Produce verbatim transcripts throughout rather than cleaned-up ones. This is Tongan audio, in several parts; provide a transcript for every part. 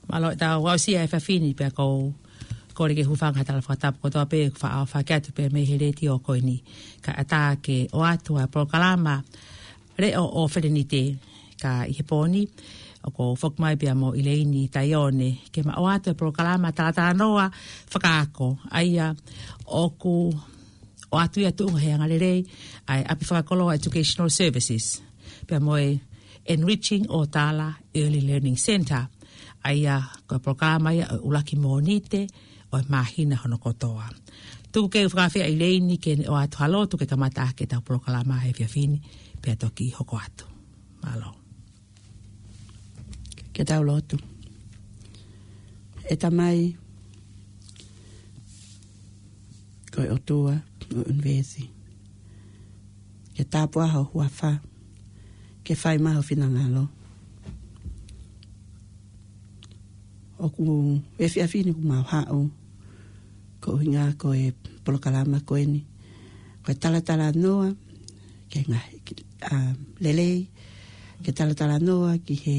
Mālō ʻetau aʻusia e efiafi ni pea ʻoku ou kole ke hūfanga he tala fakatapu kotoa pē ʻoku faʻa ʻohake atu pē mei he letiō ko eni. Kae ʻatā ke ʻoatu ʻa e polokalama Leʻo ʻo Felenite, ka ʻi he pō ni, ʻoku ou foki mai pea mo ʻIleini Taione, ke ma ʻoatu e polokalama talatalanoa fakaako, ʻa ia ʻoku ʻoatu ia tuʻunga he angalelei ʻa e ʻapi fakakoloa Educational Services, pea mo e Enriching ʻOtala Early Learning Centre, ʻa ia ko e polokalama ia ʻo e ʻuluaki Mōnite ʻo e māhina hono kotoa. Tuku ke u fakaafeʻi ʻa ʻIleini ke ne ʻoatu ha lotu ke kamata ʻaki ʻetau polokalama he efiafi ni, pea toki hoko atu. Mālō. Ke tau lotu. ʻE Tamai, ko e ʻOtua ʻo e ʻunivēsi, ke tāpuhā ho huafa, ke fai mai ho finangalo. ʻOku efiafi ni ʻoku mau haʻu, ko e ʻuhinga ko e polokalama ko eni, ko e talatalanoa ki he ngaahi, ʻa, lelei, ke talatalanoa ki he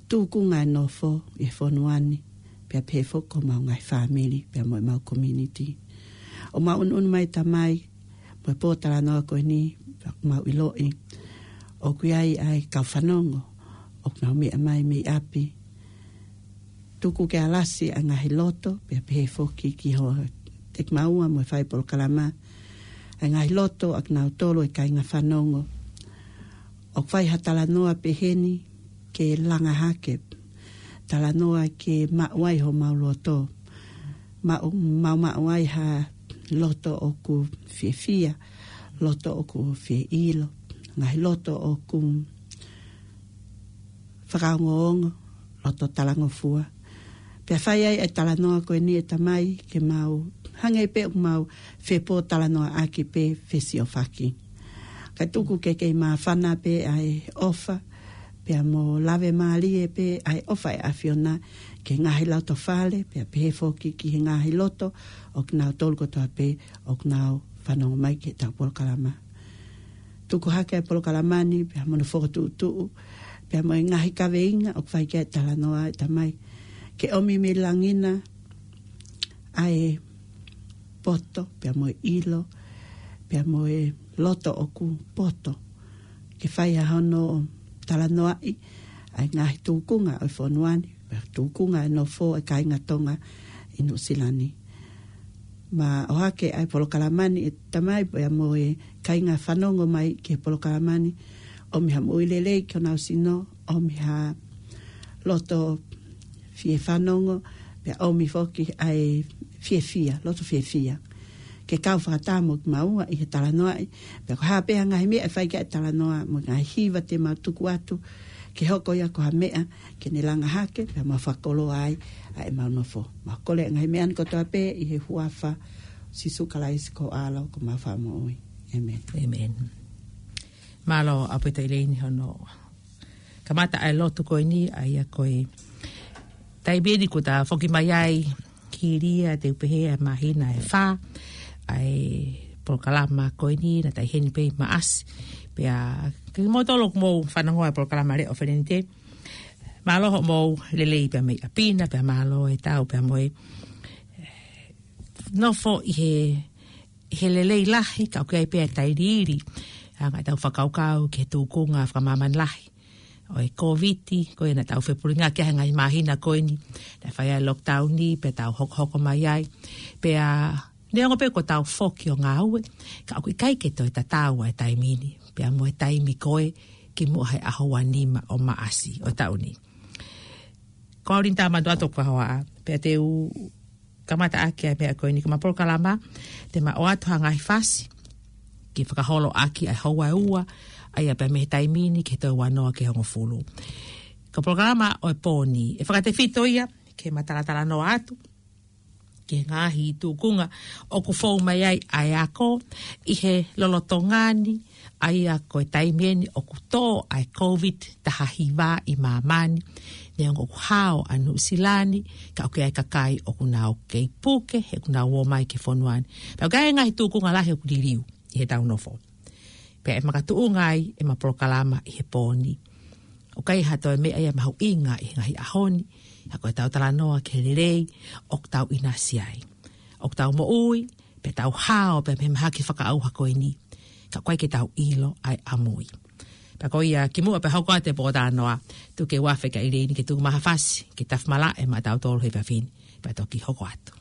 tūkunga e nofo ʻi he fonua ni, pea pehē foki ko homau ngaahi fāmili, pea mo ʻemau community. ʻOku mau ʻunuʻunu mai Tamai, mo e pōtalanoa ko eni, pea ʻoku mau ʻiloʻi ʻoku ʻi ai ʻa e kau fanongo ʻoku nau meʻa mai mei ʻapi. Tuku ke alasi ʻa e ngaahi loto, pea pehē foki ki ho, ʻeku maʻu mo e fai polokalama, ʻa e ngaahi loto ʻa kinautolu e kāinga fanongo. ʻOku fai ha talanoa pehē ni ke langa hake, talanoa ke maʻu ai homau loto, maʻu, mau maʻu ai ha loto ʻoku fiefia, loto ʻoku fie ʻilo, ngaahi loto ʻoku fakaongoongo, loto talangofua. Pea fai ai e talanoa ko eni ʻe Tamai ke mau hangē pē ʻoku mau fepōtalanoaʻaki pē fesiofaki. Kae tuku ke kei māfana pē ʻa e ʻofa, pea mo lave mālie pē ʻa e ʻofa ʻa e ʻAfiona ki he ngaahi loto fale, pea pehē foki ki he ngaahi loto ʻo kinautolu kotoa pē ʻoku nau fanongo mai ki heʻetau polokalama. Tuku hake ʻa e polokalama ni, pea mo hono fokotuʻutuʻu, pea mo e ngaahi kaveinga ʻoku fai ki ai e talanoa ʻe Tamai. Ke ʻomi mei langi na ʻa e poto, pea mo e ʻilo, pea mo e loto ʻoku poto. Ke fai ʻa hono talanoaʻi ʻa e ngaahi tūkunga ʻo e fonua ni, pea tūkunga e nofo e kāinga Tonga ʻi Nuʻusila ni. Ma ʻohake ʻa e polokalama ni ʻe Tamai pea mo e kāinga fanongo mai ki he polokalama ni, ʻomi ha moʻui lelei ki honau sino, ʻomi ha loto fie fanongo, pea ʻomi foki ʻa e fiefia, loto fiefia. Ke kau fakataha mo kimaua ʻi he talanoaʻi, pea ko e hā pē ha ngaahi meʻa ʻe fai ki ai e talanoa, mo e ngaahi hiva te mau tuku atu, ke hoko ia ko ha meʻa ke ne langa hake, pea mau fakakoloa ai ʻa ʻemau nofo. Mau kole ʻa e ngaahi meʻa ni kotoa pē ʻi he huafa ʻo Sīsū Kalaisi ko ho ʻAlo, ko homau Fakamoʻui. ʻĒmeni. ʻĒmeni. Mālō ʻaupito ʻIleini hono kamata ʻa e lotu ko eni, ʻa ia ko e taimi eni kuo ta foki mai ai ki Lea, te u pehē ʻa e māhina ʻe fā ʻa e polokalama ko eni, naʻa ta ʻi heni pē ʻi Maʻasi. Pea kimoutolu ʻoku mou fanongo ʻa e polokalama Leʻo ʻo Felenite, mālō hoʻomou lelei pea mei ʻapi na, pea mālō e tau pea mo e nofo ʻi he, he lelei lahi, ka ʻoku ʻi ai pē ʻa e tailiili, ʻa e ngaahi tau fakakaukau ki he tūkunga fakamāmani lahi ʻo e Kōviti, ko ia naʻa tau fepulinga ki ai he ngaahi māhina ko eni, naʻe fai ai e lockdown ni, pea tau hokohoko mai ai, pea neongo pē kuo tau foki ʻo ngāue, ka ʻoku ʻikai ke toe tatau ʻa e taimi ni, pea mo e taimi ko ē kimuʻa he ʻaho ua nima ʻo Maʻasi ʻo e taʻu ni. Ko au Linda Matuato Kuahoa, pea te u kamata ʻaki ʻa e meʻa ko eni, ko ʻema polokalama, te ma ʻoatu ha ngaahi fasi ke fakaholo ʻaki ʻa e houa ʻe ua, ʻa ia pea mei he taimi ni ki he toe ua noa ki he hongofulu. Ko e polokalama ʻo e pō ni, ʻe fakatefito ia ki heʻema talatalanoa atu ki he ngaahi tūkunga ʻoku fou mai ai ʻa e ako ʻi he lolotonga ni, ʻa ia ko e taimi eni ʻoku tō ʻa e Covid taha hiva ʻi māmani, neongo ʻoku hao ʻa Nuʻusila ni, ka ʻoku ʻi ai e kakai ʻoku nau kei puke, he ʻoku nau ō mai ki he fonua ni. Pea ʻoku ʻi ai e ngaahi tūkunga lahi ʻoku liliu ʻi heʻetau nofo. Pea ʻe makatuʻunga ai ʻema polokalama ʻi he pō ni. ʻOku ʻi ai ha toe meʻa ia mahuʻinga ʻi he ngaahi ʻaho ni, ka ko ʻetau talanoa ki he lelei ʻoku tau ʻinasi ai. ʻOku tau moʻui, pea tau hao, pea mei he mahaki fakaʻauha ko eni. Ka ʻoku ʻikai ke tau ʻilo ʻa e ʻamui. Pea ko ia kimuʻa pea hoko atu e pōtalanoa, tuku ke u afe ki ʻIlini ke tuku mai ha fasi ke tafimalaʻe maʻatautolu he efiafi ni, pea toki hoko atu.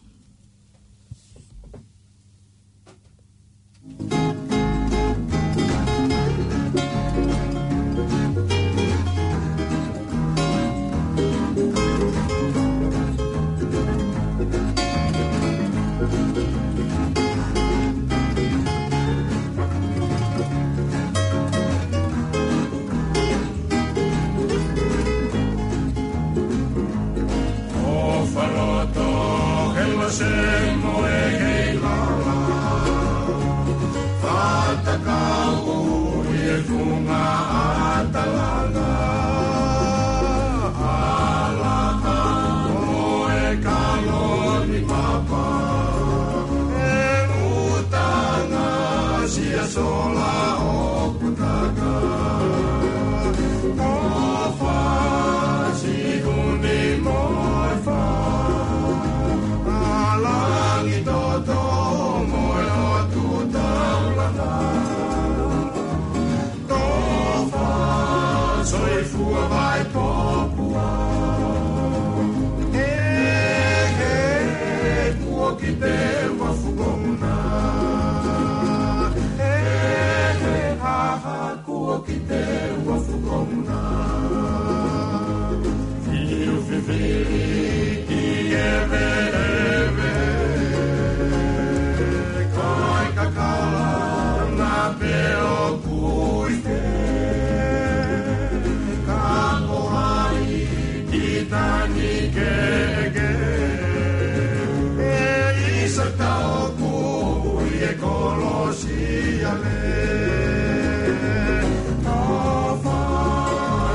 ʻOfa loto he lose mo e hei lala. Fatakau ʻi he funga ʻa Talanga. Alaka mo e kalo ni mapa. E utanga sia sola ʻoku taka. Tofa, Siʻuni mo e Fa. ʻA Langitoto mo e ʻOtu Taulanga. Tofa, soifua Vaipopua. He, he, kuo kite ua fukomuna. He, he, ha, ha, kuo kite ua fukomuna. Fiu fifili ki he veʻeveʻe. Kai kakala na pe ʻoku ʻi he. Ka ko hai ki tani kehekehe. ʻE ʻisa tau kui e kolosi. Siale. Tofa,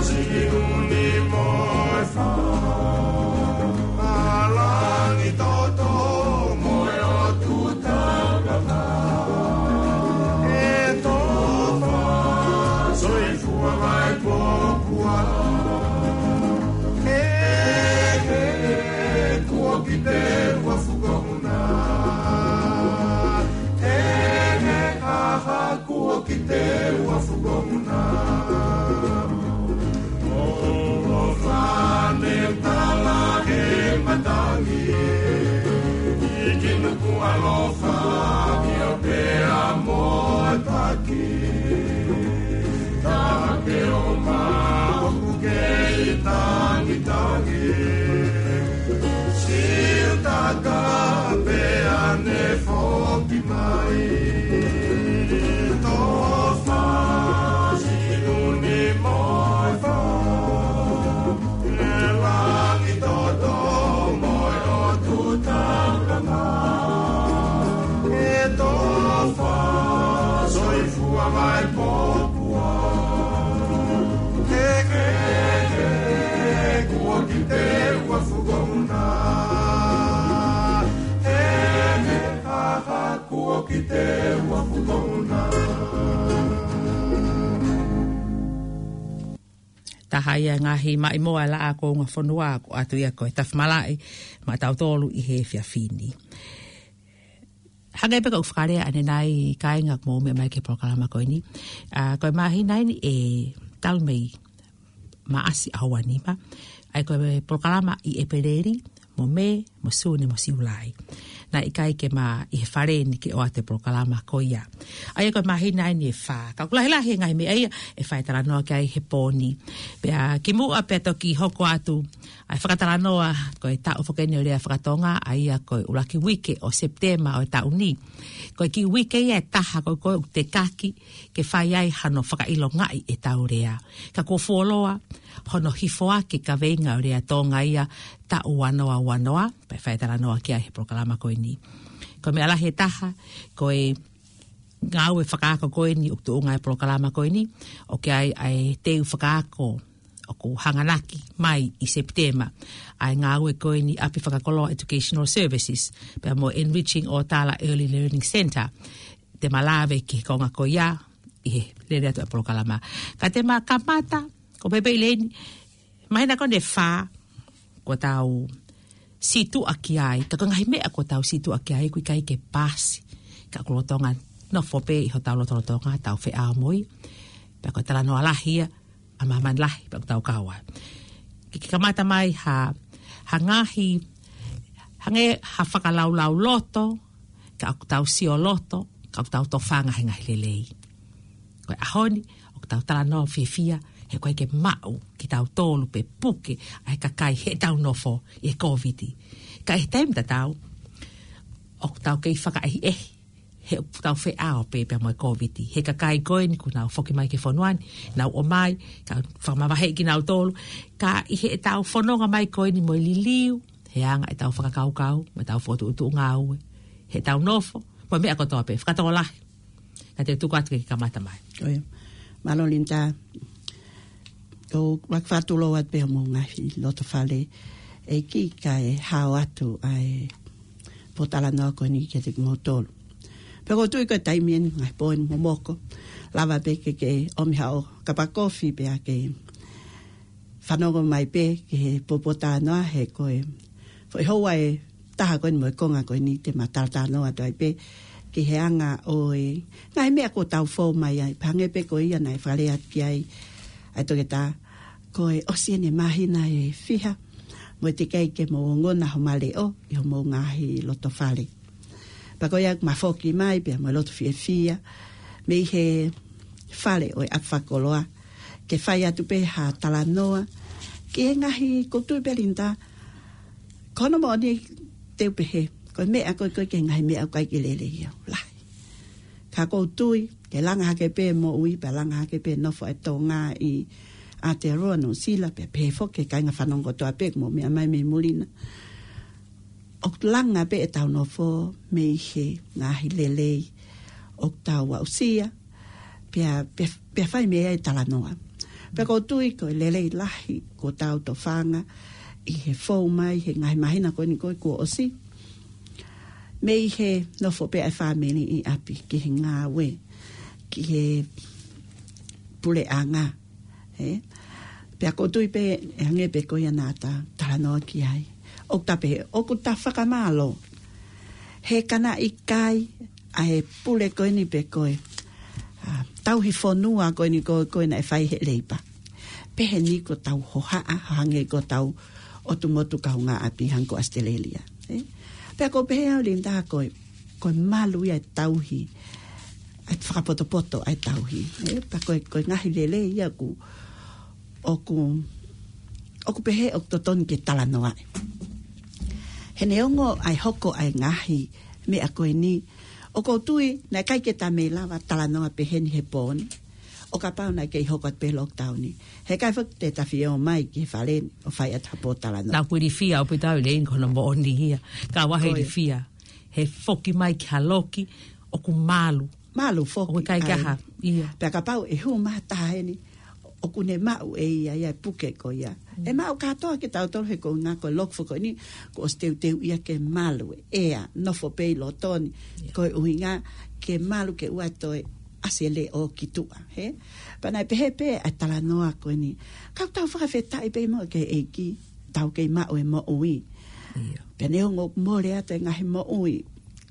Siʻuni mo e Fa. ʻA Langitoto mo e ʻOtu Taulanga. ʻE Tofa, soifua Vaipopua. He, he, kuo kite ua fukomuna. He, he, ha, ha, kuo kite ua fukomuna. ʻOfa ne tala he matangi. ʻIki nuku alofa, ʻio pea mo e taki. Tape o ma ʻoku kei tangitangi. Siutaka pea ne foki mai. Tofa, Siʻuni mo e Fa. ʻE Langitoto mo e ʻOtu Taulanga. ʻE Tofa, soifua Vaipopua. He, he, he, kuo kite ua fukomuna. He, he, ha, ha, kuo kite ua fukomuna. Taha ia ngaahi maʻimoa e Laʻā Kuonga Fonua, ko atu ia ko e tafimalaʻe maʻatautolu ʻi he efiafi ni. Hangē pē ko ʻeku fakalea ʻanenai kāinga ʻoku mou meʻa mai ki he polokalama ko eni. ʻA, ko e māhina eni ʻe talu mei Maʻasi ʻaho ua nima. ʻA ia ko e polokalama ʻi ʻEpeleli, mo Mē, mo Sune, mo Siulai. Naʻe ʻikai ke ma ʻi he fale ni ke ʻoatu e polokalama ko ia. ʻA ia ko e māhina eni ʻe fā. Ka ʻoku lahilahi e ngaahi meʻa ia ʻe fai talanoa ki ai he pō ni. Pea kimuʻa pea toki hoko atu ʻA e fakatalanoa, ko e taʻu foki eni ʻo e lea fakatonga, ʻa ia ko e ʻuluaki uike ʻo Sepitema ʻo e taʻu ni. Ko e kiʻi uike ia ʻe taha ko ē ʻoku tekaki ke fai ai hano fakaʻilongaʻi ʻetau lea. Ka kuo fuoloa hono hifoaki e kaveinga ʻo e lea Tonga ia taʻu ua noa ua noa, pea fai e talanoa ki ai he polokalama ko eni. Ko e meʻa lahi ʻe taha, ko e ngāue fakaako ko eni ʻoku tuʻunga ai e polokalama ko eni, ʻoku ʻi ai ʻa e teu fakaako ʻoku hanganaki mai ʻi Sepitema, ʻa e ngāue ko eni ʻapi fakakoloa Educational Services, pea mo Enriching ʻOtala Early Learning Centre, te ma lave ki he konga ko ia ʻi he lele atu ʻa e polokalama. Ka te ma kamata, ko e pehē pē ʻEilini, māhina ko eni ʻe fā, kuo tau sītuʻa ki ai, ka ko e ngaahi meʻa kuo tau sītuʻa ki ai, ʻoku ʻikai ke paasi, ka ʻoku lolotonga nofo pē ʻi hotau lotolotonga, tau feʻao mo ia, pea ko e talanoa lahi ia, ʻa māmani lahi, pea ʻoku tau kau ai. Ke, ke kamata mai ha, ha ngaahi, hangē ha fakalaulauloto, ka ʻoku tau sioloto, ka ʻoku tau tofanga he ngaahi lelei. Ko e ʻaho ni, ʻoku tau talanoa fiefia, he ʻoku ʻikai ke maʻu kitautolu pe puke ʻa e kakai heʻetau nofo ʻi he Kōviti. Ka ʻi he taimi tatau, ʻoku tau kei fakaʻehiʻehi, he ʻoku tau feʻao pē pea mo e Kōviti. He kakai ko eni kuo nau foki mai ki he fonua ni, nau ō mai, ka fakamavaheʻi kinautolu, ka ʻi heʻetau fononga mai ko eni mo e liliu, he anga ʻetau fakakaukau, mo ʻetau fokotuʻutuʻu ngāue, heʻetau nofo, mo e meʻa kotoa pē, fakatokolahi. Ka te u tuku atu ke ke kamata mai. ʻIo. Mālō Linda, ʻoku ou fakatulou atu pē homou ngaahi loto fale, ʻEiki, kae hao atu ʻa e pōtalanoa ko eni kiate kimoutolu. Pea ʻoku ou tui ko e taimi eni ngaahi pō eni momoko, lava pē ke ke ʻomi haʻo kapa kofi pea ke fanongo mai pē ki he pōtalanoa he ko e foʻi houa ʻe taha ko eni mo e konga ko eni te ma talatalanoa atu ai pē ki he anga ʻo e ngaahi meʻa kuo tau fou mai ai, pea hangē pē ko ia naʻe fakalea atu ki ai ʻa e toketā, ko e ʻosi eni e māhina ʻe fiha mo e teʻeki ai ke mou ongona homa leʻo ʻi homou ngaahi loto fale. Pea ko ia ʻoku ma foki mai pea mo e loto fiefia mei he fale ʻo e ʻapi fakakoloa ke fai atu pē ha talanoa ki he ngaahi, ʻoku ou tui pē Linda, ko hono moʻoni te u pehē, ko e meʻa ko ē ko ē ki he ngaahi meʻa ʻoku ʻikai ke lelei ia ʻoku lahi. Ka ʻoku ou tui, ke langa hake pē moʻui, pea langa hake pē nofo ʻa e Tonga ʻi Aotearoa, Nuʻusila, pea pehē foki ki he kāinga fanongo kotoa pē ʻoku mou meʻa mai mei muli na. ʻOku langa pē ʻetau nofo mei he ngaahi lelei ʻoku tau aʻusia, pea, pea, pea fai mei ai e talanoa. Pea ʻoku ou tui ko e lelei lahi kuo tau tofanga ʻi he fou mai he ngaahi māhina ko eni ko ē kuo ʻosi, mei he nofo pē ʻa e fāmili ʻi ʻapi ki he ngāue, ki he puleʻanga, ē? Pea ʻoku ou tui pē, ʻe hangē pē ko ia naʻa ta talanoa ki ai, ʻoku ta pehē, ʻoku ta fakamālō he ka naʻe ʻikai ʻa e pule ko eni pe ko e, ʻa, tauhi fonua ko eni ko, ko ē naʻe fai he Leipa, pehē ni kuo tau hohaʻa, hangē ko ʻetau ʻotu motu kaungāʻapi hangē ko ʻAositelēlia, ē? Pea ʻoku ou pehē au Linda ko e, ko e malu ia e tauhi, ʻa e fakapotopoto ʻa e tauhi, ē? Pea ko e, ko e ngaahi lelei ia ʻoku, ʻoku, ʻoku pehē ʻoku totonu ke talanoaʻi. He neongo ʻa e hoko ʻa e ngaahi meʻa ko eni, ʻoku ou tui naʻe ʻikai ke ta mei lava talanoa pehē ni he pō ni ʻo kapau naʻe kei hoko atu pē lockdown ni. He ʻikai foki te ta fie ō mai ki he fale ni ʻo fai atu ha pōtalanoa. Naʻa ku ilifia ʻaupito au ʻEilini, ko hono moʻoni ia. Ka ʻoku ou ilifia he foki mai ki ha loki ʻoku malu. Malu foki. ʻOku ʻikai ke ʻai ha, ia. Pea kapau ʻe hū mai ha taha heni, ʻoku ne maʻu ʻe ia ia e puke ko ia. ʻE maʻu kātoa kitautolu he ko e ʻuhinga ko e loki foki ko eni, kuo ʻosi teuteu ia ke malu e ʻea, nofo pē ʻi loto ni. Ia. Ko e ʻuhinga ke malu ke ʻoua toe ʻasi e leʻo ki tuʻa, hē? Pea naʻe pehē pē ʻa e talanoa ko eni. Ka ʻoku tau fakafetaʻi pē mo e ʻEiki, tau kei maʻu e moʻui. Ia. Pea neongo ʻoku mole atu e ngaahi moʻui,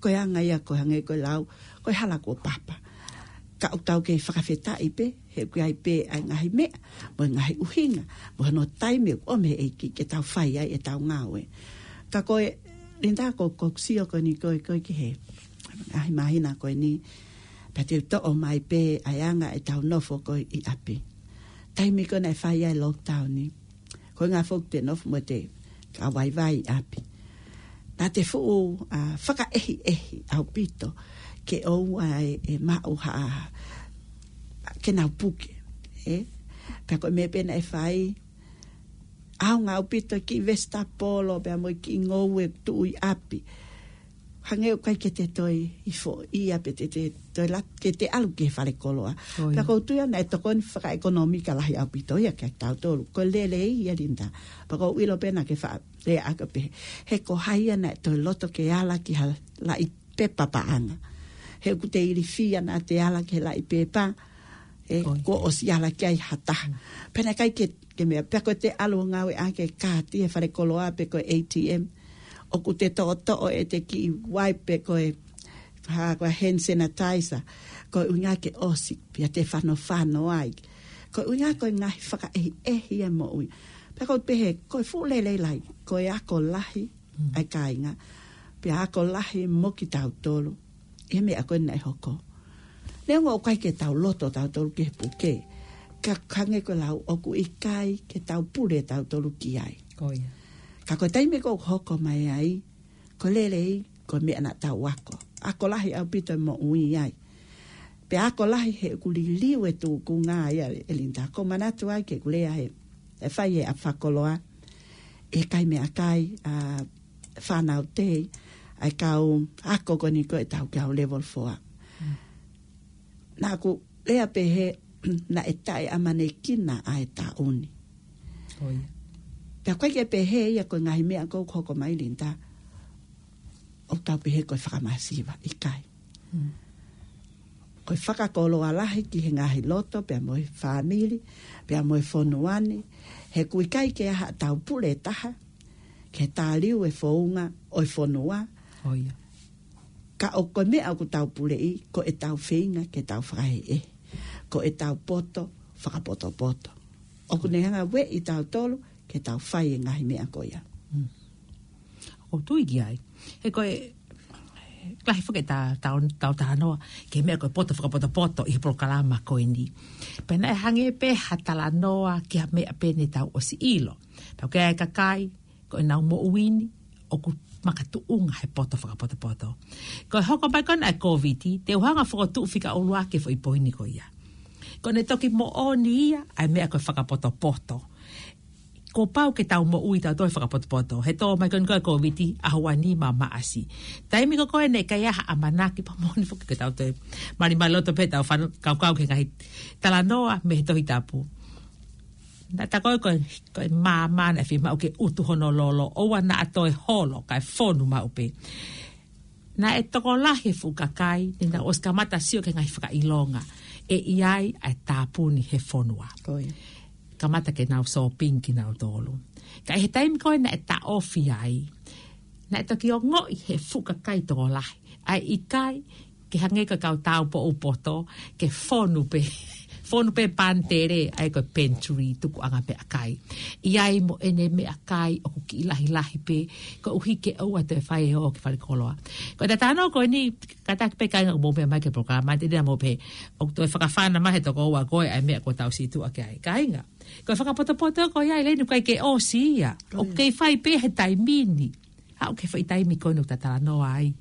ko e anga ia ko e hangē ko e lau, ko e hala kuo papa. Ka ʻoku tau kei fakafetaʻi pē, he ʻoku ʻi ai pē ʻa e ngaahi meʻa, mo e ngaahi ʻuhinga, mo hono taimi ʻoku ʻomi ʻe he ʻEiki ke tau fai ai ʻetau ngāue. Ka ko e, Linda, ko, ʻoku ou sio ko eni ko ē, ko ē ki he ngaahi māhina ko eni, pea te u toʻo mai pē ʻa e anga ʻetau nofo ko ē ʻi ʻapi. Taimi ko ē naʻe fai ai e lockdown ni, Ko e ngaahi foki te nofo mo te kau vaivai ʻi ʻapi. Naʻa te fuʻu, ā, fakaʻehiʻehi ʻaupito ke ʻoua ʻe, ʻe maʻu ha ke nau puke, ē? Pea ko e meʻa pē naʻe fai, ʻaonga ʻaupito e kiʻi vesitapolo, pea mo e kiʻi ngoue tuʻu ʻi ʻapi. Hangē ʻoku ʻikai ke te toe ʻi foʻi ia pe te, te toe lat-, ke te ʻalu ki he falekoloa. Ko ia. Pea ʻoku ou tui naʻe tokoni fakaʻekonōmika lahi ʻaupito ia kia tautolu. Ko e lelei ia Linda. Pea ʻoku ou ʻilo pē naʻa ke faʻa lea ʻaki pē. He ko hai ia naʻe toe loto ke ala ki ha laʻi pepa paʻanga. He ʻoku te ilifia naʻa te ala ki he laʻi pepa, ē, Ko ia. kuo ʻosi ala ki ai ha taha. Pea naʻe ʻikai ke, ke meʻa, pea ko te ʻalu ʻo ngāueʻaki e kaati he falekoloa pe ko e A T M. ʻOku te toʻotoʻo e te kiʻi wipe pe ko e, ha, ko e hand sanitizer. Ko e ʻuhinga ke ʻosi, pea te fanofano ai. Ko e ʻuhinga ko e ngaahi fakaʻehiʻehi e moʻui. Pea ʻoku ou pehē, ko e fuʻu lelei lahi, ko e ako lahi, Mm. ʻa e kāinga. Pea ako lahi mo kitautolu. ʻI he meʻa ko ē naʻe hoko. Neongo ʻoku ʻikai ke tau loto tautolu ki he puke. Ka hangē ko e lau ʻoku ʻikai ke tau pule tautolu ki ai. Ko ia. Ka ko e taimi ko ē ʻoku hoko mai ai, ko e lelei, ko e meʻa naʻa tau ako. Ako lahi ʻaupito e moʻui ai. Pea ako lahi he ʻoku liliu e tūkunga ia e Linda. ʻOku ou manatu ai ke kulea he, e fai e ʻaho fakakoloa. ʻE kai meʻakai, ā, fānau tei, ʻa e kau ako ko eni ko e tau kau level four. Mm. Naʻa ku lea pehē naʻe taʻeʻamanekina ʻa e taʻu ni. Ko ia. Pea ʻoku ʻikai ke pehē ia ko e ngaahi meʻa ko ē ʻoku hoko mai Linda. ʻOku tau pehē ko e fakamasiva, ʻikai. Mm. Ko e fakakoloa lahi ki he ngaahi loto, pea mo e fāmili, pea mo e fonua ni, he ʻoku ʻikai ke ʻi ai haʻatau pule ʻe taha, ke tāliu e founga ʻo e fonua. Ko ia. Ka ʻoku ko e meʻa ʻoku tau puleʻi, ko e tau feinga ke tau fakaʻehiʻehi. Ko e tau poto, fakapotopoto. ʻOku ne hanga ʻo ueʻi tautolu, ke tau fai e ngaahi meʻa ko ia. Mm. ʻOku ou tui ki ai. He ko e, lahi foki e ta, ta, ta, talanoa, ki he meʻa ko e poto fakapotopoto ʻi he polokalama ko eni. Pea naʻe hangē pē ha talanoa ki ha meʻa pē ne tau ʻosi ʻilo. Pea ko e kakai, ko ʻenau moʻui ni, ʻoku makatuʻunga he poto fakapotopoto. Ko e hoko mai ko ena e Covid, te u hanga ʻo fokotuʻu fika ʻuluaki e foʻi poini ko ia. Ko ʻene toki moʻoni ia, ʻa e meʻa ko e fakapotopoto. Kuo pau ke tau moʻui tautolu he fakapotopoto. He tō mai ko eni ko e Covid, ʻaho ua nima Maʻasi. Taimi ko ē ko ē naʻe ʻikai ha ʻamanaki pea moʻoni foki ke tau toe malimali loto pē tau fano-, kaukau ki he ngaahi talanoa mei he Tohi Tapu. Naʻe tā ko ē ko e, ko e maama naʻe fiemaʻu ke utu hono lolo, ʻoua naʻa toe holo, kae fonu maʻu pē. Naʻe tokolahi e fuʻu kakai, ne nau ʻosi kamata sio ki he ngaahi fakaʻilonga ʻe ʻi ai ʻa e tāpuni he fonua. Ko ia. Kamata ke nau shopping kinautolu. Ka ʻi he taimi ko ē naʻe taʻofi ai, naʻe toki ongoʻi he fuʻu kakai tokolahi ʻa e ʻikai ke hangē ko e kau tāupoʻou poto, ke fonu pē, fonu pē pantele, ʻa ia ko e pantry, tukuʻanga meʻakai. ʻI ai mo ʻene meʻakai ʻoku kiʻi lahilahi pē, koeʻuhi ke ʻoua toe fai e ō ki falekoloa. Ko e talanoa ko eni, kātaki pē kāinga ʻoku mou meʻa mai ki he polokalama, te u lea mo pē, ʻoku toe fakafana mai he toko ua ko ē ʻa e meʻa kuo tau situʻa ki ai. Kāinga, ko e fakapotopoto ko ia ʻi heni ʻoku ʻikai ke ʻosi ia. ʻOku kei fai pē he taimi ni. Aʻu ki he foʻi taimi ko eni ʻoku ta talanoa ai.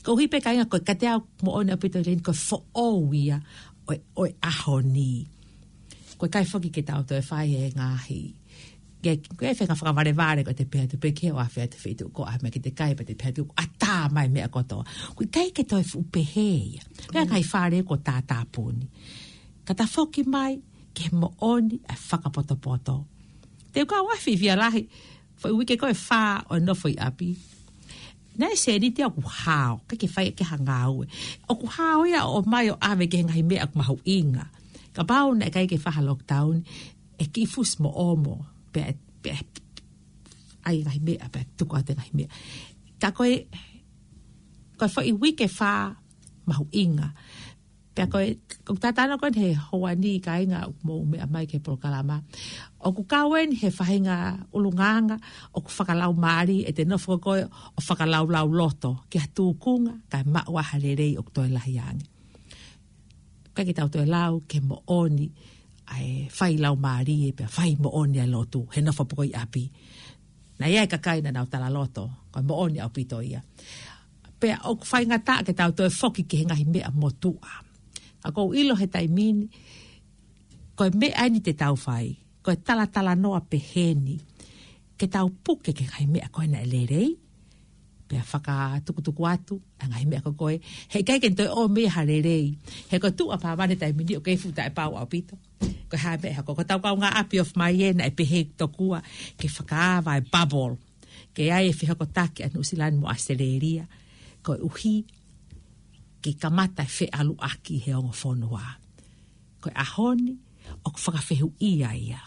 Koeʻuhi pē kāinga ko e kiate au moʻoni ʻaupito ʻi heni ko e foʻou ia ʻo e, ʻo e ʻaho ni. ʻOku ʻikai foki ke tau toe fai e ngaahi. Ke, ke fenga fakavalevale ko e te pehē atu pē ke ʻoua ʻe fai atu feituʻu ko ā meʻa ke te kai pea te pehē atu ʻatā mai meʻa kotoa. ʻOku ʻikai ke toe fuʻu pehē ia. Pea ngaahi fale kuo tātāpuni. Ka ta foki mai ki he moʻoni ʻa e fakapotopoto. Te u kau ʻa e fiefia lahi, foʻi uike ko ē ʻe fā ʻo e nofo ʻi ʻapi. Naʻe sēniti ʻoku hao, ʻikai ke fai ʻe ha ngāue. ʻOku hao ia ʻo ʻomai ʻo ʻave ki he ngaahi meʻa ʻoku mahuʻinga. Kapau naʻe ʻikai ke fai ha lockdown, ʻe kiʻi fusi mo ʻomo, pea, pea, ʻai ngaahi meʻa, pea tuku atu e ngaahi meʻa. Ka ko e, ko e foʻi uike ʻe fā mahuʻinga. Pea ko e, ʻoku ta talanoa ko eni he houa ni kāinga ʻoku mou meʻa mai ki he polokalama. ʻOku kau eni he faʻahinga ʻulungaanga, ʻoku fakalaumālie, ʻe te nofo ko ē ʻo fakalaulauloto, ki ha tūkunga, kae maʻu ha lelei ʻoku toe lahi ange. ʻIkai ke tau toe lau, ki he moʻoni, ʻa e fai laumālie pea fai moʻoni ʻa e lotu, he nofo pē ko ē ʻi ʻapi. Naʻe ʻi ai e kakai naʻa nau talaloto, ko e moʻoni ʻaupito ia. Pea ʻoku faingataʻa ke tau toe foki ki he ngaahi meʻa motuʻa. Ka ʻoku ou ʻilo he taimi ni, ko e meʻa eni te tau fai, ko e talatalanoa pehē ni, ke tau puke ki he ngaahi meʻa ko ē naʻe lelei, pea fakatukutuku atu ʻa e ngaahi meʻa ko ē, he ʻikai ke toe ʻomai ha lelei. He ko e tuʻa pāmane taimi ni ʻoku kei fuʻu taʻepau ʻaupito. Ko e hā e meʻa ʻe hoko? Ko ʻetau kaungāʻapi ʻoku ʻomai ē naʻe pehē tokua ke fakaava e bubble, ke ʻi ai e fehokotaki ʻa Nuʻusila ni mo ʻAositelēlia, koeʻuhi ke kamata e feʻaluʻaki he ongo fonua. Ko e ʻaho ni, ʻoku fakafehuʻia ia.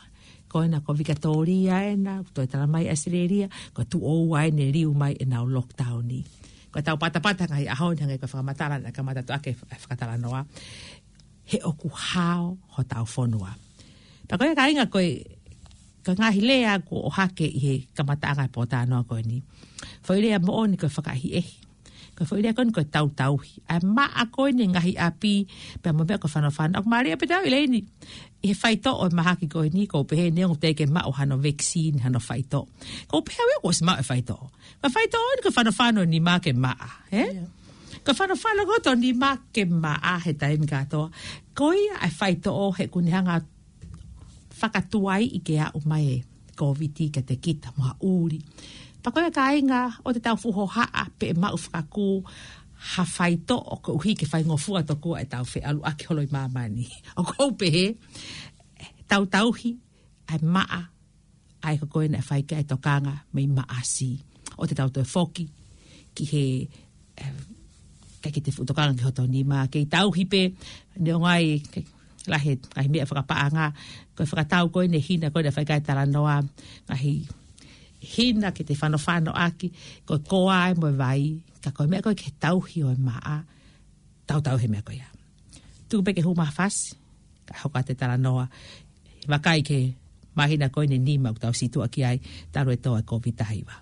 Ko ena ko Vikatōlia ena, ʻoku toe tala mai ʻAositelēlia, ko e tuʻo ua eni ʻe liu mai ʻenau lockdown ni. Ko ʻetau patapata ngaahi ʻaho ni, hangē ko e fakamatala naʻe kamata atu ʻaki e fakatalanoa, he ʻoku hao hotau fonua. Pea ko ia kāinga, ko e, ko e ngaahi lea kuo ʻohake ʻi he kamataʻanga e pōtalanoa ko eni. Foʻi lea moʻoni ko e fakaʻehiʻehi. Ko e foʻi lea ko eni ko e tautauhi. ʻA e maʻa ko eni ngaahi ʻapi, pea mo e meʻa ko e fanofano. ʻOku mālie pē ʻetau ʻilo eni, ʻi he faitoʻo e mahaki ko eni, ʻoku pehē neongo teʻeki ke maʻu hano vaccine, hano faitoʻo, ʻoku pehē au ia kuo ʻosi maʻu e faitoʻo. Ko e faitoʻo eni ko e fanofano nima ke maʻa, ē? Ia. Ko e fanofano ko ē hoto nima ke maʻa he taimi kātoa. Ko ia e faitoʻo he ʻoku ne hanga fakatuaiʻi ke aʻu mai e Kōviti kiate kita mo ha ʻuli. Pea ko ia kāinga, ʻoua te tau fuʻu hohaʻa pe maʻu fakakū ha faitoʻo koeʻuhi ke faingofua tokua ʻetau feʻaluʻaki holo ʻi māmani. ʻOku ou pehē, tautauhi ʻa e maʻa, ʻa ia ko ē naʻe fai ki ai e tokanga mei Maʻasi. ʻOua te tau toe foki ki he, eh, ʻikai ke te fuʻu tokanga ki hoto nima, kei tauhi pē, neongo ʻa e lahi e ngaahi meʻa fakapaʻanga, ko e fakatau ko eni e hina ko ē naʻe fai ki ai e talanoa, ngaahi hina ke te fanofano ʻaki, ko e koa ē mo e vai, ka ko e meʻa ko ē ke tauhi ʻo e maʻa, tautauhi e meʻa ko ia. Tuku pē ke hū mai ha fasi, kae hoko atu e talanoa. Vakai ki he māhina ko eni ʻe nima ʻoku tau situʻa ki ai, talu e tō e Kōviti taha hiva.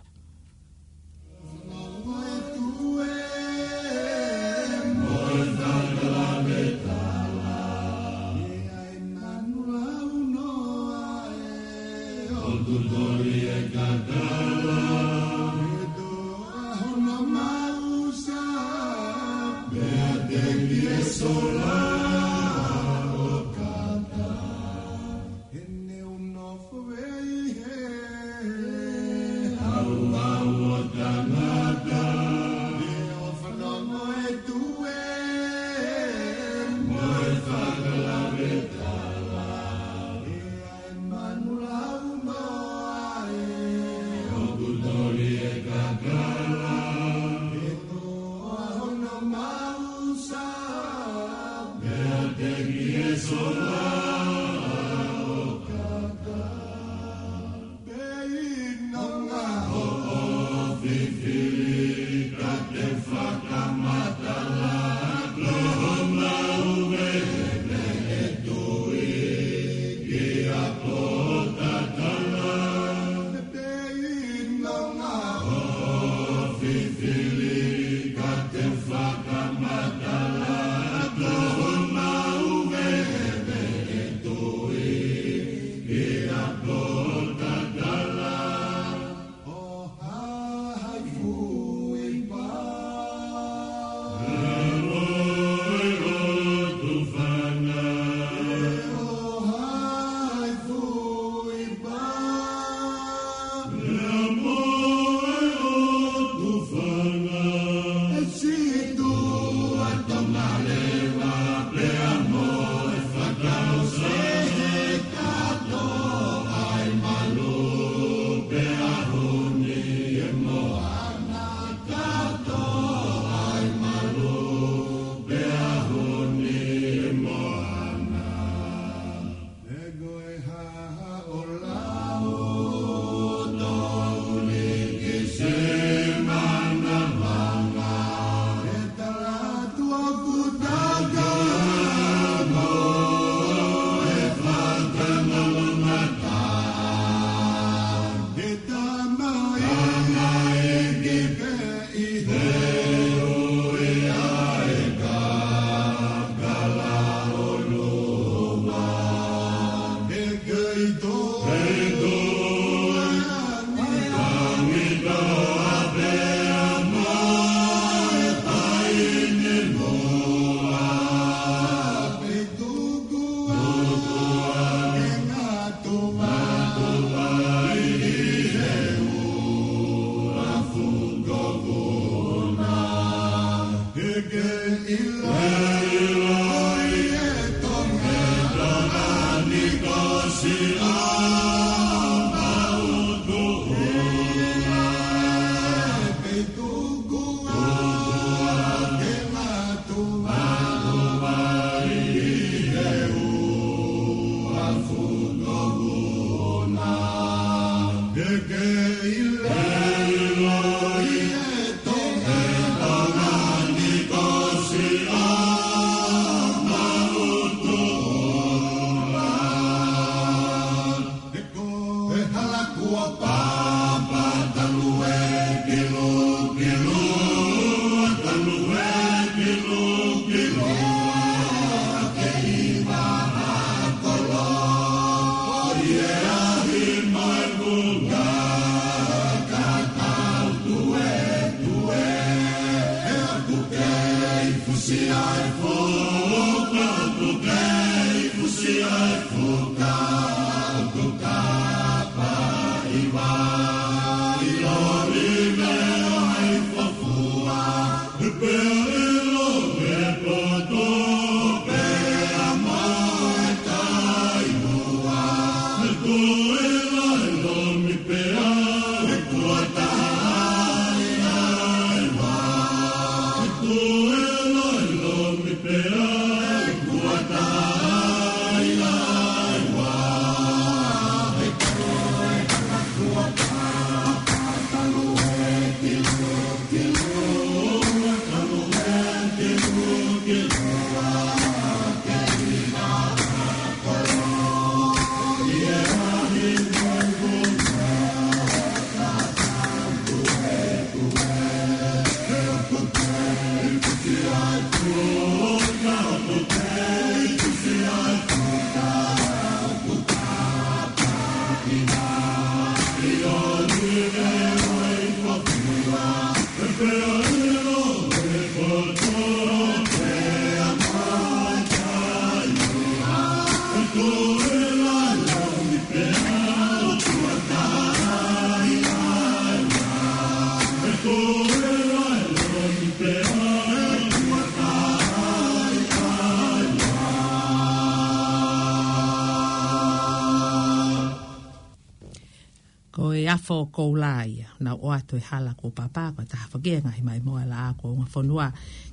Ko e afo koula ia, naʻa nau ʻoatu e hala ko papa, ko e taha foki e ngaahi maimoa laʻā ko Ungafonua.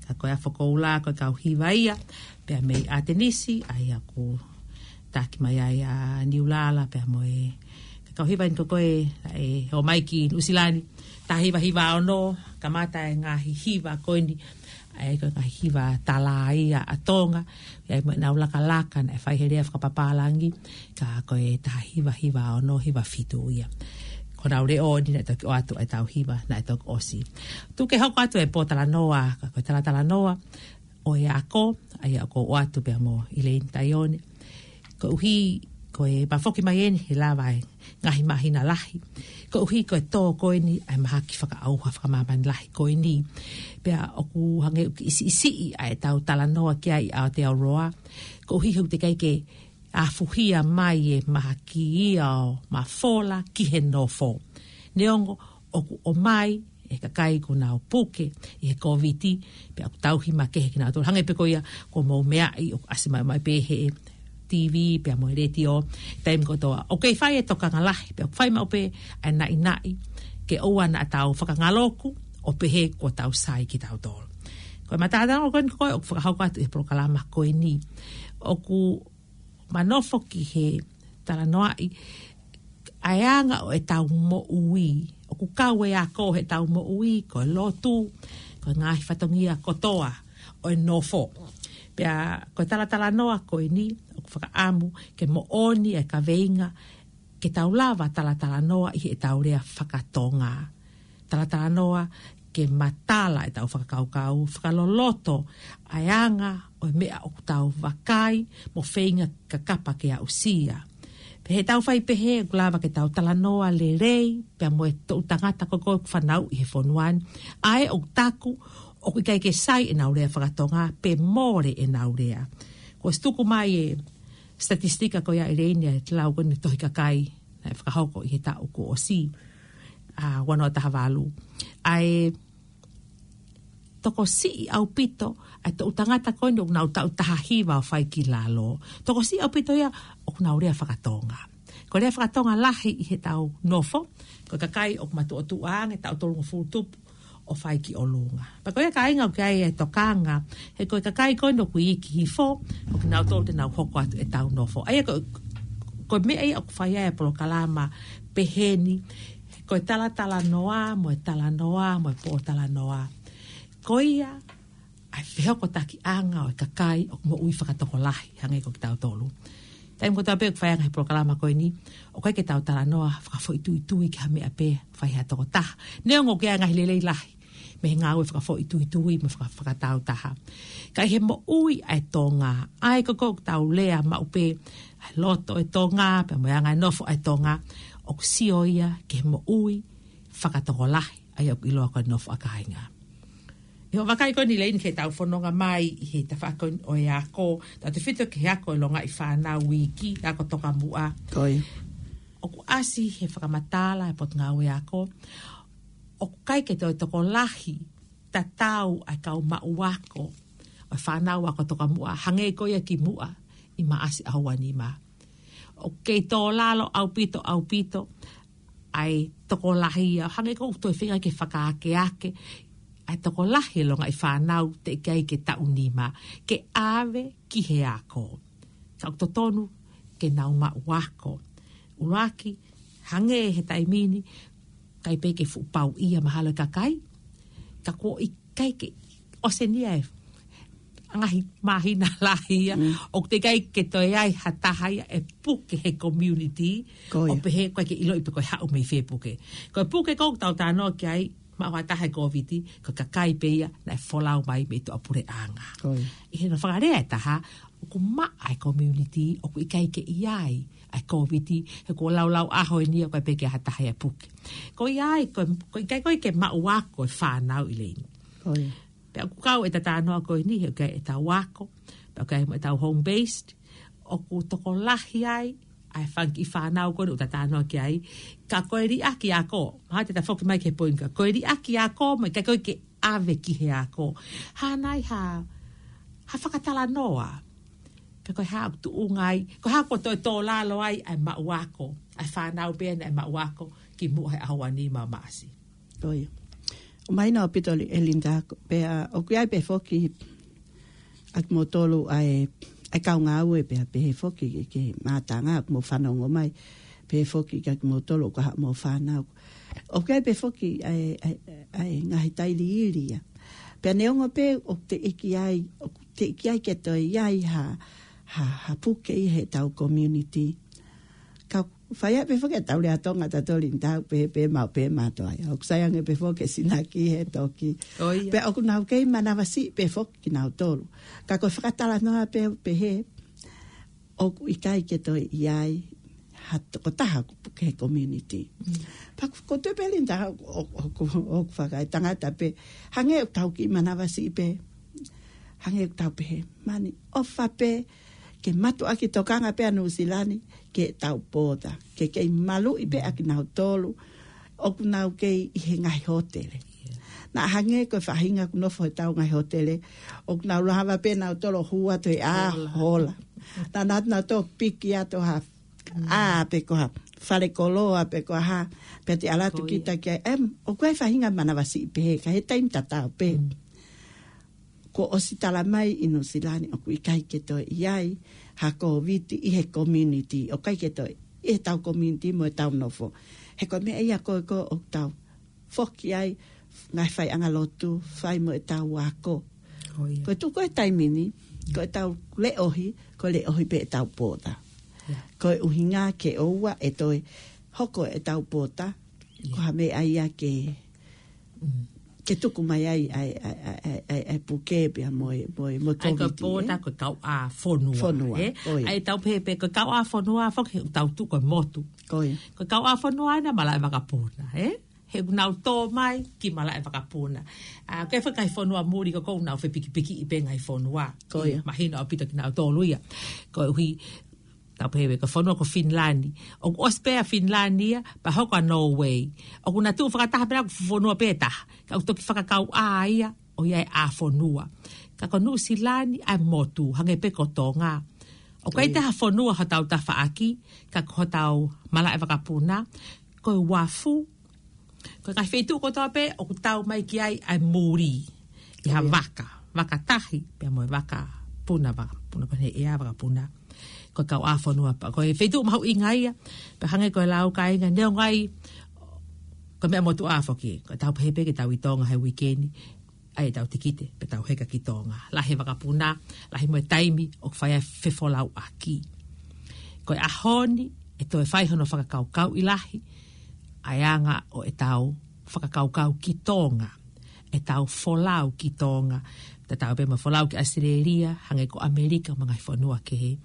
Ka ko e afo koula, ko e kau hiva ia, pea mei ʻAtenisi, ʻa ia ʻoku taki mai ai ʻa Niulala, pea mo e, ka kau hiva eni ko koe, ʻe, ʻomai ki Nuʻusila ni, taha hiva hiva ono, kamata e ngaahi hiva ko eni, ʻa ia ko e ngaahi hiva tala ia ʻa Tonga, ʻa ia mo ʻenau lakalaka naʻe fai he lea fakapapālangi, ka ko e taha hiva hiva ono hiva fitu ia. Ko ʻenau leʻo ni naʻe toki ʻoatu ʻa e tau hiva naʻe toki ʻosi. Tuku ke hoko atu e pō talanoa, ka ko e talatalanoa ʻo e ako, ʻa ia ʻoku ou ʻoatu pea mo ʻIleini Taione. Koeʻuhi, ko e mafoki mai eni he lava e ngaahi māhina lahi. Koeʻuhi ko e tō ko eni ʻa e mahaki fakaʻauha fakamāmani lahi ko eni. Pea ʻoku hangē ʻoku kiʻi siʻisiʻi ʻa e tau talanoa ki ai ʻa Aotearoa. Koeʻuhi he ʻoku teʻeki ai ke afuhia mai e mahaki ia ʻo mafola ki he nofo. Neongo ʻoku ʻomai e kakai kuo nau puke ʻi he Kōviti, pea ʻoku tauhi makehe kinautolu. Hangē pē ko ia, ko e mou meaʻi ʻoku ʻasi mai, mai pē he TV, pea mo e letiō, taimi kotoa. ʻOku kei fai e tokanga lahi, pea ʻoku fai maʻu pē ʻa e naʻinaʻi, ke ʻoua naʻa tau fakangaloku, ʻo pehē kuo tau sai kitautolu. Ko e mataʻatanga ko eni ko ē ʻoku fakahoko atu ʻi he polokalama ko eni. ʻOku ma nofo ki he talanoaʻi ʻa e anga ʻo e tau moʻui. ʻOku kau e ako he tau moʻui, ko e lotu, ko e ngaahi fatongia kotoa ʻo e nofo. Pea ko e talatalanoa ko eni, ʻoku fakaʻamu ke moʻoni e kaveinga ke tau lava talatalanoa ʻi he tau lea fakatonga. Talatalanoa ke matala e tau fakakaukau, fakaloloto ʻa e anga ʻo e meʻa ʻoku tau vakai mo feinga ke kapa ke aʻusia. Pea he tau fai pehē ʻoku lava ke tau talanoa lelei, pea mo e toʻu tangata ko ē ʻoku fanauʻi he fonua ni, ʻa ē ʻoku taku ʻoku ʻikai ke sai ʻenau lea fakatonga, pe mole ʻenau lea. Kuo ʻosi tuku mai e statistika ko ia ʻIleini ʻa e lau ko eni tohi kakai naʻe fakahoko ʻi he taʻu kuo ʻosi, ʻa, ua noa taha valu. ʻA e tokosiʻi ʻaupito ʻa e toʻu tangata ko eni ʻoku nau taʻu taha hiva ʻo fai ki lalo. Tokosiʻi ʻaupito ia ʻoku nau lea fakatonga. Ko e lea fakatonga lahi ʻi he tau nofo, ko e kakai ʻoku matuʻotuʻa ange, taʻu tolungofulu tupu ʻo fai ki ʻolunga. Pea ko ia kāinga ʻoku ʻi ai e tokanga, he ko e kakai ko eni ʻoku iiki hifo, ʻoku nau tolu te nau hoko atu e tau nofo. ʻA ia ko, ko e meʻa ia ʻoku fai ai e polokalama pehē ni, ko e talatalanoa, mo e talanoa, mo e pōtalanoa. Ko ia, ʻa e fehokotakiʻanga ʻo e kakai ʻoku moʻui fakatokolahi, hangē ko kitautolu. Taimi kotoa pē ʻoku fai ai e ngaahi polokalama ko eni, ʻoku ʻikai ke tau talanoa fakafoʻituitui ki ha meʻa pē, fai ʻe ha tokotaha. Neongo ʻoku ʻi ai e ngaahi lelei lahi mei he ngāue fakafoʻituitui mo faka-, fakatāutaha. Ka ʻi he moʻui ʻa e Tonga, ʻa ia ko ē ʻoku tau lea maʻu pē, ʻa e loto ʻo e Tonga, pea mo e anga e nofo ʻa e Tonga, ʻoku sio ia ki he moʻui fakatokolahi, ʻa ia ʻoku ʻiloa ko e nofo ʻa kāinga. ʻI hoʻo vakai ko eni Leini ki heʻetau fononga mai ʻi he tafaʻaki ko eni ʻo e ako, tautefito ki he ako ʻa e longaʻi fānau uike, ako tokamuʻa. Ko ia. ʻOku ʻasi he fakamatala ʻa e Potungāue Ako, ʻoku ʻikai ke toe tokolahi tatau ʻa e kau maʻu ako ʻo e fānau ako tokamuʻa, hangē ko ia kimuʻa ʻi Maʻasi ʻaho ua nima. ʻOku kei tō lalo ʻaupito, ʻaupito ʻa e tokolahi ia, hangē ko ʻeku toe feinga ke fakaakeake, ʻa e tokolahi e longaʻi fānau teʻeki ai ke taʻu nima ke ʻave ki he ako. Ka ʻoku totonu ke nau maʻu ako. ʻUluaki, hangē he taimi ni, ʻikai pē ke fuʻu pau ia mahalo e kakai, ka kuo ʻikai ke ʻosi eni ia e ngaahi māhina lahi ia, Mm. ʻoku teʻeki ai ke toe ʻi ai ha taha ia ʻe puke he community, Ko ia. ʻo pehē ʻoku ʻikai ke ʻiloʻi pe ko e haʻu mei fē puke. Ko e puke ko ē ʻoku tau talanoa ki ai, maʻu ha taha e Kōviti, ko e kakai pē ia naʻe folau mai mei tuʻapuleʻanga. Ko ia. ʻI heʻene fakalea ʻe taha, ʻoku maʻa e community, ʻoku ʻikai ke ʻi ai ʻa e Kōviti, he kuo laulau ʻaho eni ia ʻoku ʻikai pē ke ʻi ai ha taha ia ʻe puke. Ko ia ai, ko, ko e ʻikai ko ē ke maʻu ako e fānau Leini. Ko ia. Pea ʻoku kau e talanoa ko eni, he ʻoku ʻi ai ʻetau ako, pea ʻoku ʻi ai mo ʻetau home-based, ʻoku tokolahi ai ʻa e fanga kiʻi fānau ko eni ʻoku talanoa ki ai, ka ko e liʻaki ako, mahalo te ta foki mai ki he poini ko ē, ko e liʻaki ako, mo e ʻikai ko ē ke ʻave ki he ako. Hā nai ha, ha fakatalanoa, pe ko e hā ʻoku tuʻunga ai, ko e hā kuo toe tō lalo ai ʻa e maʻu ako, ʻa e fānau pē eni ʻa e maʻu ako, kimuʻa he ʻaho ua nima ʻo Maʻasi. Ko ia. ʻOku mahino ʻaupito Leini, Linda, pea ʻoku ʻi ai pē foki ʻa kimoutolu ʻa e, ʻa e kau ngāue pea pehē foki ki he, ki he mātanga ʻoku mou fanongo mai, pehē foki kia kimoutolu ʻoku ʻi ai haʻamou fānau. ʻOku ʻi ai pē foki ʻa e, ʻa e, ʻa e ngaahi tailiili ia. Pea neongo pē ʻoku teʻeki ai, ʻoku teʻeki ai ke toe ʻi ai ha, ha, ha puke ʻi heʻetau community. Ka fai ai pē foki ʻetau lea Tonga tautolu Linda, pehē pē maʻu pē mātuʻa ia. ʻOku sai ange pē foki e sinaki he toki. ʻO ia. Pea ʻoku nau kei manavasiʻi pē foki kinautolu. Ka ko e fakatalanoa pē pehē, ʻoku ʻikai ke toe ʻi ai ha tokotaha ʻoku puke he community. Mm. Pea ʻoku, ʻoku ou tui pē Linda, ʻo, ʻo, ʻo, ʻoku fakaetangata pē. Hangē ʻoku tau kiʻi manavasiʻi pē. Hangē ʻoku tau pehē, mani, ʻofa pē ke mātuʻaki tokanga pē ʻa Nuʻusila ni ki heʻetau pōta, ke kei maluʻi pē ʻa kinautolu ʻoku nau kei ʻi he ngaahi hōtele. Naʻa hangē ko e faʻahinga ʻoku nofo heʻetau ngaahi hōtele, ʻoku nau lava pē nautolu ʻo hū atu he ʻā hola. Hola. Naʻa nau, nautolu piki atu ha ʻā pe ko ha fale koloa pe ko ha, pea te ʻalu atu kita ki ai. Em, ʻoku ʻi ai e faʻahinga manavasiʻi pehē, ka he taimi tatau pē. Mm. Kuo ʻosi tala mai ʻi Nuʻusila ni ʻoku ʻikai ke toe ʻi ai ha Kōviti ʻi he community, ʻoku ʻikai ke toe ʻi heʻetau community mo ʻetau nofo. He ko e meʻa ia ko ē ʻoku tau foki ai, ngaahi faiʻanga lotu, fai mo ʻetau ako. Ko ia. Ko e tuʻu ko ē he taimi ni, ko ʻetau leʻohi, ko e leʻohi pē ʻetau pōta. Ia. Ko e ʻuhinga ke ʻoua ʻe toe hoko ʻetau pōta, Ia. ko ha meʻa ia ke, Mm. ke tuku mai ai ʻa e, ʻa e, ʻa e, ʻa e, ʻa e puke pea mo e, mo e, mo e ʻA ia ko e Kōviti, pōta ē? Ko e kauʻā fonua, Fonua, ē? ko ia. ʻA ia tau pehē pē, ko e kauʻā fonua foki he ʻoku tau tuʻu ko e motu. Ko ia. Ko e kauʻā fonua ʻa ia naʻe malaʻe vakapuna, ē? He ʻoku nau tō mai ki malaʻe vakapuna. ʻA, ko e fakaʻi fonua muli ko ē ʻoku nau fepikipikiʻi pē ngaahi fonua. Ko ia. Mahino ʻaupito kinautolu ia. Koeʻuhi, tau pehē ko e fonua ko Finilani. ʻOku ʻosi pē ʻa Finilani ia, pea hoko ʻa Norway. ʻOku na tuʻu fakataha pē naʻa ko e fonua pē taha. Ka ʻoku toki fakakauʻā ia, ʻo ʻi ai e ʻā fonua. Ka ko Nuʻusila ni ʻa e motu, hangē pē ko Tonga. ʻOku ʻikai Ko ia. te ha fonua hotau tafaʻaki, ka ko hotau malaʻe vakapuna, ko e uafu, ko e ngaahi feituʻu kotoa pē ʻoku tau mai ki ai ʻa e muli. ʻI ha Ko ia. vaka, vaka tahi, pea mo e vakapuna, vakapuna, ko e ʻea vakapuna. ko e kauʻāfonua pē. Ko e feituʻu mahuʻinga ia, pea hangē ko e lau kāinga, neongo ai ko e meʻa motuʻa foki, ko ʻetau pehē pē ke tau ʻi Tonga he uike ni, ʻai ʻetau tikite, pea tau heka ki Tonga. Lahi e vakapuna, lahi mo e taimi ʻoku fai ai e fefolauʻaki. Ko e ʻaho ni, ʻe toe fai hono fakakaukauʻi lahi ʻa e anga ʻo ʻetau fakakaukau ki Tonga, ʻetau folau ki Tonga, tatau pē mo e folau ki ʻAositelēlia, hangē ko ʻAmelika mo e ngaahi fonua kehe.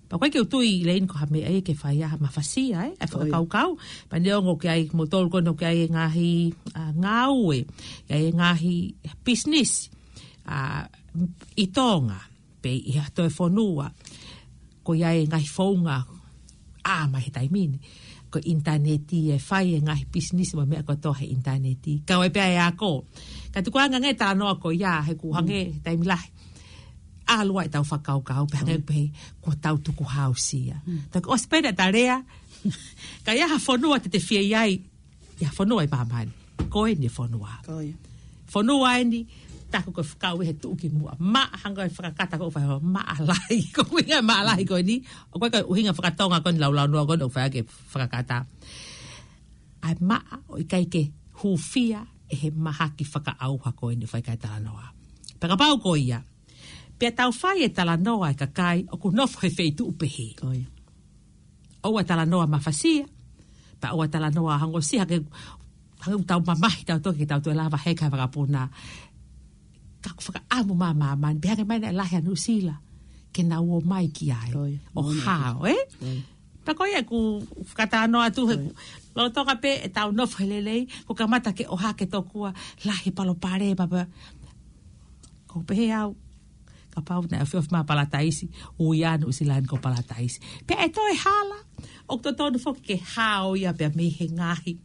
Pea ʻoku ʻikai ke u tui, Leini, ko ha meʻa ia ke fai ai ha mafasia, ē, ʻa e fakakaukau. Pea neongo ʻoku ʻi ai, mo tolu ko eni ʻoku ʻi ai e ngaahi, ʻa, ngāue, ʻi ai e ngaahi pisinisi, ʻa, ʻi Tonga, pe ʻi ha toe fonua, ko ia e ngaahi founga, ʻa, mai he taimi ni. Ko e ʻinitaneti ʻe fai e ngaahi pisinisi mo e meʻa kotoa he ʻinitaneti. Kau ai pē ʻa e ako. Ka tuku ange ange talanoa ko ia, he ʻoku hangē he taimi lahi ʻalu ai ʻetau fakakaukau, pea hangē pē kuo tau tukuhāusia. Toki ʻosi pē ʻeta lea, ka ʻi ai ha fonua te te fie ʻi ai, ʻi ai ha fonua ʻi māmani. Ko eni e fonua. Fonua eni, taku ko e fekau ʻi he tuʻukimuʻa. Maʻa, hangē ko e fakakata ko e fai ho maʻa lahi. Ko e ʻuhinga maʻa lahi ko eni, ʻoku ʻikai ko e ʻuhinga fakatonga ko eni, laulau noa ko eni ʻoku fai ʻaki e fakakata. ʻA e maʻa ʻoku ʻikai ke hūfia ʻe he mahaki fakaʻauha ko eni ʻoku fai ki ai e talanoa. Pea kapau ko ia, pea tau fai e talanoa e kakai ʻoku nofo he feituʻu pehē. ʻOua talanoa mafasia, pea ʻoua talanoa hangē ʻosi hangē, hangē ʻoku tau mamahi tautolu ke tau toe lava heka he vakapuna. Ka ʻoku fakaʻamu mai ʻa māmani, pea hangē mai naʻe lahi ʻa Nuʻusila ke nau ō mai ki ai. ʻO hao, ē? Pea ko ia ʻeku fakatalanoa atu he lolotonga pē ʻetau nofo he lelei, kuo kamata ke ʻohake tokua, lahi e palopalema pea. Ko u pehē au, kapau naʻe ofiofi mai ʻa Palataisi, ui ʻa Nuʻusila ni ko Palataisi. Pea ʻe toe hala, ʻoku totonu foki ke hao ia pea mei he ngaahi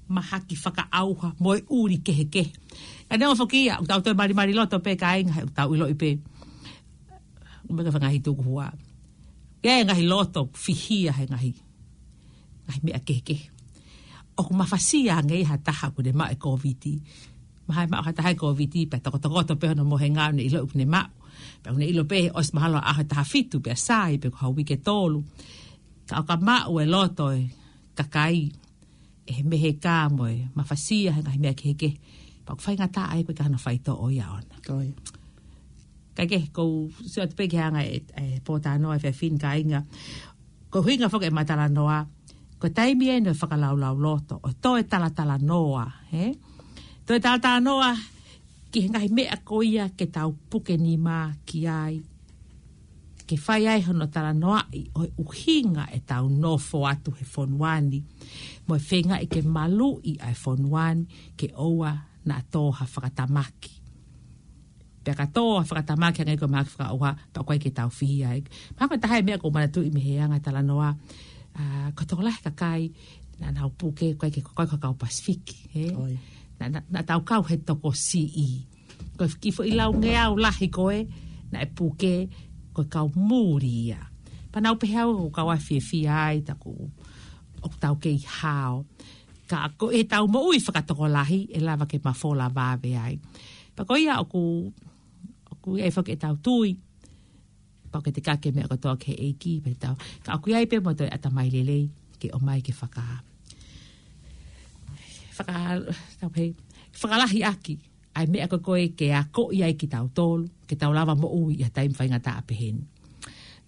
mahaki fakaʻauha mo e ʻuli kehekehe. Ka neongo foki ia, ʻoku tau toe malimali loto pē kāinga, he ʻoku tau ʻiloʻi pē, ʻoku ʻi ai e ngaahi tukuhua. ʻI ai e ngaahi loto fihia he ngaahi, ngaahi meʻa kehekehe. ʻOku mafasia ange ʻi ha taha kuo ne maʻu e Kōviti. Mahalo ʻe maʻu ha taha e Kōviti, pea tokotokoto pē hono mohenga ʻo ne ʻilo kuo ne maʻu. Pea ʻoku ne ʻilo pē he ʻosi mahalo ʻaho ʻe taha fitu pea sai, pe ko ha uike ʻe tolu. Ka ʻoka maʻu e loto e kakai ʻe he meheka mo e mafasia he ngaahi meʻa kehekehe, pea ʻoku faingataʻa ai, ʻoku ʻikai ke ʻi ai hano faitoʻo ia ʻoʻona. Kae kehe, ʻoku ou sio atu pē ki he anga e, e pōtalanoa he efiafi ni kāinga. Ko e ʻuhinga foki e matalanoa, ko e taimi eni ʻo e fakalaulauloto, ʻo toe talatalanoa, ē? Toe talatalanoa ki he ngaahi meʻa ko ia ke tau puke nima ki ai, ke fai ai hono talanoaʻi ʻo e ʻuhinga ʻetau nofo atu he fonua ni, mo e feingaʻi ke maluʻi ʻa e fonua ni, ke ʻoua naʻa tō ha fakatamaki. Pea ka tō ha fakatamaki hangē ko e mahaki fakaʻauha, pea ʻoku ʻikai ke tau fihia ai. Mahalo ko e taha e meʻa ʻoku ou manatuʻi mei he anga e talanoa, ʻa, ko e tokolahi e kakai naʻa nau puke, ʻoku ʻikai ke, ʻoku ʻikai ko e kau Pasifiki, ē? Naʻa, naʻa, naʻa tau kau he tokosiʻi. Ko e kiʻi foʻi laungeau lahi ko ē naʻe puke, ko e kau muli ia. Pea naʻa ku pehē au ʻoku ou kau ʻafiefia ai, taku ʻoku tau kei hao. Ka ko ʻetau moʻui fakatokolahi ʻe lava ke mafola vave ai. Pea ko ia ʻoku, ʻoku ʻi ai foki ʻetau tui, pau ke tekaki e meʻa kotoa ki he ʻEiki, pea tau. Ka ʻoku ʻi ai pē mo e toe ʻatamai lelei ke ʻomai ke faka-, faka-, tau pehē, fakalahi ʻaki ʻa e meʻa ko ē ke akoʻi ai kitautolu, ke tau lava moʻui ʻi ha taimi faingataʻa pehē ni.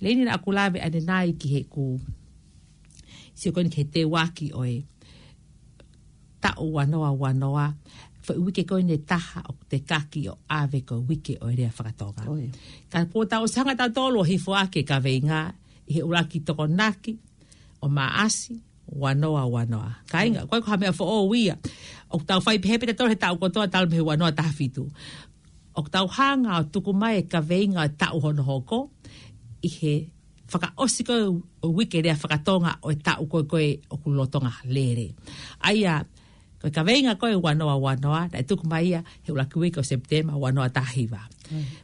Leini, naʻa ku lave ʻanenai ki heʻeku sio ko eni ki he teuaki ʻo e taʻu ua noa ua noa, foʻi uike ko eni ʻe taha ʻoku tekaki ʻo ʻave ko e uike ʻo e lea fakatonga. Ka kuo tau ʻosi hanga tautolu ʻo hifo ʻaki e kaveinga ʻi he ʻuluaki Tokonaki ʻo Maʻasi, ua noa ua noa. Kāinga, ʻoku ʻikai ko ha meʻa foʻou ia. ʻOku tau fai pehē pē tautolu he taʻu kotoa talu mei he ua noa taha fitu. ʻOku tau hanga ʻo tuku mai e kaveinga ʻo e taʻu hono hoko ʻi he fakaʻosi ko ē ʻo e uike lea fakatonga ʻo e taʻu ko ē ko ē ʻoku lolotonga lele. ʻA ia, ko e kaveinga ko ē ua noa ua noa, naʻe tuku mai ia he ʻuluaki uike ʻo Sepitema ua noa taha hiva.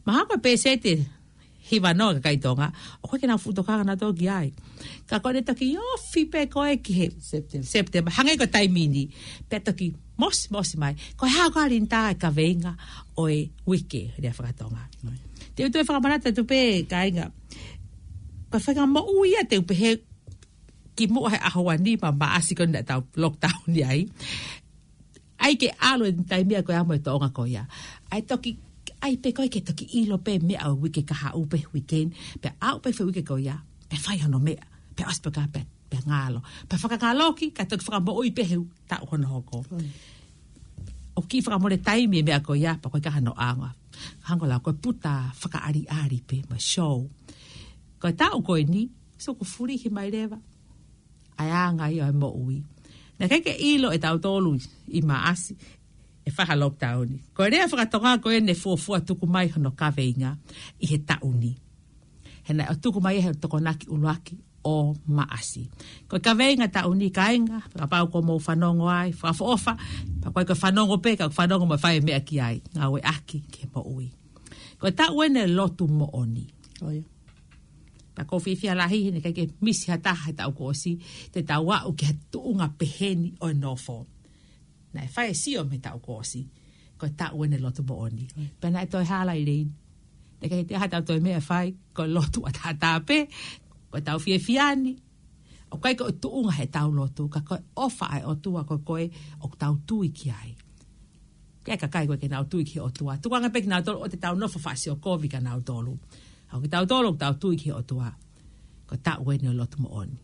Mahalo ko e pēseti ʻe hiva noa e kakai Tonga ʻoku ʻikai ke nau fuʻu tokanga nautolu ki ai. Ka ko ʻene toki ofi pē ko ē ki he Sepitema. Sepitema. Hangē ko e taimi ni. Pea toki mosimosi mai. Ko e hā koā, Linitā, e kaveinga ʻo e uike lea fakatonga? Te u toe fakamanatu atu pē, kāinga. Ko e faʻahinga moʻui ia te u pehē kimuʻa he ʻaho ua nima Maʻasi ko ē naʻa tau lockdown ai. ʻAi ke ʻalu e taimi ia ko ia mo e tōʻonga ko ia. ʻAi toki, ʻai pē ko ē ke toki ʻilo pē meʻa ʻo e uike kahaʻu pe weekend, pea aʻu pē he uike ko ia, pea fai hono meʻa, pea ʻosi pē ka pea, pea ngalo. Pea fakangaloki, kae toki fakamoʻui pē he taʻu hono hoko. ʻOku kiʻi fakamole taimi e meʻa ko ia, pea ko e ka hano anga. Hangē ko e lau ko e puta fakaʻaliʻali pē mo e show. Ko e taʻu ko eni, so ko e fulihi mai leva ʻa e anga ia ʻo e moʻui. Naʻe ʻikai ke ʻilo ʻe tautolu ʻi Maʻasi ʻe fai ha lockdown. Ko e lea fakatonga ko ē naʻe fuofua tuku mai hono kaveinga ʻi he taʻu ni. He naʻe ʻo tuku mai he Tokonaki ʻuluaki ʻo Maʻasi. Ko e kaveinga taʻu ni, kāinga, kapau ʻoku mou fanongo ai, fakaʻofoʻofa, pea ko e fanongo pē, ka fanongo mo fai meʻa ki ai, ngāueʻaki ki he moʻui. Ko e taʻu eni ʻo e lotu moʻoni. ʻOi. Pea ʻoku ou fiefia lahi he naʻe ʻikai ke misi ha taha he taʻu kuo ʻosi, te tau aʻu ki he tuʻunga peheni ʻo e nofo. Naʻe fai e sio mei he taʻu kuo ʻosi, ko e taʻu eni ʻo e lotu moʻoni. ʻOi. Pea naʻe toe hala ʻi lei. Naʻe ʻikai ke toe ʻi ai ha taha toe meʻa ʻe fai, ko e lotu ʻataʻatā pē, ko ʻetau fiefia ni, ʻoku ʻikai ko e tuʻunga heʻetau lotu, ka ko e ʻofa ʻa e ʻOtua ko ē ʻoku tau tui ki ai. Ke kakai ko ē ke nau tui ki he ʻOtua. Tukuange pē ke nau tolo ʻo te tau nofo fasi ʻo kovi ka nau tolo. ʻA ia ko kitautolu ʻoku tau tui ki he ʻOtua. Ko e taʻu eni ʻo e lotu moʻoni.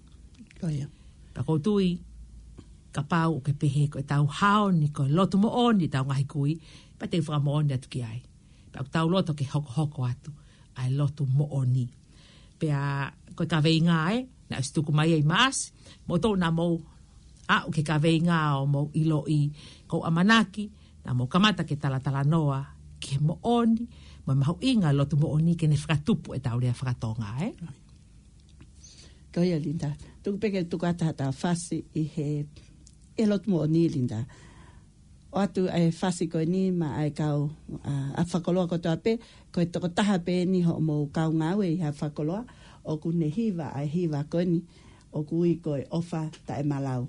Ko ia. Pea ʻoku ou tui, kapau ʻoku ke pehē ko ʻetau hao ni ko e lotu moʻoni ʻetau ngaahi kui, pea te u fakamoʻoni atu ki ai. Pea ʻoku tau loto ke hokohoko atu ʻa e lotu moʻoni. Pea ko e kaveinga ē, naʻe ʻosi tuku mai ʻi Maʻasi, mou tō naʻa mou aʻu ki he kaveinga ʻo mou ʻiloʻi, ko u ʻamanaki, naʻa mou kamata ke talatalanoa ki he moʻoni, mo e mahuʻinga lotu moʻoni ke ne fakatupu ʻetau lea fakatonga, ē? Ko ia, Linda. Tuku pē ke tuku atu ha taha fasi ʻi he, ʻi he lotu moʻoni, Linda. ʻOatu ʻa e fasi ko eni maʻa e kau, ʻa, ʻa fakakoloa kotoa pē, ko e tokotaha pē eni hoʻomou kau ngāue ʻi ha fakakoloa, ʻoku ne hiva ʻa e hiva ko eni, ʻoku ui ko e ʻOfa Taʻemalau.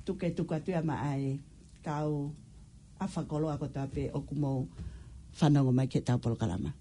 Tuku ke tuku atu ia maʻa e kau ʻa fakakoloa kotoa pē ʻoku mou fanongo mai ki heʻetau polokalama.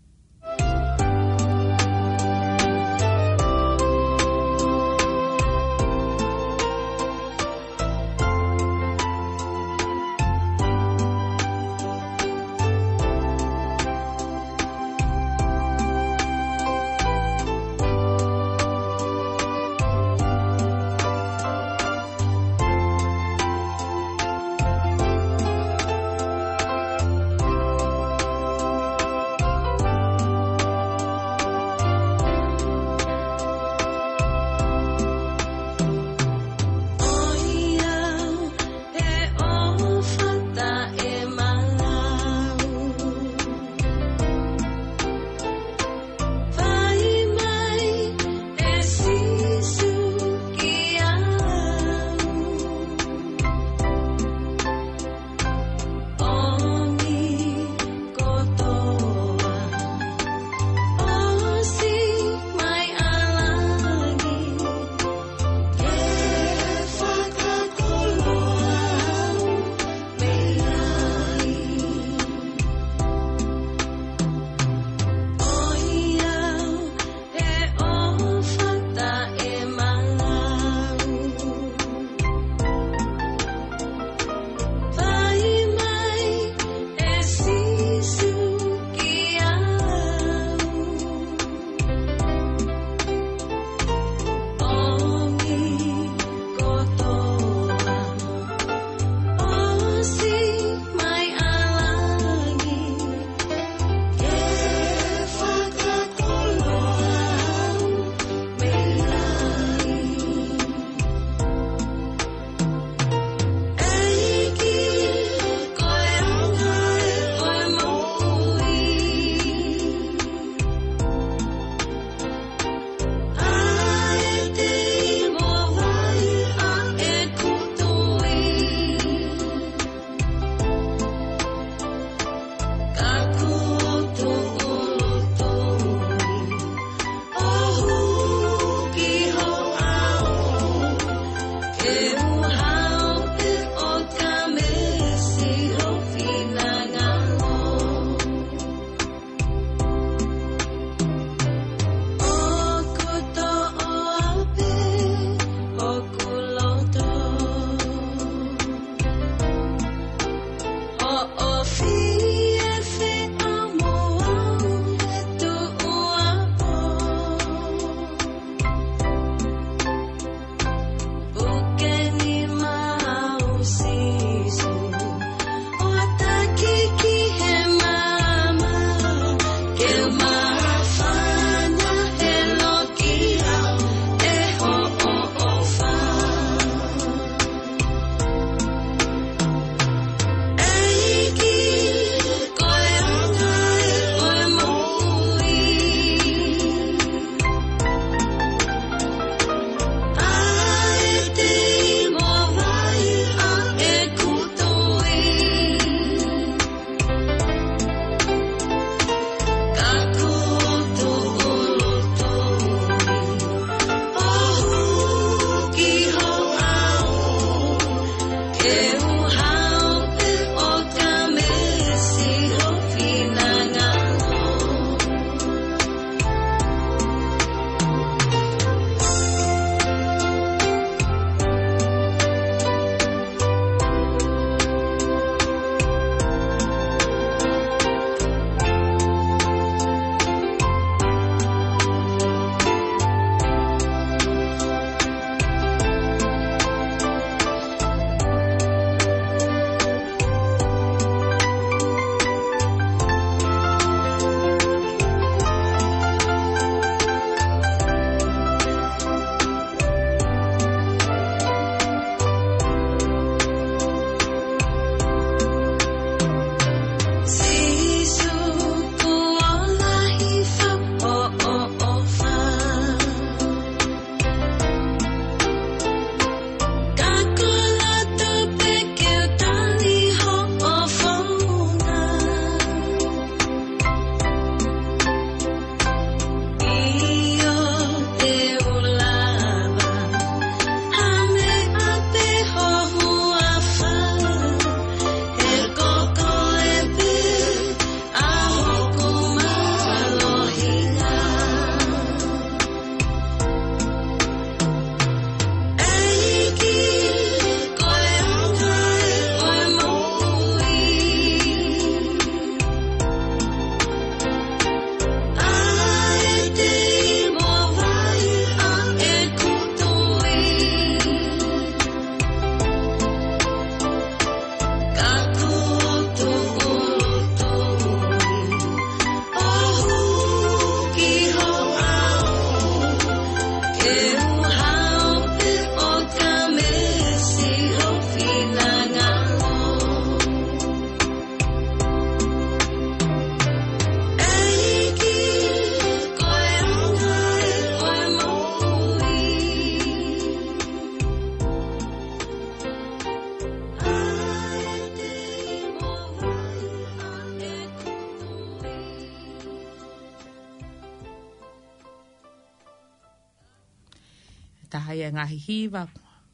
taha ia e ngaahi hiva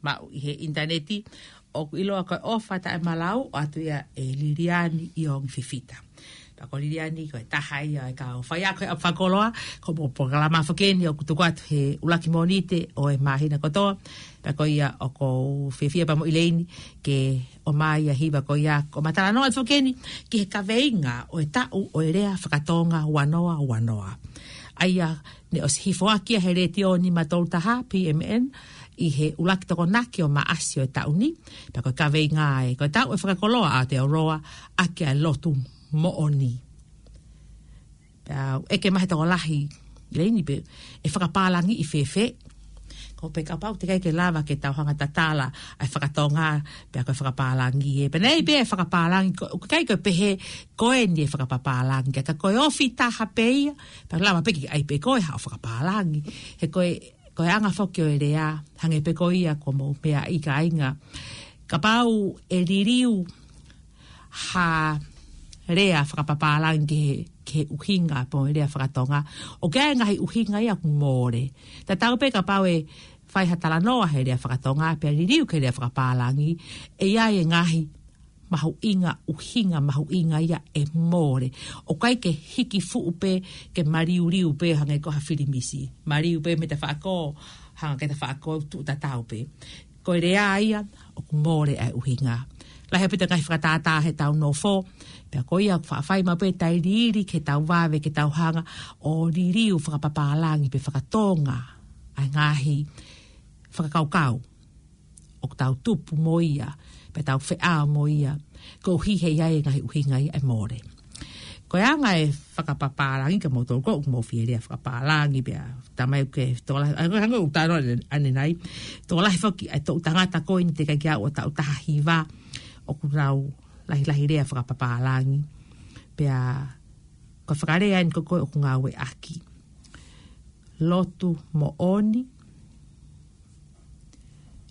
maʻu ʻi he ʻinitaneti, ʻoku ʻiloa ko e ʻOfa Taʻemalau, ʻoatu ia ʻe Liliani ʻIongi Fifita. Pea ko Liliani ko e taha ia e kau faiako he ʻapi fakakoloa, ko hoʻomou polokalama foki eni ʻoku tuku atu he ʻuluaki Mōnite ʻo e māhina kotoa. Pea ko ia ʻoku ou fiefia pea mo ʻIleini ke ʻomai ʻa e hiva ko ia, ko ʻema talanoa atu foki eni ki he kaveinga ʻo e taʻu ʻo e lea faka-Tonga ua noa ua noa. ʻA ia naʻe ʻosi hifoaki ia he Letiō nima tolu taha P M N ʻi he ʻuluaki Tokonaki ʻo Maʻasi ʻo e taʻu ni. Pea ko e kaveinga ē, ko e taʻu ʻo e fakakoloa ʻa Aotearoa ʻaki ʻa e lotu moʻoni. Pea ʻeke mai he tokolahi, ʻIleini, pe ʻe fakapālangiʻi fēfē? Ko e pehē kapau ʻe ʻikai ke lava ke tau hanga ʻo tatala ʻa e faka-Tonga, pea ko e fakapālangi ē. Pea naʻe ʻi ai pē e fakapālangi, ko, ʻoku ʻikai ke pehē ko eni e fakapapālangi, ka ko e ofi taha pē ia, pea lava pē ke ʻai pē ko e haʻo fakapālangi. He ko e, ko e anga foki ʻo e lea, hangē pē ko ia ko hoʻomou meaʻi, kāinga. Kapau ʻe liliu ha lea fakapapālangi ki he, ki he ʻuhinga pē ʻo e lea faka-Tonga, ʻoku ʻi ai e ngaahi ʻuhinga ia ʻoku mole. Tatau pē kapau ʻe fai ha talanoa he lea faka-Tonga, pea liliu ki he lea fakapālangi, ʻe ʻi ai e ngaahi mahuʻinga, ʻuhinga mahuʻinga ia ʻe mole. ʻOku ʻikai ke hiki fuʻu pē, ke maliuliu pē hangē ko ha filimisi. Maliu pē mei tafaʻaki, hanga ki tafaʻaki, tuʻu tatau pē. Ko e lea ia ʻoku mole ʻa e ʻuhinga. Lahi ʻaupito e ngaahi fakatātā heʻetau nofo, pea ko ia ʻoku faʻa fai maʻu pē ʻetau liliu ke tau vave, ke tau hanga ʻo liliu fakapapālangi pe faka-Tonga ʻa e ngaahi fakakaukau ʻoku tau tupu mo ia, pe tau feʻao mo ia, koeʻuhi he ʻi ai e ngaahi ʻuhinga ia ʻe mole. Ko e anga e fakapapālangi, ka mou tolu ko ē ʻoku mou fie lea fakapapālangi, pea talamai ʻoku ke tokolahi, ʻa, hangē ko ʻeku talanoa ʻanenai, tokolahi foki ʻa e toʻu tangata ko eni teʻeki ai ke aʻu ʻo taʻu taha hiva, ʻoku nau lahilahi lea fakapapālangi. Pea ko e fakalea eni ko ē ʻoku ngāueʻaki: lotu moʻoni.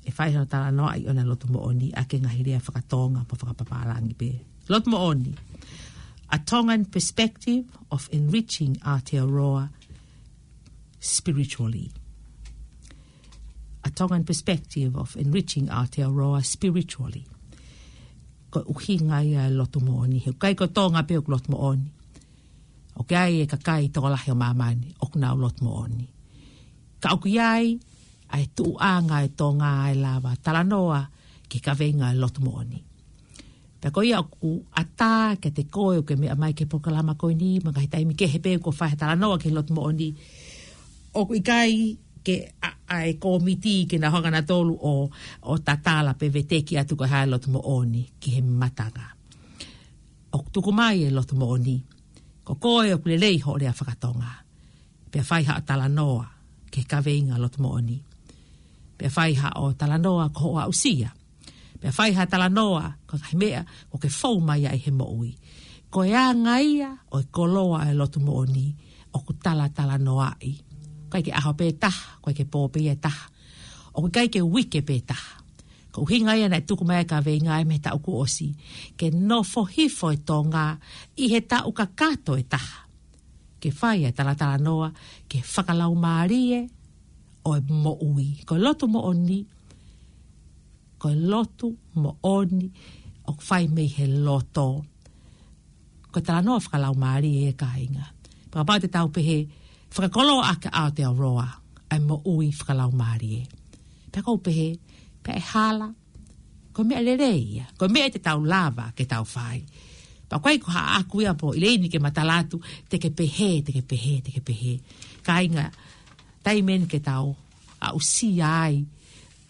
ʻE fai hono talanoaʻi ʻona e lotu moʻoni ʻaki e ngaahi lea faka-Tonga mo fakapapālangi pē. Lotu moʻoni. A Tongan perspective of enriching Aotearoa spiritually. A Tongan perspective of enriching Aotearoa spiritually. Ko e ʻuhinga ia e lotu moʻoni. He ʻoku ʻikai ko Tonga pē ʻoku lotu moʻoni. ʻOku ʻi ai e kakai tokolahi ʻo māmani ʻoku nau lotu moʻoni. Ka ʻoku ʻi ai ʻa e tuʻuʻanga ʻo e Tonga ʻe lava talanoa ki he kaveinga ʻo e lotu moʻoni. Pea ko ia ʻoku ʻatā kiate koe ʻoku ke meʻa mai ki he polokalama ko eni, mo e ngaahi taimi kehe pē ʻoku fai ha talanoa ki he lotu moʻoni, ʻoku ʻikai ke ʻaʻa e kōmiti ke nau hanga nautolu ʻo, ʻo tatala pe veteki atu ko e hā e lotu moʻoni ki he matanga. ʻOku tuku mai e lotu moʻoni, ko koe ʻoku lelei hoʻo lea faka-Tonga, pea fai haʻo talanoa ki he kaveinga lotu moʻoni. Pea fai haʻo talanoa ko hoʻo aʻusia. Pea fai ha talanoa ko e ngaahi meʻa ʻoku ke fou mai ai he moʻui. Ko e anga ia ʻo e koloa ʻo e lotu moʻoni ʻoku talatalanoaʻi. ʻOku ʻikai ke ʻaho pē taha, ʻoku ʻikai ke pō pē ia ʻe taha. ʻOku ʻikai ke uike pē taha. Ko e ʻuhinga ia naʻe tuku mai e kaveinga ē mei he taʻu kuo ʻosi, ke nofo hifo e Tonga ʻi he taʻu kakato ʻe taha, ke fai e talatalanoa ki he fakalaumālie ʻo e moʻui. Ko e lotu moʻoni, ko e lotu moʻoni ʻoku fai mei he loto. Ko e talanoa fakalaumālie ē, kāinga. Pea kapau te tau pehē, fakakoloa ʻaki ʻa Aotearoa ʻa e moʻui fakalaumālie, pea ʻoku ou pehē, pea ʻe hala, ko e meʻa lelei ia, ko e meʻa te tau lava ke tau fai. Pea ʻoku ʻikai ko haʻaku ia pē ʻIleini ke ma tala atu, te ke pehē, te ke pehē, te ke pehē. Kāinga, taimi eni ke tau aʻusia ai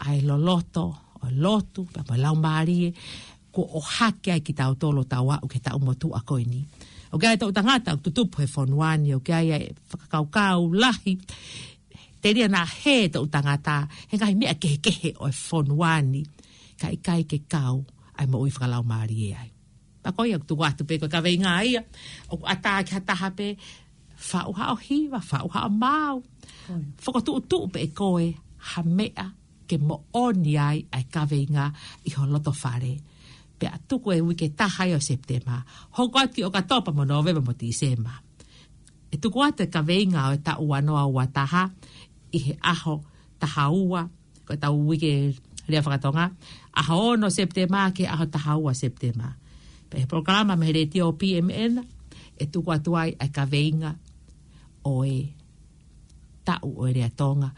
ʻa e loloto ʻo e lotu, pea mo e laumālie, kuo ʻohake ai kitautolu ʻo tau aʻu ki he taʻu motuʻa ko eni. ʻOku ʻi ai e toʻu tangata ʻoku tutupu he fonua ni, ʻoku ʻi ai e fakakaukau lahi, telia naʻa hē e toʻu tangata he ngaahi meʻa kehekehe ʻo e fonua ni, ka ʻikai ke kau ʻa e moʻui fakalaumālie ai. Pea ko ia ʻoku tuku atu pē ko e kaveinga ia ʻoku ʻatā ki ha taha pē, faʻu haʻo hiva, faʻu haʻo maau. Fokotuʻutuʻu pē ʻe koe ha meʻa ke moʻoni ai ʻa e kaveinga ʻi ho loto fale. Pea tuku e uike taha ia ʻo Sepitema, hoko atu ki ʻOkatopa mo Nōvema mo Tīsema. ʻE tuku atu e kaveinga ʻo e taʻu ua noa ua taha ʻi he ʻaho taha ua, ko ʻetau uike lea fakatonga, ʻaho ono Sepitema ki he ʻaho taha ua Sepitema. Pea ʻi he polokalama mei he letiō P M N, ʻe tuku atu ai ʻa e kaveinga ʻo e taʻu ʻo e lea Tonga,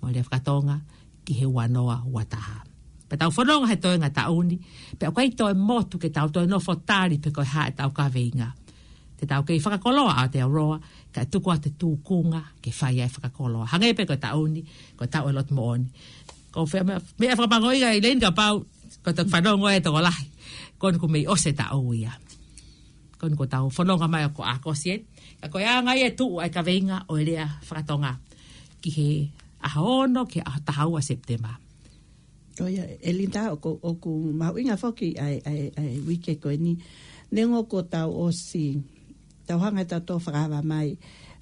mo e lea fakatonga, ki he ua noa ua taha. Pea tau fononga he toenga taʻu ni, pea ʻoku ʻikai toe motu ke tau toe nofo tali pe ko e hā ʻetau kaveinga. Te tau kei fakakoloa ʻa Aotearoa, kae tuku atu e tūkunga ke fai ai e fakakoloa. Hangē pē ko e taʻu ni, ko e taʻu e lotu moʻoni. Ko e fē meʻa, meʻa fakamangoʻinga ʻEleni kapau ko e toki fanongo e tokolahi, ko eni kuo mei ʻosi e taʻu ia. Ko eni kuo tau fononga mai ʻo akoʻi eni. Ka ko e anga ia e tuʻu ʻa e kaveinga ʻo e lea fakatonga ki he ʻaho ono ki he ʻaho taha ua Sepitema. ʻIo, ʻElinita, ʻoku, ʻoku mahuʻinga foki ʻa e, ʻa e, ʻa e uike ko eni. Neongo kuo tau ʻosi, tau hanga ʻe tautolu ʻo fakaava mai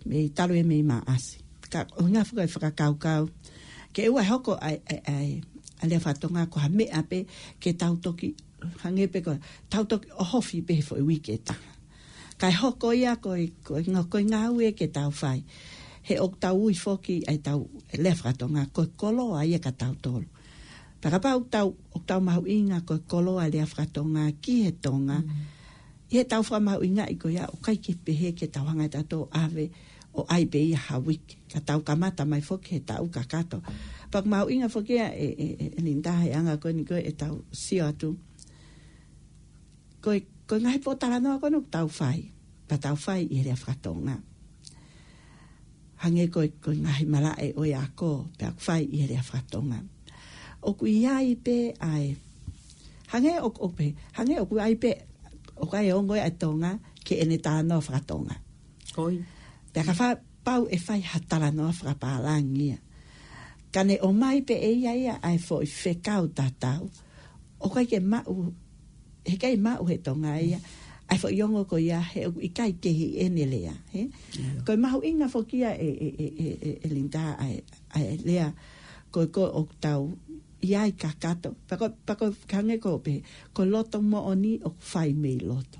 mei talu e mei Maʻasi. Ka ʻoku ʻuhinga foki e fakakaukau ke ʻoua ʻe hoko ʻa e, ʻa e, ʻa e, ʻa e lea fakatonga ko ha meʻa pē ke tau toki, hangē pē ko, tau toki ʻohofi pē he foʻi uike ʻe taha. Kae hoko ia ko e, ko e nga-, ko e ngāue ke tau fai. He ʻoku tau ui foki ʻa ʻetau lea fakatonga ko e koloa ia kia tautolu. Pea kapau ʻoku tau, ʻoku tau mahuʻinga ko e koloa e lea fakatonga ki he Tonga, ʻi heʻetau fakamahuʻingaʻi ko ia, ʻoku ʻikai ke pehē ke tau hanga ʻe tautolu ʻo ʻave ʻo ʻai pē ia ha uike, ka tau kamata mai foki he taʻu kakato. Pea ʻoku mahuʻinga foki ia ʻe, ʻe, ʻe, ʻElinita he anga ko eni ko ē ʻetau sio atu. Ko e, ko e ngaahi pōtalanoa ko eni ʻoku tau fai, pea tau fai ʻi he lea fakatonga. Hangē ko e, ko e ngaahi malaʻe ʻo e ako, pea ʻoku fai ʻi he lea fakatonga. ʻOku ʻi ai pē ʻa e, hangē ʻoku, ʻoku pē, hangē ʻoku ʻi ai pē, ʻoku ʻi ai e ongo ʻa e Tonga ki heʻene talanoa fakatonga. Ko ia. Pea kapau ʻe fai ha talanoa fakapālangi ia, ka ne ʻomai pē ʻe ia ia ʻa e foʻi fekau tatau, ʻoku ʻikai ke maʻu, heʻikai maʻu he Tonga ia ʻa e foʻi ongo ko ia, he ʻoku ʻikai ke ʻi heʻene lea, hē? ʻIo. Ko e mahuʻinga foki ia ʻe, ʻe, ʻe, ʻe, ʻe, ʻElinita, ʻa e, ʻa e lea ko ē ko ē ʻoku tau ʻi ai kakato. Pea ko, pea ko e hangē ko e pē, ko e loto moʻoni ʻoku fai mei loto.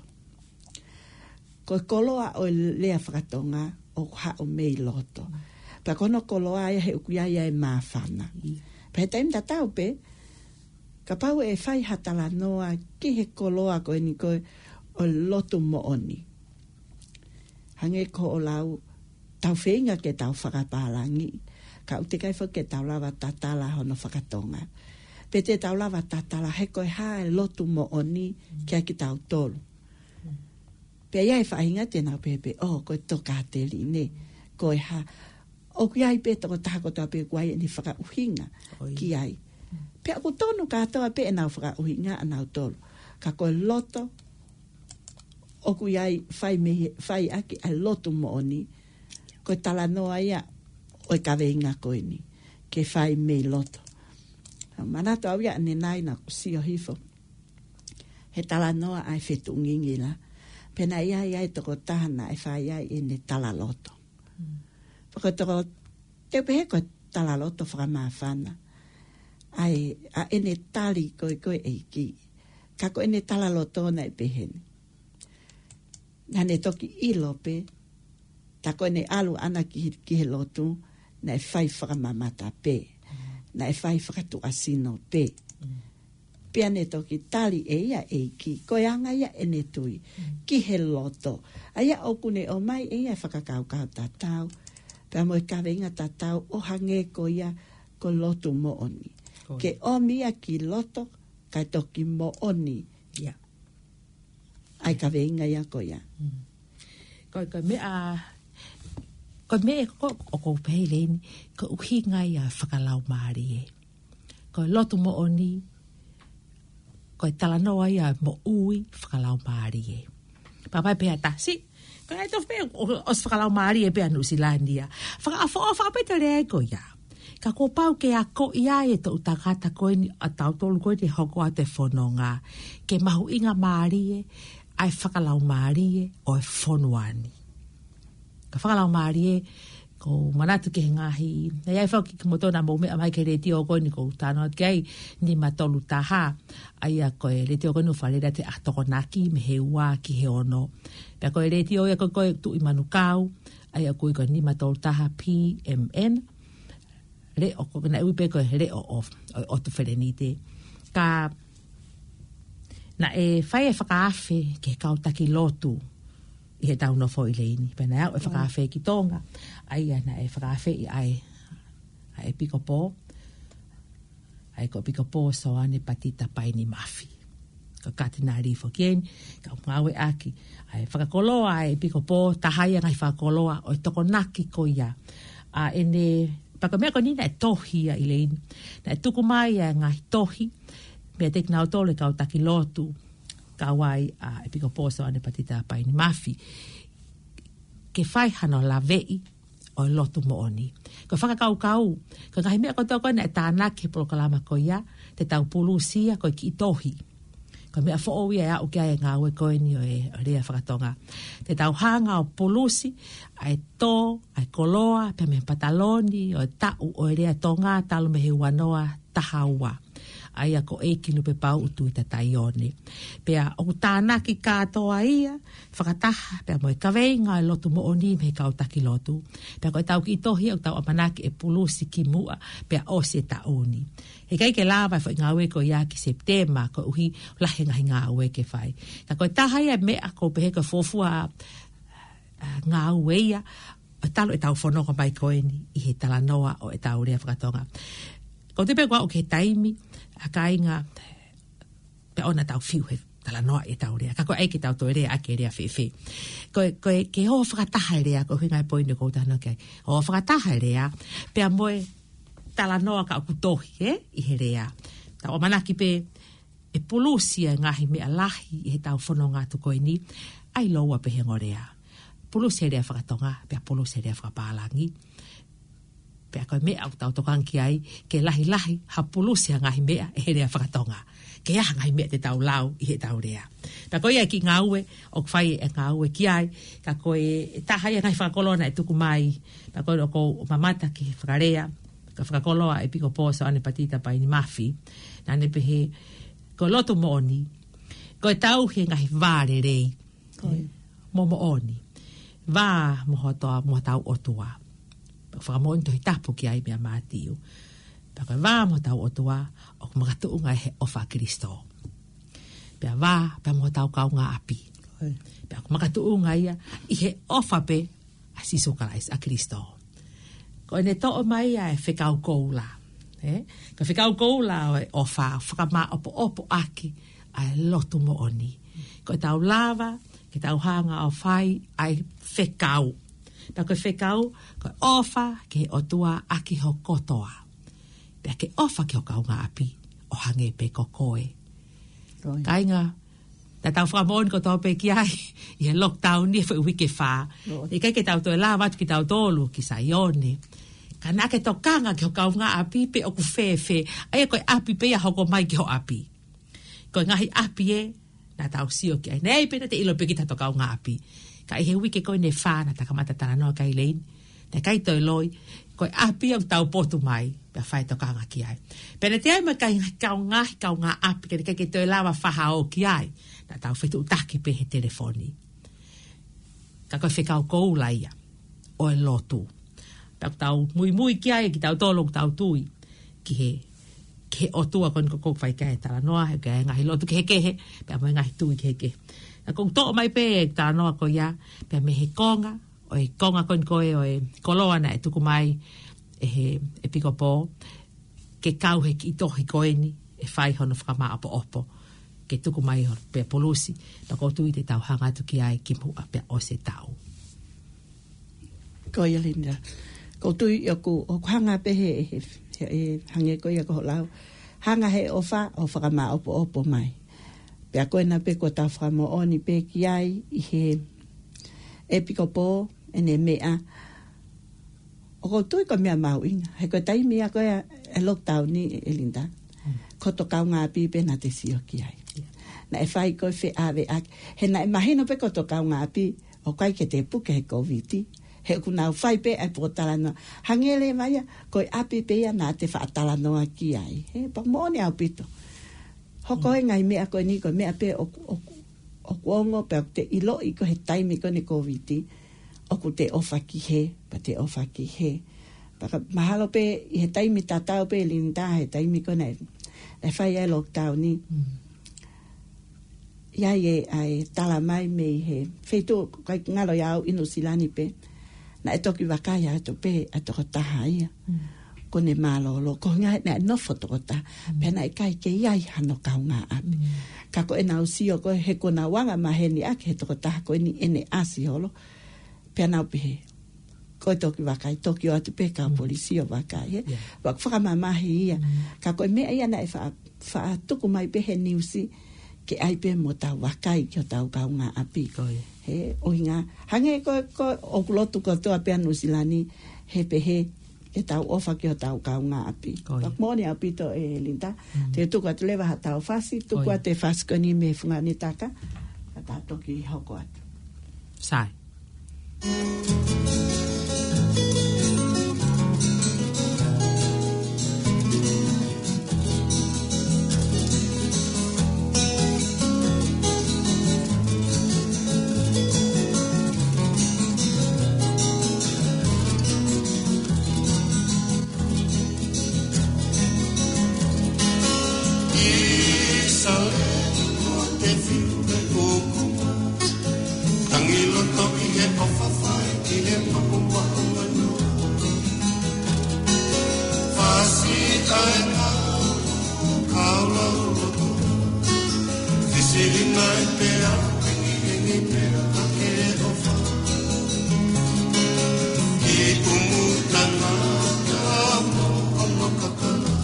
Ko e koloa ʻo e lea fakatonga ʻoku haʻu mei loto. Pea ko hono koloa ia he ʻoku ʻi ai ʻa e māfana. ʻIo. Pea he taimi tatau pē, kapau ʻe fai ha talanoa ki he koloa ko eni ko ē ʻo e lotu moʻoni, hangē ko hoʻo lau, tau feinga ke tau fakapālangi, ka ʻoku teʻeki ai foki ke tau lava tatala hono fakatonga. Pe te tau lava tatala he ko e hā e lotu moʻoni kia kitautolu. Pea ʻi ai e faʻahinga te nau pehē pē, ʻō, ko e tokāteline, ko e hā. ʻOku ʻi ai pē tokotaha kotoa pē ʻoku ʻi ai ʻene fakaʻuhinga ʻo ia ki ai. Pea ʻoku tonu kātoa pē ʻenau fakaʻuhinga ʻanautolu. Ka ko e loto, ʻoku ʻi ai fai mei, fai ʻaki ʻa e lotu moʻoni. Ko e talanoa ia ʻo e kaveinga ko eni, ke fai mei loto. Manatu au ia ʻanenai naʻa ku sio hifo he talanoa ʻa e fetuʻu ngingila. Pea naʻe ʻi ai ʻa e tokotaha naʻe fai ai ʻene talaloto. Mm. Pea ko e toko, te u pehē ko e talaloto fakamāfana. ʻA e, ʻa ʻene tali ko ē ko e ʻEiki. Ka ko ʻene talaloto naʻe pehē ni. Naʻa ne toki ʻilo pē, tā ko ʻene ʻalu ʻana ki he, ki he lotu, naʻe fai fakamamata pē, naʻe fai fakatuʻasino pē. Pea ne toki tali ʻe ia ʻEiki, ko e anga ia ʻene tui, ki he loto. ʻA ia ʻoku ne ʻomai ʻe ia e fakakaukau tatau, pea mo e kaveinga tatau ʻo hangē ko ia ko e lotu moʻoni. Ko ia. Ke ʻomi ia ki loto, kae toki moʻoni ia. ʻA e kaveinga ia ko ia. Mm. Ko, ko e meʻa, ko e meʻa ko, ʻoku ou pehē ʻEleni, ko e ʻuhinga ia fakalaumālie. Ko e lotu moʻoni, ko e talanoa ia moʻui fakalaumālie. Pea ʻai pē ha tasi, ko e ʻai tofu pē ʻo, ʻosi fakalaumālie pē ʻa Nuʻusila ni ia. Fakaʻofoʻofa pē te lea ko ia. Ka kuo pau ke akoʻi ʻe he toʻu tangata ko eni ʻa tautolu ko eni ʻe hoko atu e fononga, ke mahuʻingamālie ʻa e fakalaumālie ʻo e fonua ni. Ka fakalaumālie, ʻoku ou manatu ki he ngaahi, naʻe ʻi ai foki kimoutolu naʻa mou meʻa mai ki he letiō ko eni ʻoku ou talanoa ki ai, nima tolu taha, ʻa ia ko e letiō ko eni ʻoku faleʻi ʻa e Tokonaki mei he ua ki he ono. Pea ko e letiō ia ko ē ko e Tuʻi Manukau, ʻa ia ʻoku ui ko e nima tolu taha P M N. leʻo, ko naʻe ui pē ko e leʻo ʻo, ʻo, ʻo ʻOtu Felenite. Ka naʻe fai e fakaafe ki he kau taki lotu ʻi heʻetau nofo ʻi Leini. Pea naʻe aʻu e fakaafe ki Tonga, ʻa ia naʻe fakaafeʻi ai ʻa e ʻEpikopō, ʻa ia ko e ʻEpikopō Soane Patita Paini Mafi. Ko e Katinali foki eni, kau ngāueʻaki ʻa e fakakoloa ʻa e ʻEpikopō, taha ia e ngaahi fakakoloa ʻo e Tokonaki ko ia. ʻA ʻene, pea ko e meʻa ko eni naʻe tohi ia ʻi Leini. Naʻe tuku mai ʻa e ngaahi tohi meiate kinautolu e kau taki lotu, kau ai ʻa e ʻEpikopō Soane Patita Paini Mafi, ke fai hano laveʻi ʻo e lotu moʻoni. Ko e fakakaukau, ko e ngaahi meʻa kotoa ko ē naʻe tānaki he polokalama ko ia, te tau pulusi ia ko e kiʻi tohi. Ko e meʻa foʻou ia ʻe aʻu ki ai e ngāue ko eni ʻo e, ʻo e lea fakatonga. Te tau hanga ʻo pulusi ʻa e tō, ʻa e koloa, pea mei he pataloni ʻo e taʻu ʻo e lea Tonga talu mei he ua noa taha ua, ʻa ia ko ʻEiki Lupepauʻu Tuʻitataione. Pea ʻoku tānaki kātoa ia fakataha pea mo e kaveinga ʻo e lotu moʻoni mei he kau taki lotu. Pea ko ʻetau kiʻi tohi ʻoku tau ʻamanaki ʻe pulusi kimuʻa pea ʻosi e taʻu ni. Heʻikai ke lava e foʻi ngāue ko ia ki Sepitema koeʻuhi lahi e ngaahi ngāue ke fai. Ka ko e taha ia e meʻa ʻoku ou pehē ko e fuofua, ʻa, ngāue ia ʻo talu ʻetau fononga mai ko eni ʻi he talanoa ʻo ʻetau lea fakatonga. Ko te pē kuo aʻu ki he taimi, ʻa kāinga, pea ʻoua naʻa tau fiu he talanoa ʻi heʻetau lea. Ka ko e ʻai ke tau toe lea ʻaki e lea fēfē. Ko e, ko e, ke hoʻo fakataha e lea, ko e ʻuhinga e poini ʻoku ou talanoa ki ai. Hoʻo fakataha e lea, pea mo e talanoa ka ʻoku tohi, ē, ʻi he lea. Tau ʻamanaki pē ʻe pulusi e ngaahi meʻa lahi ʻi heʻetau fononga atu ko eni, ʻai lōua pē he ongo lea. Pulusi e lea fakatonga, pea pulusi e lea fakapālangi. Pea ko e meʻa ʻoku tau tokanga ki ai, ke lahilahi ha pulusi ha ngaahi meʻa ʻe he lea fakatonga. Ke ʻi ai ha ngaahi meʻa te tau lau ʻi heʻetau lea. Pea ko ia e kiʻi ngāue ʻoku fai e ngāue ki ai, ka ko e taha ia e ngaahi fakakoloa naʻe tuku mai. Pea ko ē ʻoku ou mamata ki he fakalea, ko e fakakoloa ʻa e ʻEpikopō Soane Patita Paini Mafi, naʻa ne pehē, ko e lotu moʻoni, ko e tauhi e ngaahi vā lelei mo moʻoni. Vā mo hotau, mo hotau ʻOtua. Fakamoʻoni Tohi Tapu ki ai meia Mātiu. Pea ko e vā mo hotau ʻOtua, ʻoku makatuʻunga he ʻofa ʻa Kilisitō. Pea vā, pea mo hotau kaungāʻapi. Pea ʻoku makatuʻunga ia ʻi he ʻofa pē ʻa Sīsū Kalaisi, ʻa Kilisitō. Ko ʻene toʻo mai ʻa e fekau koula. Ē? Ko e fekau koula ʻo e ʻofa, fakamāʻopoʻopo ʻaki ʻa e lotu moʻoni. Ko ʻetau lava ke tau hanga ʻo fai ʻa e fekau. Pea ko e fekau, ko e ʻofa ki he ʻOtua ʻaki ho kotoa. Pea ke ʻofa ki ho kaungāʻapi ʻo hangē pē ko koe. Kāinga, naʻa tau fakamoʻoni kotoa pē ki ai ʻi he lockdown ʻi he foʻi uike fā. ʻIkai ke tau toe lava atu kitautolu ki Saione. Ka naʻa ke tokanga ki ho kaungāʻapi pe ʻoku fēfē. ʻA ia ko e ʻapi pē ia hoko mai ki ho ʻapi. Ko e ngaahi ʻapi ē naʻa tau sio ki ai. Naʻe ʻi ai pē naʻa te ʻilo pē kita ho kaungāʻapi. Ka ʻi he uike ko eni ʻe fā naʻa ta kamata talanoa ki ai Leini, naʻe ʻikai toe loi, ko e ʻapi ʻoku tau potu mai, pea fai tokanga ki ai. Pea naʻa te ʻi ai mo e ngaahi kaungā, kaungāʻapi, ka naʻe ʻikai ke toe lava fakahoko ki ai, naʻa tau fetuʻutaki pē he telefoni. Ka ko e fekau koula ia ʻo e lotu. Pea ʻoku tau muimui ki ai, kitautolu ʻoku tau tui ki he, ki he ʻOtua ko eni ʻoku fai ki ai e talanoa, he ʻoku ʻi ai e ngaahi lotu kehekehe, pea mo e ngaahi tui kehekehe. Naʻa ku toʻo mai pē e talanoa ko ia, pea mei he konga, ʻo e konga ko eni ko ē ʻo e koloa naʻe tuku mai ʻe he ʻEpikopō, ke kau he kiʻi tohi ko eni, ʻe fai hono fakamāʻopoʻopo, ke tuku mai hono pea pulusi, pea ʻoku ou tui te tau hanga atu ki ai kimuʻa pea ʻosi e taʻu. Ko ia Linda. ʻOku ou tui ʻoku, ʻoku hanga pē he, he, he, he hangē ko ia ko hoʻo lau. Hanga he ʻofa ʻo fakamāʻopoʻopo mai. Pea ko ena pē kuo tau fakamoʻoni pē ki ai ʻi he ʻEpikopō ʻene meʻa. ʻOku ou tui ko e meʻa mahuʻinga. He ko e taimi ia ko ē ʻa e lockdown ni ʻe Linda. Ko hoto kaungāʻapi pē naʻa te sio ki ai. Naʻe fai ko e feʻaveʻaki. He naʻe mahino pē ko hoto kaungāʻapi ʻoku ʻikai ke te puke he Kōviti. He ʻoku nau fai pē ʻa e pōtalanoa. Hangē leva ia, ko e ʻapi pē ia naʻa te faʻa talanoa ki ai. He pea moʻoni ʻaupito. Hoko e ngaahi meʻa ko eni ko e meʻa pē ʻoku, ʻoku, ʻoku ongo pē ʻoku te ʻiloʻi ko e he taimi ko eni Kōviti. ʻOku te ʻofa ki hē, pea te ʻofa ki hē. Pea ka mahalo pē ʻi he taimi tatau pē Linda he taimi ko ē naʻe, naʻe fai ai e lockdown ni. Mm. ʻI ai e, ʻa e tala mai mei he feituʻu ʻoku ʻikai ngalo ia au ʻi Nuʻusila ni pē. Naʻe toki vakai atu pē ʻa e tokotaha ia. Mm. Ko ʻene mālōlō, ko e ʻuhinga naʻe nofo tokotaha. Mm. Pea naʻe ʻikai ke ʻi ai hano kaungāʻapi. Mm. Ka ko ʻenau sio ko ē he ko ʻenau anga maheni ʻaki he tokotaha ko eni ʻene ʻasi holo. Pea nau pehē, ko e toki vakai, toki ʻoatu pē kau Mm. polisi ʻo vakai, he. Yeah. Wa-, fakamamahi ia. Mm. Ka ko e meʻa ia naʻe fa-, faʻa tuku mai pē he niusi, ke ʻai pē mo tau vakai ki hotau kaungāʻapi. Ko ia. He, ʻuhinga, hangē ko, ko ʻoku lotu kotoa pē ʻa Nuʻusila ni, he pehē, ke tau ʻofa ki hotau kaungāʻapi. Ko ia. Pea moʻoni ʻaupito ē Linda, Mm. te u tuku atu leva haʻatau fasi, tuku Ko ia. atu e fasi ko eni mei he fungani taka, ka tau toki hoko atu. Sai. ʻIsale ko te fiu e ʻoku tangi loto ʻi he ʻofa fai ki he maʻumaʻu manu. Fasi ʻa e ngāue kau lau loto. Fisili nai pea, ʻengiʻengi pea, ʻa ke ʻofa. Ki ʻumu tangata mo ono kakala.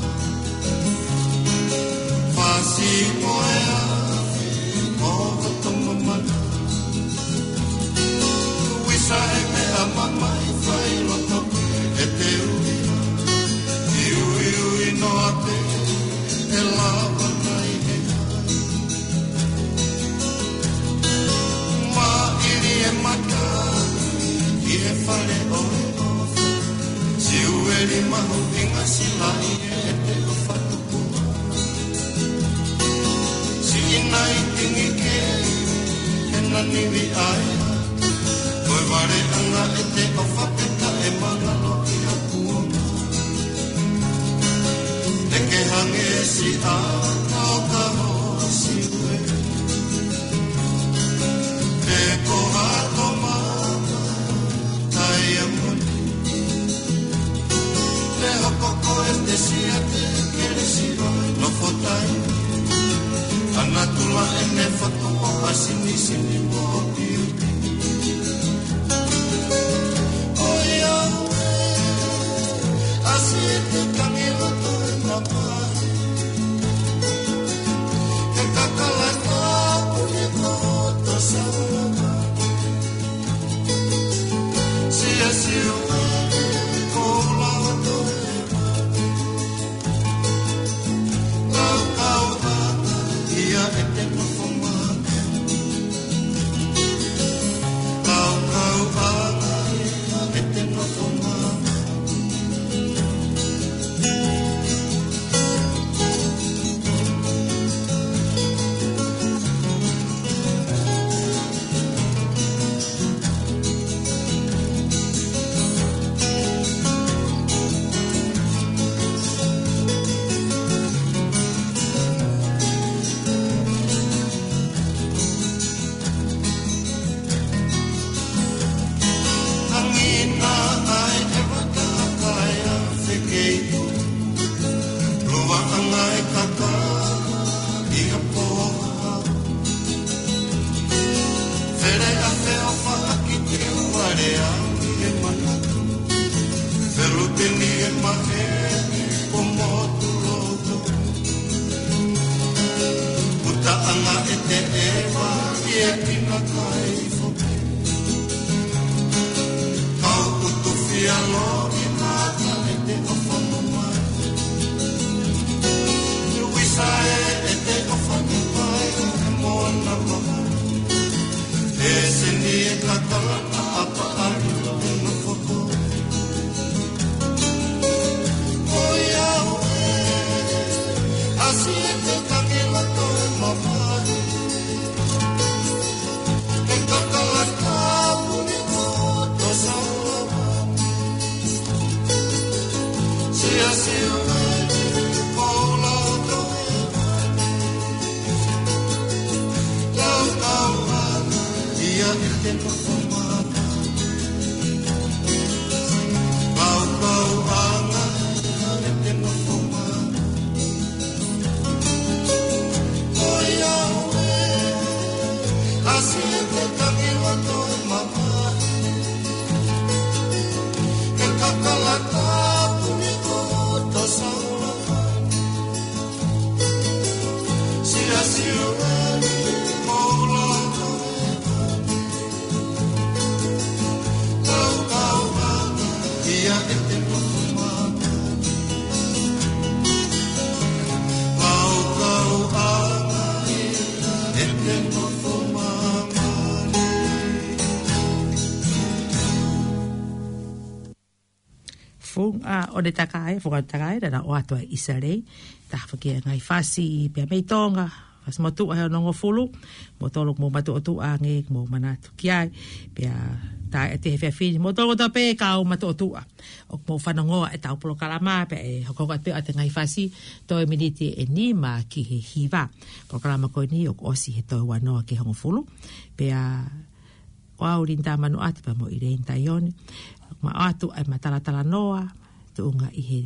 Fasi mo e afi, mo hoto mamana. Uisa e meʻa mamahi fai loto, ʻe te ui. Iuiui noa pē, ʻe lava nai ʻe hai. Maʻili e mata, ʻi he fale ʻo e ʻofa. Siueli mahuʻinga silaʻi ʻe te ʻofa tupu. Siʻi nai tingi ke, ʻe nani vi ai. Ko e vale anga ʻe te ʻofa peka e mangalo ki ha pua. ʻE ke hangē siʻa kau ka ho siue. Pe ko ha toma kai a moni. Pe hoko ko e te sia te kelesi ʻo e nofo tai. Ana tula ʻene foto ʻo ha sinisini mo piu. ʻOiauē, ʻasi e te tangi loto e mamahi. He kakala ka puni ko to sauna. Sia siu ko la to e mamahi. Kau kau ata ia e te nofo mamahi. Kau kau ata ia e te nofo mamahi. Hangina ai e vaka kai a fekeitu. Lua anga e kaka i a poha. Fele a feofa a ki te uare a ki he manatu. Feluteni e mahe ko motu loto. Puta anga e te eva i e kina kai foke. Kau utu fia lo i mata e te ʻofa mo mai. Uisa e e te ʻofa mo mai e mona mama. E seni e kakala na apa ali lo e nofo ko. ʻOiauē, ʻasi e te tangi loto e mamahi. E kakala ka puni ko to sauna. Funga ʻo e takai, funga ʻo e takai, naʻa na ʻoatu ʻa ʻIsalei, taha foki e ngaahi fasi pea mei Tonga, fasi motuʻa he onongofulu, mo tolu mo matuʻotuʻa ange, mo manatu ki ai, pea tae ʻete he fiafini, mo tolu mo tape kau matuʻotuʻa. ʻOku mou fanongoa ʻetau polokalama, pea ʻe hoko atu ʻa e ngaahi fasi, toe miniti ʻe nima ki he hiva. Polokalama ko eni ʻoku ʻosi he toe ua noa ki he hongofulu, pea ko au Linda Manuʻati pea mo ʻIleini Taione. Ma ʻoatu ʻa e matalatalanoa, tuʻunga ʻi he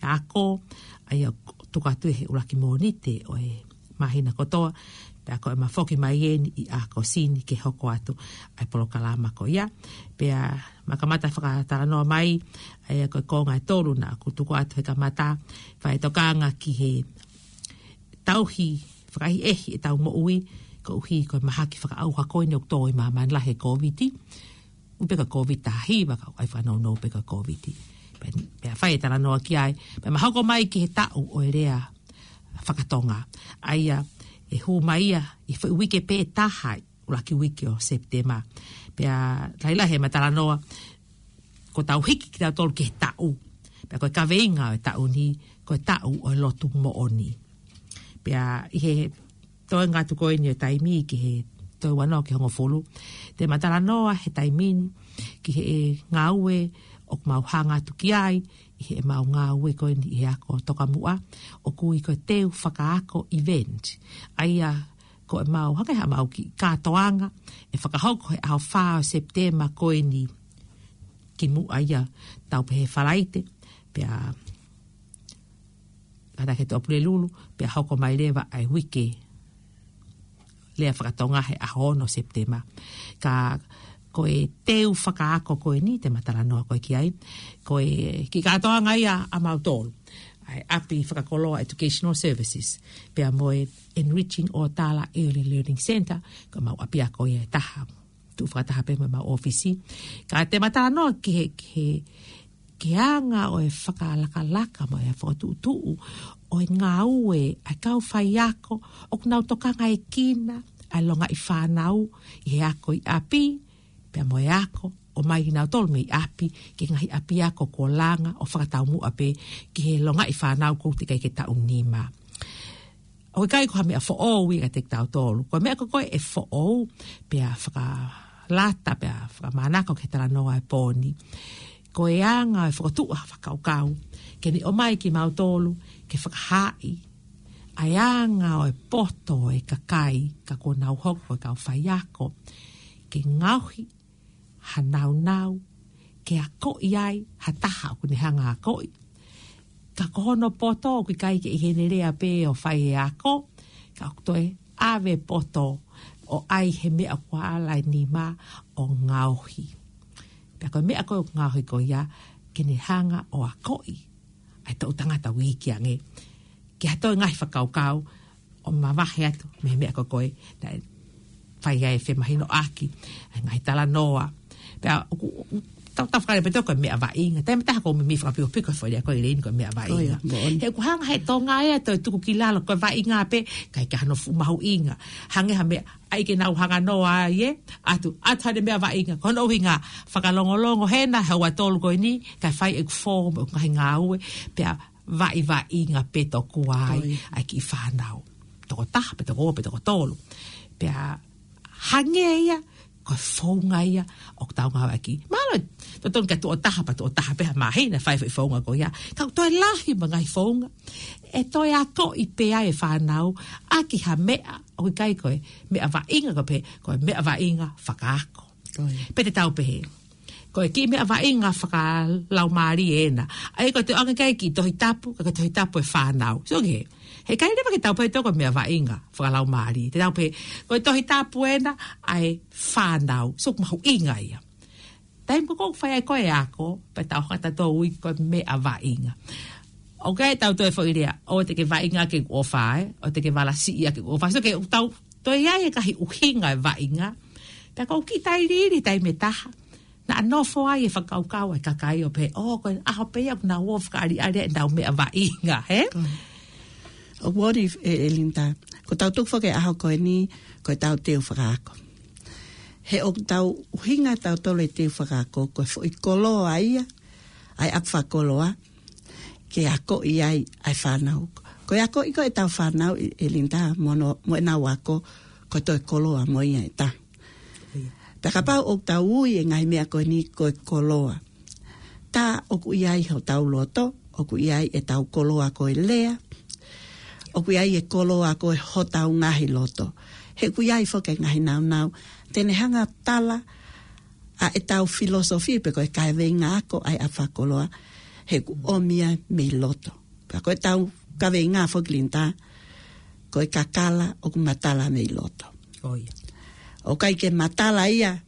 ako, ʻa ia ʻoku tuku atu he ʻuluaki Mōnite ʻo e māhina kotoa, pea ko e ma foki mai eni ʻi ʻAokosi ni ke hoko atu ʻa e polokalama ko ia. Pea ma kamata fakatalanoa mai, ʻa ia ko e konga ʻe tolu naʻa ku tuku atu he kamata, fai tokanga ki he tauhi fakaʻehiʻehi ʻetau moʻui, koeʻuhi ko e mahaki fakaʻauha ko eni ʻoku tō ʻi māmani lahi he Kōviti. ʻUpeka Kōviti taha hiva, ka ʻai fakanounou peka Kōviti. Pea, pea fai e talanoa ki ai, pea ma hoko mai ki he taʻu ʻo e lea fakatonga. ʻA ia, ʻe hū mai ia, ʻi he foʻi uike pē ʻe taha, ʻuluaki uike ʻo Sepitema. Pea, lahilahi e ma talanoa, ko ʻetau hiki kitautolu ki he taʻu. Pea ko e kaveinga ʻo e taʻu ni, ko e taʻu ʻo e lotu moʻoni. Pea ʻi he toenga atu ko eni ʻo e taimi ki he toe ua noa ki he hongofulu, te ma talanoa he taimi ni ki he ngāue ʻoku mau hanga atu ki ai, ʻi he mau ngāue ko eni ʻi he ako tokamuʻa, ʻoku ui ko e teu fakaako event. ʻA ia ko e mau hake ha mau kiʻi kātoanga, ʻe fakahoko he ʻaho fā ʻo Sepitema ko eni kimuʻa ia tau pehē Falaite, pea kātaki he Tuʻapulelulu, pea hoko mai leva ʻa e uike lea fakatonga he ʻaho ono Sepitema. Ka ko e teu fakaako ko eni, te ma talanoa ko ē ki ai, ko e kiʻi kātoanga ia ʻa mautolu. ʻA e ʻapi fakakoloa Educational Services, pea mo e Enriching ʻOtala Early Learning Centre, ko e mau ʻapiako ia ʻe taha. Tuʻu fakataha pē mo e mau ʻōfisi. Ka te ma talanoa ki he, ki he, ki he anga ʻo e fakalakalaka mo e fokotuʻutuʻu ʻo e ngāue ʻa e kau faiako, ʻoku nau tokangaekina ʻa e longaʻi fānau ʻi he ako ʻi ʻapi, pea mo e ako, ʻomai kinautolu mei ʻapi, ki he ngaahi ʻapiako kuo langa ʻo fakataumuʻa pē ki he longaʻi fānau ʻoku teʻeki ai ke taʻu nima. ʻOku ʻikai ko ha meʻa foʻou ia kiate kitautolu. Ko e meʻa ko ē ʻe foʻou, pea fakalata, pea fakamānako ki he talanoa ʻo e pō ni. Ko e anga ʻo e fokotuʻu ha fakakaukau, ke ne ʻomai kimautolu, ke fakahaaʻi ʻa e anga ʻo e poto ʻo e kakai, ka kuo nau hoko ko e kau faiako, ke ngaohi ha naunau, ke akoʻi ai ha taha ʻoku ne hanga akoʻi. Ka ko hono poto ʻoku ʻikai ke ʻi heʻene lea pē ʻo fai e ako, ka ʻoku toe ʻave poto ʻo ʻai he meʻa kuo ala e nima ʻo ngaohi. Pea ko e meʻa ko ē ʻoku ngaohi ko ia, ke ne hanga ʻo akoʻi ʻa e toʻu tangata ʻoku iiki ange. Ki ha toe ngaahi fakakaukau, ʻo mavahe atu mei he meʻa ko ē naʻe fai ai e femahinoʻaki, ʻa e ngaahi talanoa. Pea ʻoku, ʻoku tau, tau fakale pē toko meʻa vaʻinga. Taimi ʻe taha ʻoku ou meimei fakapiopio ko e foʻi lea ko ē ʻIleini ko e meʻa vaʻinga. He ʻoku hanga he Tonga ia ʻo tuku ki lalo ko e vaʻinga pē, ʻikai ke ʻi ai hano fuʻu mahuʻinga. Hangē ha meʻa, ʻai ke nau hanga noa ai ē, ʻatu, ʻatu haʻane meʻa vaʻinga. Ko hono ʻuhinga fakalongolongo hena, he ua tolu ko eni, kae fai ʻeku fō mo ʻeku ngaahi ngāue, pea vaʻivaʻinga pē tokua ai ʻa e kiʻi fānau. Toko taha, pe toko ua, pe toko tolu. Pea hangē ia, ko e founga ia ʻoku tau ngāueʻaki. Mahalo, totonu ke tuʻo taha pea tuʻo taha pē ha māhina fai foʻi founga ko ia. Ka ʻoku toe lahi mo e ngaahi founga ʻe toe akoʻi pē ai e fānau ʻaki ha meʻa ʻoku ʻikai ko e meʻa vaʻinga, ko e pehē ko e meʻa vaʻinga fakaako. Ko ia. Pe te tau pehē ko e kiʻi meʻa vaʻinga fakalaumālie ena. ʻA ia ko e toe ʻoange ki ai e kiʻi Tohi Tapu, ka ko e Tohi Tapu e fānau. So ke, heʻikai leva ke tau pehē ko e meʻa vaʻinga fakalaumālie. Te tau pehē ko e Tohi Tapu ena ʻa e fānau. So mahuʻinga ia. Taimi ko ē ʻoku fai ai ko ē e ako, pea tau hanga ʻo ui ko e meʻa vaʻinga. ʻOku ʻi ai ʻetau toe foʻi lea, ʻoua te ke vaʻinga ʻaki ʻeku ʻofa, ē, ʻoua te ke valasiʻi ʻaki ʻeku ʻofa. So ke ʻoku tau toe ʻi ai e ngaahi ʻuhinga e vaʻinga. Pea ʻoku kiʻi tailiili taimi ʻe taha. Naʻa nofo ai e fakakaukau ʻa e kakai ʻo pehē, ʻō, ko e ʻaho pē ia ʻoku nau ō ʻo fakaʻaliʻali ʻenau meʻa vaʻinga, hē? Ko ia. ʻOku ʻi ai, ʻe, ʻe Linda, ko ʻetau tuku foki e ʻaho ko eni, ko ʻetau teu fakaako. He ʻoku tau ʻuhinga ʻetau tolo e teu fakaako, ko e foʻi koloa ia, ʻa e ʻapi fakakoloa, ke akoʻi ai ʻa e fānau. Ko e akoʻi ko ē ʻetau fānau ʻe, ʻe Linda mo hono, mo ʻenau ako, ko e toe koloa mo ia ʻe taha. Pea kapau ʻoku tau ui e ngaahi meʻa ko eni ko e koloa. Tā ʻoku ʻi ai hotau loto, ʻoku ʻi ai ʻetau koloa ko e lea, ʻoku ʻi ai e koloa ko ē hotau ngaahi loto. He ʻoku ʻi ai foki e ngaahi nāunau, te ne hanga ʻo tala ʻa ʻetau filosofia pe ko e kaveinga ako ʻa e ʻapi fakakoloa, he ʻoku ʻomi ia mei loto. Pea ko ʻetau kaveinga foki Linda, ko e kakala ʻoku matala mei loto. Ko ia. ʻOku ʻikai ke matala ia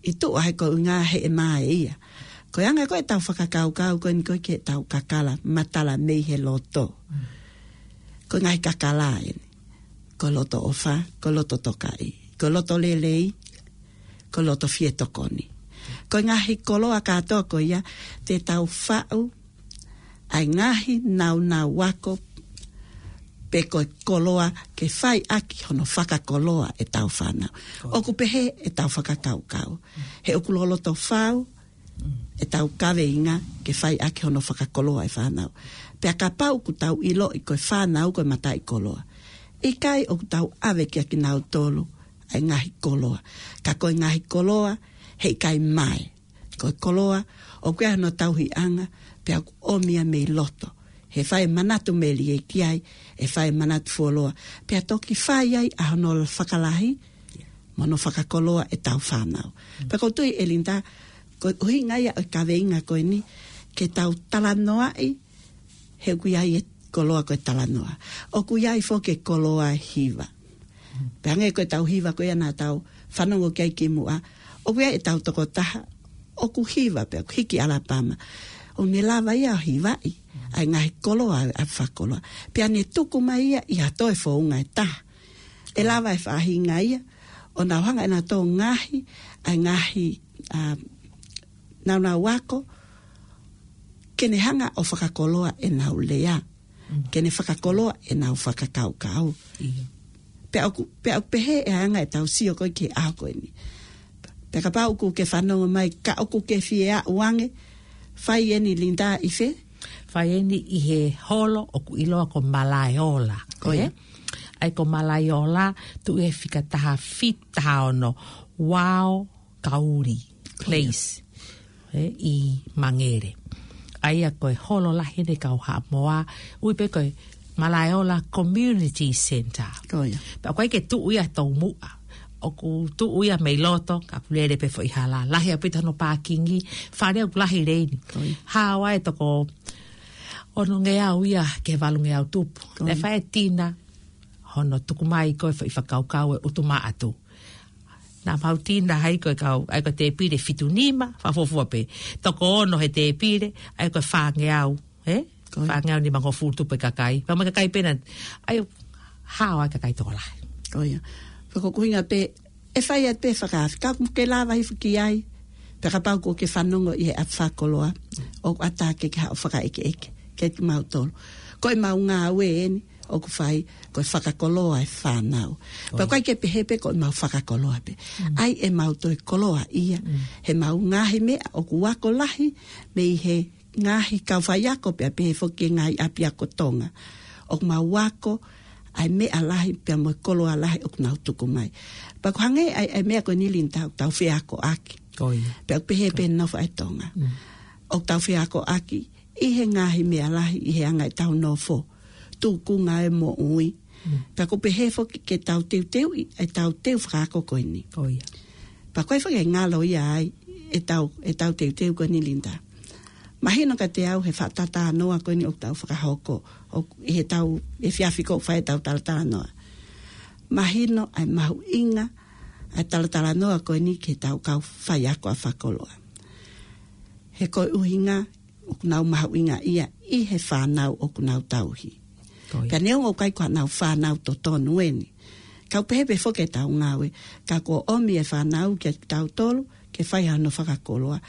ʻi tuʻa he ko e ʻuhinga he ʻe mā ʻe ia. Ko e anga ko ē ʻetau fakakaukau ko eni ko ē ki heʻetau kakala matala mei he loto. Mm. Ko e ngaahi kakala eni. Ko e loto ʻofa, ko e loto tokaʻi, ko e loto lelei, ko e loto fie tokoni. Ko e ngaahi koloa kātoa ko ia te tau faʻu ʻa e ngaahi nāunau ako pe ko e koloa ke fai ʻaki hono fakakoloa ʻetau fānau. Ko ia. ʻOku pehē ʻetau fakakaukau. He ʻoku loloto fau ʻetau kaveinga ke fai ʻaki hono fakakoloa e fānau. Pea kapau ʻoku tau ʻiloʻi ko e fānau ko e mataʻikoloa, ʻikai ʻoku tau ʻave kia kinautolu ʻa e ngaahi koloa. Ka ko e ngaahi koloa, heʻikai mā ē. Ko e koloa, ʻoku ʻi ai hono tauhiʻanga, pea ʻoku ʻomi ia mei loto. He fai e manatu melie ki ai, ʻe fai e manatu fuoloa. Pea toki fai ai ʻa hono fakalahi, mo hono fakakoloa ʻetau fānau. Mm. Pea ʻoku ou tui ʻe Linda, ko e ʻuhinga ia ʻo e kaveinga ko eni, ke tau talanoaʻi, he ʻoku ʻi ai e koloa ko e talanoa. ʻOku ʻi ai foki e koloa hiva. Pea hangē ko ʻetau hiva ko ia naʻa tau fanongo ki ai kimuʻa. ʻOku ʻi ai ʻetau tokotaha ʻoku hiva pea ʻoku hiki ʻAlapama. ʻOku ne lava ia ʻo hivaʻi ʻa e ngaahi koloa ʻa e ʻapi fakakoloa. Pea ne tuku mai ia ʻi ha toe founga ʻe taha. ʻE lava e faʻahinga ia ʻo nau hanga ʻe nautolu ʻo ngaohi ʻa e ngaahi, ʻa, nāunau ako, ke ne hanga ʻo fakakoloa ʻenau lea. Mm. Ke ne fakakoloa ʻenau fakakaukau. ʻIo. Pea ʻoku, pea ʻoku pehē e anga ʻetau sio ko ē ki he ʻaho ko eni. Pea kapau ʻoku ke fanongo mai, ka ʻoku ke fie aʻu ange, fai eni Linda ʻi fē? Fai eni ʻi he holo ʻoku ʻiloa ko Malaeola. Ko ia. Ē? ʻA ia ko Malaeola, tuʻu he fika taha fitu, taha ono, Wao Kauri Place, ē, ʻi Mangere. ʻA ia ko e holo lahi ʻeni kau Haʻamoa, ui pē ko e Malaeola Community Centre. Ko ia. Pea ʻoku ʻikai ke tuʻu ia he toumuʻa. ʻOku tuʻu ia mei loto, ka ʻoku lele pē foʻi hala. Lahi ʻaupito hono pākingi, fale ʻoku lahi leini. Ko ia. Hao ai toko onongeau ia ki he valungeau tupu. Ko ia. Naʻe fai e tina, hono tuku mai ko e foʻi fakakaukau e ʻutumaʻatu. Naʻa mau tina ai ko e kau, ʻa ia ko e tēpile fitu nima, fakafuofua pē. Toko ono he tēpile, ʻa ia ko e fāngeau, ē? Ko ia. Fāngeau nimangofulu tupu e kakai. Pea mo e kakai pē naʻe, ʻa ia hao ai kakai tokolahi. Ko ia. Pea ko e ʻuhinga pē, ʻe fai atu pē fakaafe. Ka ʻoku ke lava hifo ki ai. Pea kapau ʻoku ke fanongo ʻi he ʻapi fakakoloa. ʻOku ʻatā ke ke haʻu ʻo fakaʻekeʻeke. Kiate kimautolu. Ko ʻemau ngāue eni. ʻOku fai, ko e fakakoloa e fānau. Pea ʻoku ʻikai ke pehē pē ko ʻemau fakakoloa pē. Mm. ʻA ia ʻemau toe koloaʻia. Mm. He ʻemau ngaahi meʻa ʻoku ako lahi mei he ngaahi kau faiako pea pehē foki ki he ngaahi ʻapiako Tonga. ʻOku mau ako ʻa e meʻa lahi pea mo e koloa lahi ʻoku nau tuku mai. Pea ʻoku hangē ʻa e, ʻa e meʻa ko eni Linda ʻoku tau feakoʻaki. Ko ia. Pea ʻoku pehē pē nofo ʻa e Tonga. Mm. ʻOku tau feakoʻaki ʻi he ngaahi meʻa lahi ʻi he anga ʻetau nofo. Tukunga e moʻui. Mm. Pea ʻoku pehē foki ke tau teuteuʻi ʻetau teu fakaako ko eni. Ko ia. Pea ko e faʻahinga ngalo ia ai ʻetau, ʻetau teuteu ko eni Linda. Mahino kiate au he fakatalanoa ko eni ʻoku tau fakahoko, ʻoku ʻi heʻetau, he efiafi ko ē fai ʻetau talatalanoa. Mahino ʻa e mahuʻinga ʻa e talatalanoa ko eni ki heʻetau kau faiako ʻa fakakoloa. He ko e ʻuhinga ʻoku nau mahuʻingaʻia ʻi he fānau ʻoku nau tauhi. Ko ia. Pea neongo ʻoku ʻikai ko haʻanau fānau totonu eni. Ka ʻoku pehē pē foki ʻetau ngāue, ka kuo ʻomi e fānau kiate kitautolu, ke fai hano fakakoloa.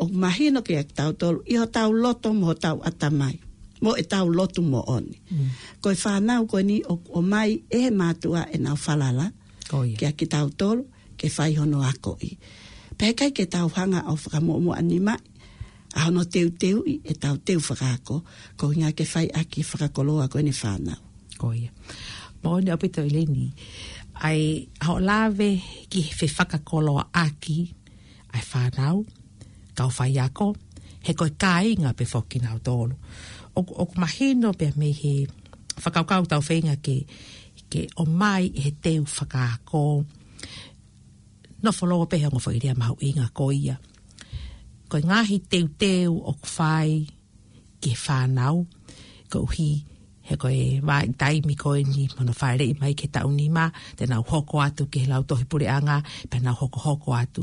ʻOku mahino kiate kitautolu, ʻi hotau loto mo hotau ʻatamai. Mo ʻetau lotu moʻoni. Mm. Ko e fānau ko eni ʻoku ʻomai ʻe he mātuʻa ʻenau falala. Ko ia. Kiate kitautolu, ke fai hono akoʻi. Pea ʻikai ke tau hanga ʻo fakamuʻomuʻa nima, ʻa hono teuteuʻi ʻetau teu fakaako, ko e ʻuhinga ke fai ʻaki e fakakoloa ko eni fānau. Ko ia. Moʻoni ʻaupito ʻEleni. ʻA e, ʻa hoʻo lave ki he fefakakoloaʻaki ʻa e fānau, kau faiako, he ko e kāinga pē foki kinautolu. ʻOku, ʻoku mahino pē mei he fakakaukau ʻoku tau feinga ke, ke ʻomai he teu fakaako. Nofo lōua pē he ongo foʻi lea mahuʻinga ko ia. Ko e ngaahi teuteu ʻoku fai ki he fānau, koeʻuhi he ko e vahaʻa taimi ko eni mo hono fāʻeleʻi mai ki he taʻu nima, te nau hoko atu ki he lautohi puleʻanga, pea nau hokohoko atu.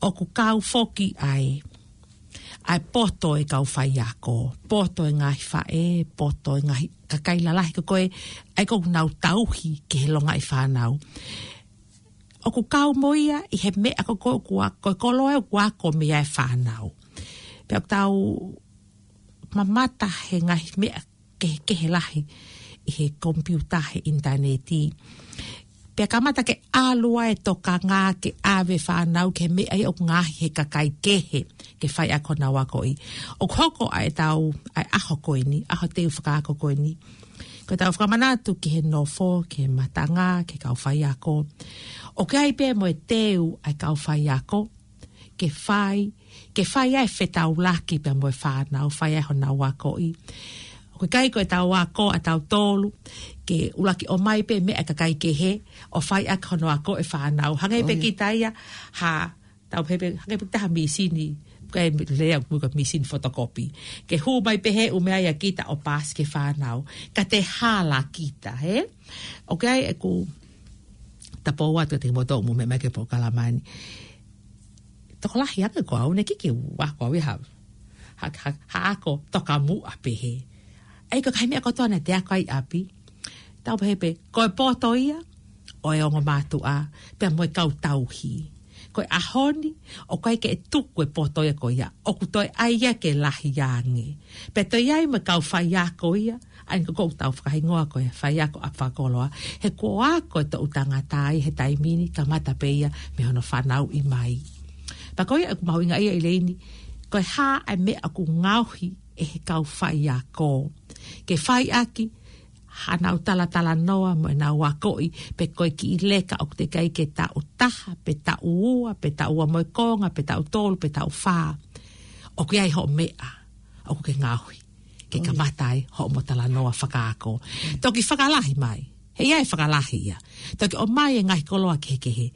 ʻOku kau foki ʻa e, ʻa e poto e kau faiako, poto e ngaahi faʻē, poto e ngaahi kakai lalahi ko ē, ʻa ia ʻoku nau tauhi ki he longaʻi fānau. ʻOku kau mo ia ʻi he meʻa ko ē ʻoku a-, ko e koloa ʻoku ako mei ai e fānau. Pea ʻoku tau mamata he ngaahi meʻa kehekehe lahi ʻi he komipiuta, he ʻinitaneti. Pea kamata ke ʻalu ʻa e tokanga ke ʻave fānau ki he meʻa ia ʻoku ngaohi he kakai kehe ke fai ʻaki honau akoʻi. ʻOku hoko ʻa ʻetau, ʻa e ʻaho ko eni, ʻaho teu fakaako ko eni, ko ʻetau fakamanatu ki he nofo, ki he matanga, ki he kau faiako. ʻOku ʻi ai pē mo e teu ʻa e kau faiako, ke fai, ke fai ʻa e fetaulaki pea mo e fānau, fai ʻa honau akoʻi. ʻOku ʻikai ko ʻetau ako ʻatautolu, ke ʻuluaki ʻomai pē meʻa ʻa e kakai kehe, ʻo fai ʻaki hono ako e fānau. Hangē pē kita ia, ha, tau pehē pē, hangē pē kita ha mīsini, ko e lea ʻoku ko e mīsini fotokopi. Ke hū mai pē he ʻū meʻa ia kita ʻo paasi ki he fānau. Ka te hala kita, hē? ʻOku ʻi ai ʻeku tapou atu kiate kimoutolu ʻoku mou meʻa mai ki he polokalama ni. Tokolahi ange ko au, naʻe ʻikai ke u ako au ia ha, ha, ha, ha ako tokamuʻa pehē. ʻA ia ko e ngaahi meʻa kotoa naʻa te ako ai ʻi ʻapi. Tau pehē pē, ko e poto ia ʻo e ongo mātuʻa, pea mo e kau tauhi. Ko e ʻaho ni, ʻoku ʻikai ke tuku e poto ia ko ia, ʻoku toe ʻai ia ke lahi ange. Pea toe ʻi ai mo e kau faiako ia, ʻa ia ko ē ʻoku tau fakahingoa ko e faiako ʻa fakakoloa. He kuo ako e toʻu tangata ia he taimi ni, kamata pē ia mei hono fanauʻi mai. Pea ko ia ʻoku mahuʻinga ia ʻEleni, ko e hā ʻa e meʻa ʻoku ngaohi ʻe he kau faiako ke fai ʻaki haʻanau talatalanoa mo ʻenau akoʻi, pe ko e kiʻi leka ʻoku teʻeki ai ke taʻu taha, pe taʻu ua, pe taʻu ua mo e konga, pe taʻu tolu, pe taʻu fā. ʻOku ʻi ai hoʻo meʻa ʻoku ke ngaohi ke kamata ai hoʻomo talanoa fakaako. Toki fakalahi mai. He ʻe ʻi ai e fakalahi ia. Toki ʻomai e ngaahi koloa kehekehe.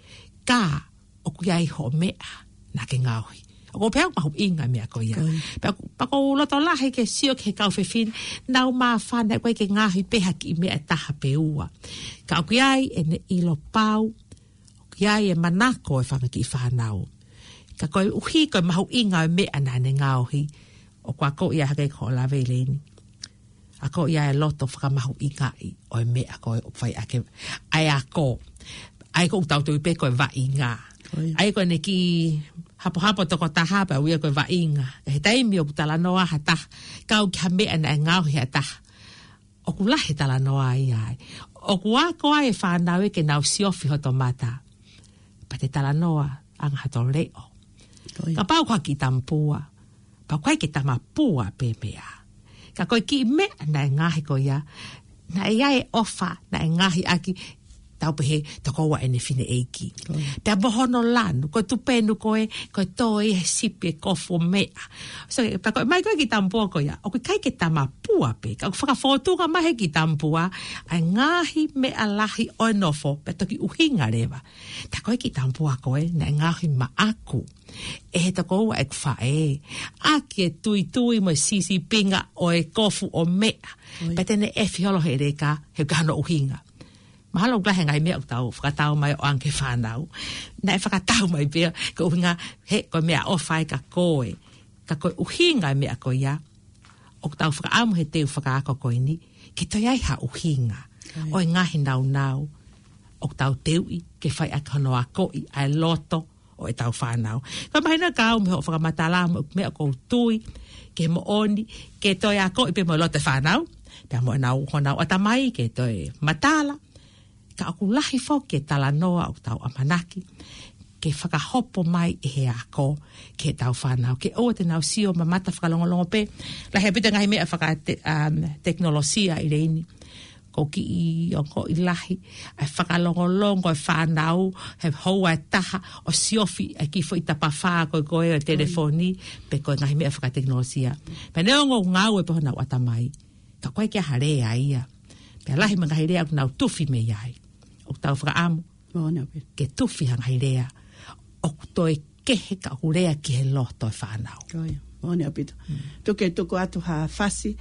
Ka ʻoku ʻi ai hoʻo meʻa naʻa ke ngaohi. ʻOku ou pehē ʻoku mahuʻinga e meʻa ko ia. Ko ia. Pea ʻoku, pea ʻoku ou loto lahi ke sio ki he kau fefine, nau māfana ʻoku ʻikai ke ngaohi pē ha kiʻi meʻa ʻe taha pe ua. Ka ʻoku ʻi ai ʻene ʻilo pau, ʻoku ʻi ai e manako e fanga kiʻi fānau. Ka koeʻuhi ko e mahuʻinga e meʻa naʻa ne ngaohi, ʻoku akoʻi ia hake ko hoʻo lave ʻEleni. Akoʻi ia e loto fakamahuʻingaʻi ʻo e meʻa ko ē ʻoku fai ʻaki ʻa e ako. ʻA ia ko ʻetau tui pē ko e vaʻinga. Ko ia. ʻA ia ko ʻene kiʻi hapohapo tokotaha pea ui ia ko e vaʻinga. He taimi ʻoku talanoa ha taha, kau ki ha meʻa naʻe ngaohi ʻe ha taha, ʻoku lahi e talanoa ia ai. ʻOku ako ai e fānau ia ke nau siofi hoto mata. Pea te talanoa ʻaki hato leʻo. Ko ia. Kapau ko ha kiʻi tamapua, pea ʻoku ʻikai ke tamapua pē meʻa. Ka ko e kiʻi meʻa naʻe ngaohi ko ia, naʻe ʻi ai e ʻofa, naʻe ngaohi ʻaki, tau pehē, tokoua ʻene fineʻeiki. Pea mo hono lanu, ko e tupenu ko ē, ko e tō ia he sipi e kofu ʻo meʻa. So, pea ko e ʻomai ko ē ki Tamapua ko ia, ʻoku ʻikai ke tamapua pē, ka ʻoku fakafōtunga mai he ki Tamapua ʻa e ngaahi meʻa lahi ʻo e nofo, pea toki ʻuhinga leva. Tā ko ē ki Tamapua ko ē, naʻe ngaohi maʻaku ʻe he tokoua ʻeku faʻē, ʻaki e tuitui mo e sisipinga ʻo e kofu ʻo meʻa. Pea te ne ʻefi holo he leka, he ʻoku ʻi ai hono ʻuhinga. Mahalo ʻoku lahi e ngaahi meʻa ʻoku tau fakatau mai ʻo ʻoange ki he fānau. Naʻe fakatau mai pē, ko e ʻuhinga, he, ko e meʻaʻofa ia kia koe. Ka ko e ʻuhinga e meʻa ko ia, ʻoku tau fakaʻamu he teu fakaako ko eni, ke toe ʻi ai ha ʻuhinga ʻo e ngaahi nāunau ʻoku tau teuʻi ke fai ʻaki hono akoʻi ʻa e loto ʻo ʻetau fānau. Ka mahino ka au mei hoʻo fakamatala mo e meʻa ʻoku ou tui, ke moʻoni, ke toe akoʻi pē mo e loto e fānau, pea mo ʻenau, honau ʻatamai, ke toe matala, ka ʻoku lahi foki e talanoa ʻoku tau ʻamanaki ke fakahopo mai ʻe he ako ki heʻetau fānau, ke ʻoua te nau sio mamata fakalongolongo pē. Lahi ʻaupito e ngaahi meʻa faka-, um, tekinolosia ʻi he ʻaho ni. Ko e kiʻi ongoʻi lahi ʻa e fakalongolongo e fānau, he houa ʻe taha ʻo siofi ʻa e kiʻi foʻi tapafā ko ē ko e telefoni, pe ko e ngaahi meʻa fakatekinolosia. Pea neongo ʻoku ngāue pē honau ʻatamai, ka ʻoku ʻikai ke ʻi ai ha lea ia. Pea lahi mo e ngaahi lea ʻoku nau tufi mei ai. ʻOku tau fakaʻamu ke tufi ha ngaahi lea ʻoku toe kehe ka ʻoku lea ki he loto e fānau. Ko ia, moʻoni ʻaupito. Tuku ke tuku atu ha fasi,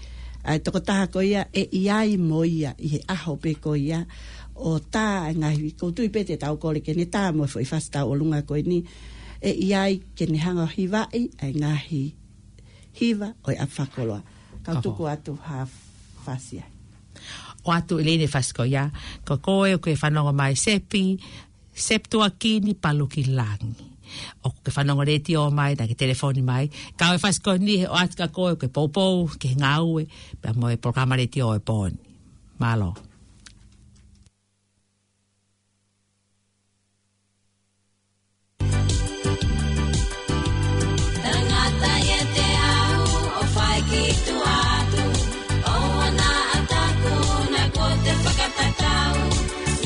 ʻa e tokotaha ko ia ʻe ʻi ai mo ia ʻi he ʻaho pē ko ia, ʻo tā e ngaahi, ʻoku ou tui pē te tau kole ke ne tā mo e foʻi fasi tauʻolunga ko eni, ʻe ʻi ai ke ne hanga ʻo hivaʻi ʻa e ngaahi hiva ʻo e ʻapi fakakoloa. Kau tuku atu ha fasi ai. ʻOatu ʻe Leni e fasi ko ia, ko koe ʻoku ke fanongo mai Sepi, Septuakini Palukilangi. ʻOku ke fanongo letiō mai, naʻa ke telefoni mai. Ka ko e fasi ko eni he ʻoatu kia koe ʻoku ke poupou ki he ngāue, pea mo e polokalama letiō ʻo e pō ni. Mālō. Tangata ʻiate au ʻo fai ki tuʻa atu, ʻoua naʻa taku naʻa kuo te fakatatau,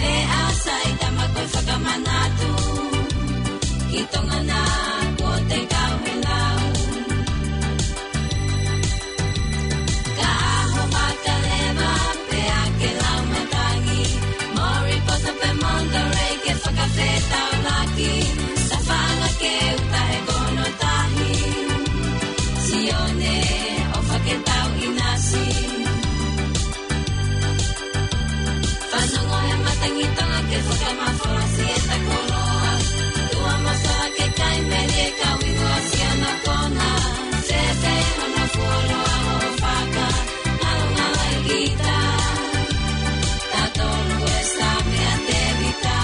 leʻo sai tama ko e fakamanatu, ki Tonga naʻa kuo te kau he lau. Ka ʻaho vaka leva, pea ke lau matangi, Moripota pe Monterey ke fakafetaulaki, Safala ke uta he kono tahi, Sione ʻofa ke tau ʻinasi. Fanongo he matangi Tonga ke fakamafola siʻeta koloa, Tuʻa Masala ke kai meli e kau inu ʻa Siana Kona, Sefe hono fuoloa hoʻo faka, Ngalongala ʻi kita, Tatolu e Same a Tevita.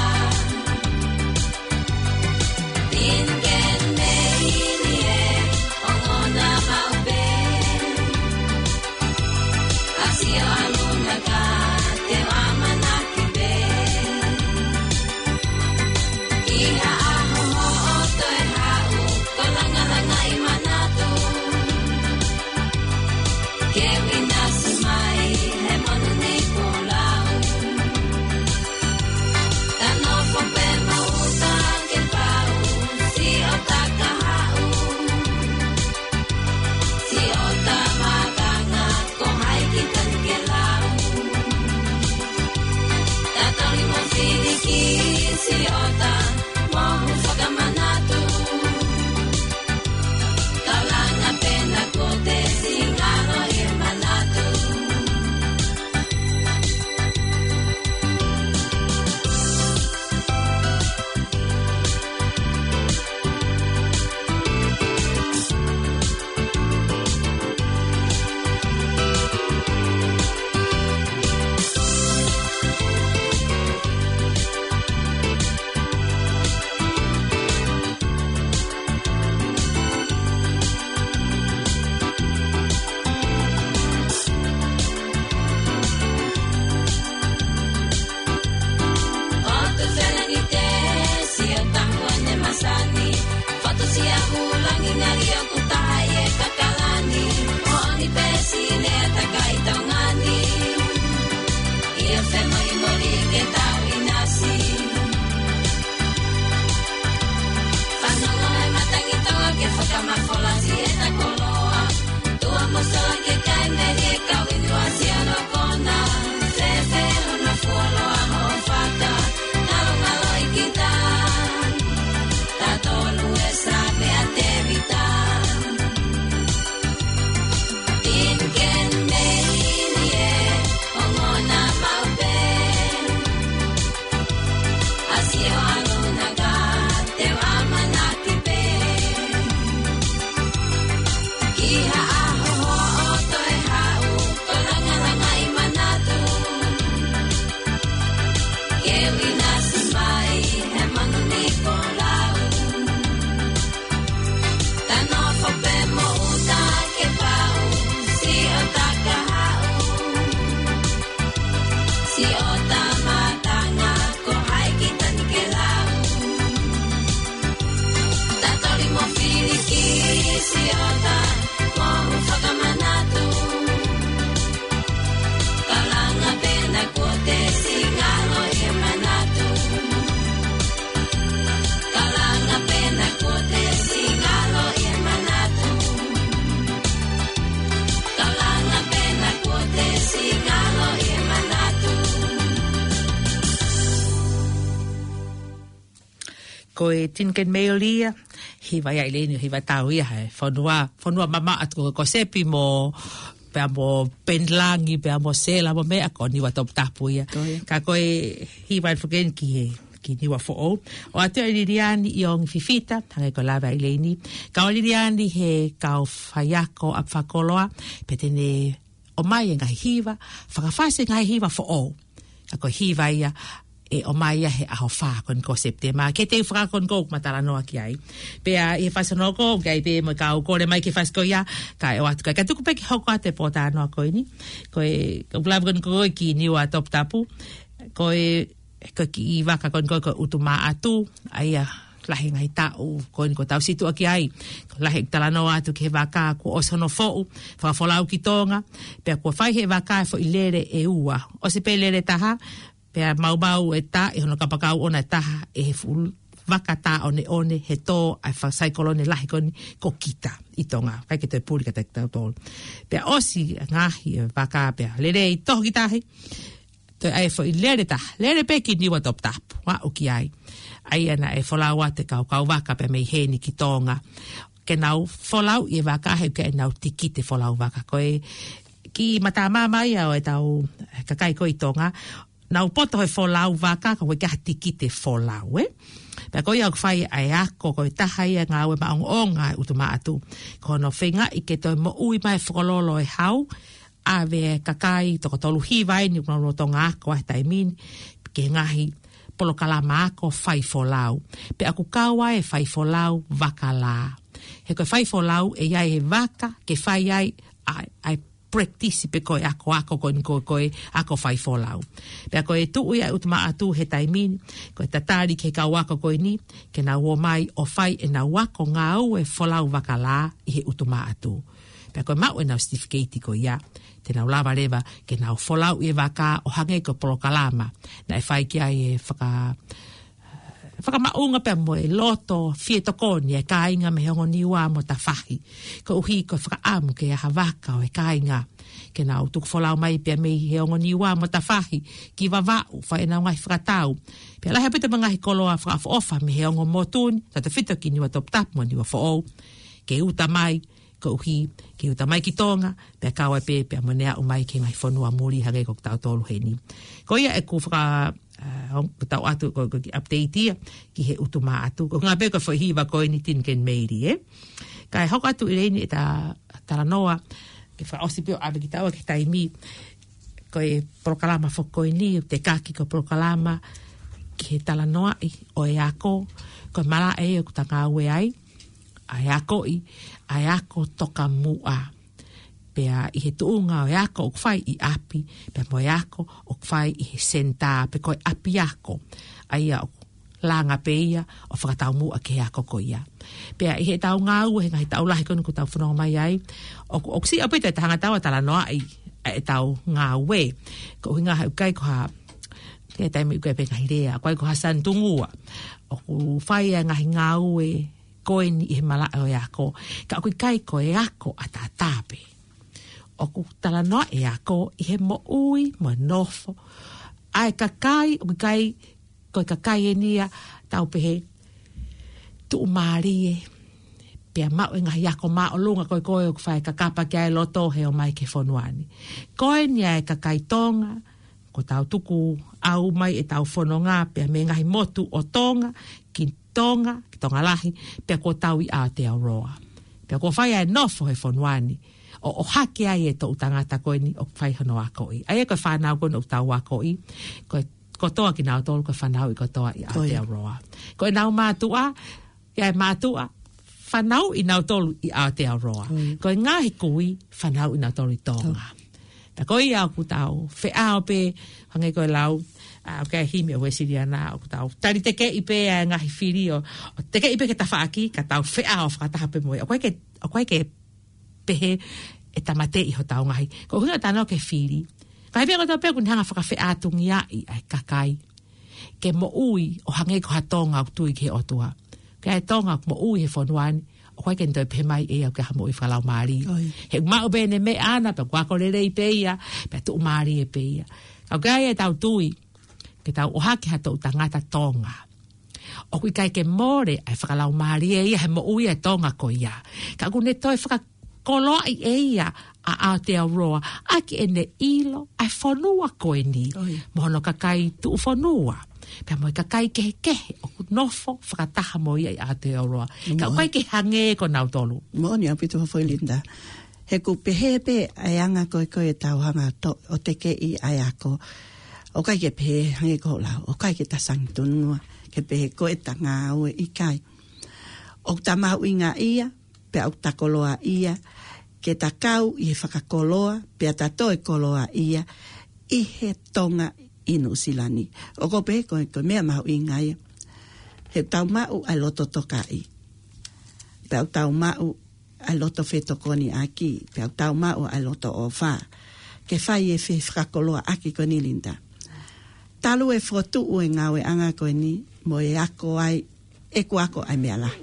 Mafola si e ta koloa, tua mo sola ke kai me lie kau i tua si ano kona, fefe hona fuoloa ho faka, ngalo ngalo i kita, ta tolu e sa me a Tevita. Tin ken mei ni e, o ngona mau pe. A si o alo na ka, te u ʻamanaki pē. Ki ha ʻaho hoʻo toe haʻu, ko langalangaʻi manatu. Ke uina si mai, he manu ni ko lau. Ta nofo pē mo uta ke pau, si o ta ka haʻu. Si o ta matanga, ko hai kita ni ke lau. Ta toli mo filiki, si o ta, mo u fakamanatu. Kalanga pē na kuo te si ngalo e manatu. Kalanga pē na kuo te si ngalo e manatu. Kalanga pē na kuo te si ngalo e manatu. Ko e Tin Ken Mei ʻo Lia, hiva ia ʻi leni, hiva tau ia he fonua, fonua mamaʻo atu ko, ko Sepi mo, pea mo Penilangi, pea mo Sela mo meʻa ko Niua Toputapu ia. Ko ia. Ka ko e hiva atu foki eni ki he, ki Niua Foʻou. ʻOatu ʻe Liliani ʻIongi Fifita, hangē ko e lave ʻi leni. Kau Liliani he kau faiako ʻa fakakoloa, pea te ne ʻomai e ngaahi hiva, fakafasi e ngaahi hiva foʻou. Ka ko e hiva ia, ʻe ʻomai ia he ʻaho fā ko eni ko Sepitema. Ke te u fakakoloa ko ʻeku talanoa ki ai. Pea ʻi he fasi hono hoko, ʻoku ʻi ai pē mo e kau kole mai ke fasi ko ia, kae ʻoatu ka, ka tuku pē ke hoko atu e pōtalanoa ko eni. Ko e, ko e lave ko eni ko ē ki Niua Toputapu. Ko e, ko e kiʻi vaka ko eni ko ē ko e ʻUtumaʻatu, ʻa ia lahi e ngaahi taʻu ko eni kuo tau situʻa ki ai. Lahi e talanoa atu ki he vaka kuo ʻosi hono foʻu, fakafolau ki Tonga, pea kuo fai ʻe he vaka e foʻi lele ʻe ua. ʻOsi pē lele ʻe taha, pea maumau e tā ʻi hono kapakau ʻona ʻe taha ʻe he fuʻu vaka tāʻoneʻone he tō ʻa e fa-, saikolone lahi ko eni ko Kita ʻi Tonga. ʻIkai ke toe puli kiate kitautolu. Pea ʻosi e ngaahi e vaka pea lele ʻi tohi ki tahi. Toe ʻai e foʻi lele ʻe taha, lele pē ki Niua Toputapu, ʻo aʻu ki ai. ʻA ia naʻe folau atu e kau kauvaka pea mei heni ki Tonga. Ke nau folau ʻi he vaka he ʻoku ʻi ai ʻenau tikite folau vaka. Ko e kiʻi matamā mai ia ʻo ʻetau kakai ko ē ʻi Tonga. Nau poto he folau vaka, ka ʻoku ʻikai ha tikite folau, ē? Pea ko ia ʻoku fai ʻa e ako, ko e taha ia e ngāue maʻongoʻonga ʻa e ʻUtumaʻatu. Ko hono feingaʻi ke toe moʻui mai e fokololo e hau, ʻave e kakai toko tolu hiva eni ʻoku nau lolotonga ako ʻa e taimi ni, ki he ngaahi polokalama ako fai folau. Pea ʻoku kau ai e fai folau vaka lā. He ko e fai folau ʻe ʻi ai e vaka ke fai ai ʻa, ʻa e practice pe ko e akoako ko eni ko, ko e ako fai folau. Pea ko e tuʻu ia ʻa e ʻUtumaʻatu he taimi ni, ko e tatali ki he kau ako ko eni, ke nau ō mai ʻo fai ʻenau ako ngāue folau vaka lā ʻi he ʻUtumaʻatu. Pea ko e maʻu ʻenau certificate ko ia, te nau lava leva ke nau folau ʻi he vaka ʻo hangē ko e polokalama naʻe fai ki ai e faka-, fakamaʻunga pea mo e loto fie tokoni e kāinga mei he ongo Niua mo tafahi. Koeʻuhi ko e fakaʻamu ke ʻi ai ha vaka ʻo e kāinga ke nau tuku folau mai pea mei he ongo Niua mo tafahi ki Vavaʻu, fai ʻenau ngaahi fakatau. Pea lahi ʻaupito mo e ngaahi koloa fakaʻofoʻofa mei he ongo motu ni, tautefito ki Niua Toputapu mo Niua Foʻou. Ke uta mai, koeʻuhi ke uta mai ki Tonga, pea kau ai pē, pea mo ʻene aʻu mai ki he ngaahi fonua muli hangē ko kitautolu heni. Ko ia ʻeku faka-, ʻa, ʻoku tau ʻatu ko, ko e kiʻi update ia ki he ʻUtumaʻatu. Ko e ngaahi pē ko e foʻi hiva ko eni Tin Ken Mei Lia, ē. Kae hoko atu ʻi leni ʻeta talanoa, ke fakaʻosi pē ʻo ʻave kitaua ki he taimi, ko e polokalama foki ko eni, ʻoku tekaki ko e polokalama ki he talanoaʻi ʻo e ako, ko e malaʻe ʻoku ta ngāue ai, ʻa e akoʻi, ʻa e ako tokamuʻa. Pea ʻi he tuʻunga ʻo e ako ʻoku fai ʻi ʻapi, pea mo e ako ʻoku fai ʻi he senitā, pe ko e ʻapiako. ʻA ia ʻoku langa pē ia ʻo fakataumuʻa ki he ako ko ia. Pea ʻi heʻetau ngāue he ngaahi taʻu lahi ko eni kuo tau fononga mai ai, ʻoku, ʻoku siʻi ʻaupito ʻeta hanga ʻo talanoaʻi ʻa ʻetau ngāue. Ko e ʻuhinga he ʻoku ʻikai ko ha, ki he taimi ʻoku ʻikai pē ngaahi lea, ʻoku ʻikai ko ha sanitungua. ʻOku fai ʻa e ngaahi ngāue ko eni ʻi he malaʻe ʻo e ako. Ka ʻoku ʻikai ko e ako ʻataʻatā pē. ʻOku talanoa e ako ʻi he moʻui mo e nofo ʻa e kakai, ʻoku ʻikai ko e kakai eni ia tau pehē tuʻumālie, pea maʻu e ngaahi ako māʻolunga ko ē ko ē ʻoku fai kakapa ki ai e loto he ō mai ki he fonua ni. Ko eni ʻa e kakai Tonga, ko ʻetau tukuʻau mai ʻetau fononga pea mei he ngaahi motu ʻo Tonga, ki Tonga, ki Tonga Lahi, pea kuo tau ʻi Aotearoa. Pea kuo fai ʻa e nofo he fonua ni, ʻo, ʻohake ai e toʻu tangata ko eni ʻoku fai hono akoʻi. ʻA ia ko e fānau ko eni ʻoku tau akoʻi, ko e kotoa kinautolu ko e fanauʻi kotoa ʻi Aotearoa. Ko ʻenau mātuʻa, ʻa e mātuʻa, fanauʻi nautolu ʻi Aotearoa. Ko e ngaahi kui, fanauʻi nautolu ʻi Tonga. Pea ko ia ʻoku tau feʻao pē, hangē ko e lau ʻa e himi ʻa Uēsiliana, ʻoku tau tali tekeʻi pē ʻa e ngaahi fili ʻo, ʻo tekeʻi pē ki he tafaʻaki, ka tau feʻao fakataha pē mo ia. ʻOku ʻikai ke, ʻoku ʻikai ke pehē ʻe tāmateʻi hotau ngaahi. Ko e ʻuhinga ʻetau talanoa ki he fili. Ka ʻi he meʻa kotoa pē ʻoku ne hanga ʻo fakafeʻātungiaʻi ʻa e kakai ke moʻui ʻo hangē ko ha Tonga ʻoku tui ki he ʻOtua. Ko e Tonga ʻoku moʻui he fonua ni, ʻoku ʻikai ke ne toe pehē mai ʻe ia ʻoku ʻi ai ha moʻui fakalaumālie. He ʻoku maʻu pē ʻene meʻa ʻana, pea kuo ako lelei pē ia, pea tuʻumālie pē ia. Ka ʻoku ʻi ai ʻetau tui ke tau ʻohake ha toʻu tangata Tonga, ʻoku ʻikai ke mole ʻa e fakalaumālie ia he moʻui ʻa e Tonga ko ia. Ka ʻoku ne toe fakakoloaʻi ʻe ia ʻa Aotearoa ʻaki ʻene ʻilo ʻa e fonua ko eni mo hono kakai tuʻufonua, pea mo e kakai kehekehe ʻoku nofo fakataha mo ia ʻi Aotearoa. Ka ʻoku ʻikai ke hangē ko nautolu. Moʻoni ʻaupito, Foʻi Linda. He ʻoku pehē pē ʻa e anga ko ē ko ē ʻetau hanga ʻo tekeʻi ʻa e ako. ʻOku ʻikai ke pehē hangē ko hoʻo lau, ʻoku ʻikai ke ta sangitunua ke pehē ko ʻeta ngāue, ʻikai. ʻOku ta mahuʻingaʻia, pea ʻoku ta koloaʻia, ke ta kau ʻi he fakakoloa, pea ta toe koloaʻia ʻi he Tonga ʻi Nuʻusila ni. ʻOku ou pehē ko e, ko e meʻa mahuʻinga ia. He ʻoku tau maʻu ʻa e loto tokaʻi. Pea ʻoku tau maʻu ʻa e loto fetokoniʻaki, pea ʻoku tau maʻu ʻa e loto ʻofa ke fai e fe-, fakakoloaʻaki ko eni, Linda. Talu e fokotuʻu e ngāueʻanga ko eni mo e ako ai, ʻeku ako ʻa e meʻa lahi.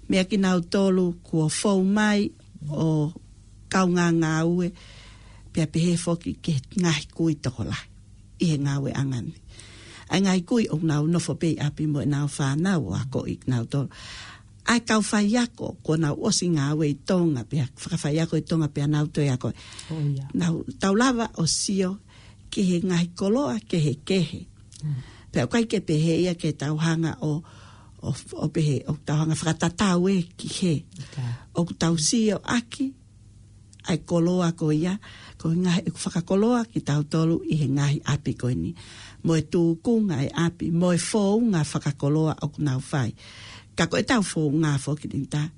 Meʻa kinautolu kuo fou mai ʻo kaungā ngāue, pea pehē foki ki he ngaahi kui tokolahi ʻi he ngāueʻanga ni. ʻA e ngaahi kui ʻoku nau nofo pē ʻi ʻapi mo ʻenau fānau ʻo akoʻi kinautolu. ʻA e kau faiako, kuo nau ʻosi ngāue ʻi Tonga, pea fakafaiako ʻi Tonga, pea nau toe ako. Nau, tau lava ʻo sio ki he ngaahi koloa kehekehe. Pea ʻoku ʻikai ke pehē ia ke tau hanga ʻo, ʻo, ʻo pehē, ʻo tau hanga fakatatau ē ki hē. ʻOku tau sio ʻaki ʻa e koloa ko ia, ko e ngaahi ʻeku fakakoloa kitautolu ʻi he ngaahi ʻapi ko eni. Mo e tūkunga e ʻapi, mo e founga fakakoloa ʻoku nau fai. Ka ko ʻetau founga foki, Linda,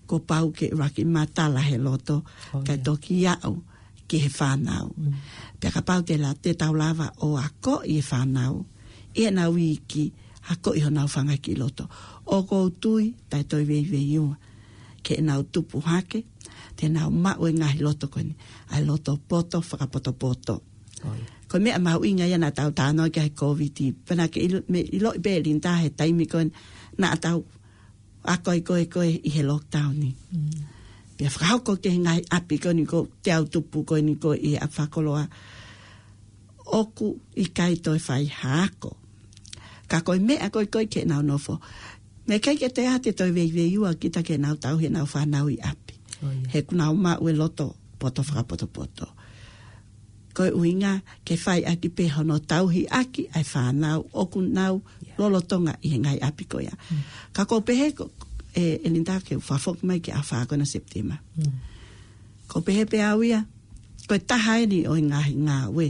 kuo pau ke ʻuluaki matala he loto, kae toki aʻu ki he fānau. Pea kapau te la-, te tau lava ʻo akoʻi e fānau ʻi heʻenau iiki, akoʻi honau fanga kiʻi loto. ʻOku ou tui, taʻe toe veiveiua, ke nau tupu hake, te nau maʻu e ngaahi loto ko eni, ʻa e loto poto fakapotopoto. Ko e meʻa mahuʻinga ia naʻa tau talanoa ki ai he Kōviti, pea naʻa ke ʻilo, meʻa ʻiloʻi pē, Linda, he taimi ko eni naʻa tau ako ai ko ē ko ē ʻi he lockdown ni. Pea fakahoko ki he ngaahi ʻapi ko eni ko ʻetau tupu ko eni ko ē ʻi he ʻapi fakakoloa. ʻOku ʻikai toe fai ha ako. Ka ko e meʻa ko ē ko ē ke nau nofo. Meʻa ʻikai ke te ʻā te toe veiveiua kita ke nau tauhi ʻenau fānau ʻi ʻapi. He ʻoku nau maʻu e loto poto fakapotopoto. Ko e ʻuhinga ke fai ʻaki pē hono tauhi ʻaki ʻa e fānau ʻoku nau lolotonga ʻi he ngaahi ʻapi ko ia. Ka ʻoku ou pehē ko, e, e Linda, ke u fakafoki mai ki he ʻaho fā ko ena Sepitema. ʻOku ou pehē pē au ia, ko e taha eni ʻo e ngaahi ngāue.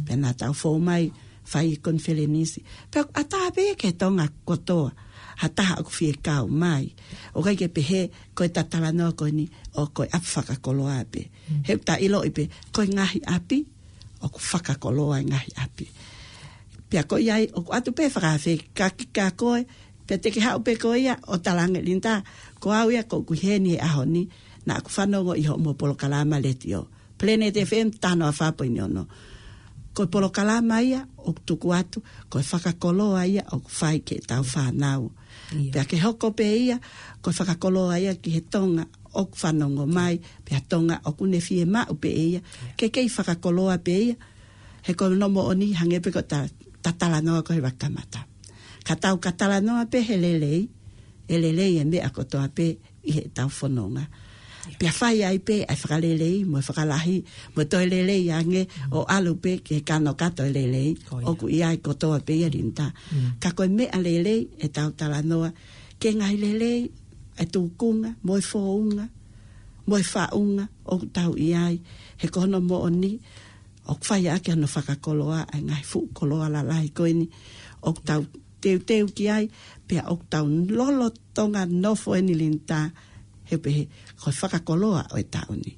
Pea naʻa tau fou mai fai konifelenisi. Pea ʻoku ʻatā pē ki Tonga kotoa ha taha ʻoku fie kau mai. ʻOku ʻikai ke pehē ko ʻeta talanoa ko eni ʻo ko e ʻapi fakakoloa pē. He ʻoku ta ʻiloʻi pē, ko e ngaahi ʻapi, ʻoku fakakoloa e ngaahi ʻapi. Pea ko ia ai, ʻoku ʻatu pē fakafekaki kia koe, pea te ke haʻu pē koe ia ʻo talaange, Linda, ko au ia ʻoku ʻi heni he ʻaho ni, naʻa ku fanongo ʻi hoʻomo polokalama letiō. Planet F M taha noa fā poini ono. Ko e polokalama ia ʻoku tuku atu, ko e fakakoloa ia ʻoku fai ki heʻetau fānau. Pea ke hoko pē ia, ko e fakakoloa ia ki he Tonga ʻoku fanongo mai, pea Tonga ʻoku ne fiemaʻu pē ia, ke kei fakakoloa pē ia, he ko hono moʻoni hangē pē ko ʻeta talanoa ko ē he kamata. Ka tau ka talanoa pē he lelei, ʻe lelei e meʻa kotoa pē ʻi heʻetau fononga. Pea fai ai pē ʻa e fakalelei, mo e fakalahi, mo e toe lelei ange ʻo ʻalu pē ki he kanokato e lelei, ʻoku ʻi ai kotoa pē ia Linda. Ka ko e meʻa lelei ʻetau talanoa, ki he ngaahi lelei, e tūkunga, mo e founga, mo e faʻunga, ʻoku tau ʻi ai, he ko hono moʻoni, ʻoku fai ʻaki hono fakakoloa, ʻa e ngaahi fuʻu koloa lalahi ko eni, ʻoku tau teuteu ki ai, pea ʻoku tau lolotonga nofo eni Linda, he pehē, ko e fakakoloa ʻo e taʻu ni.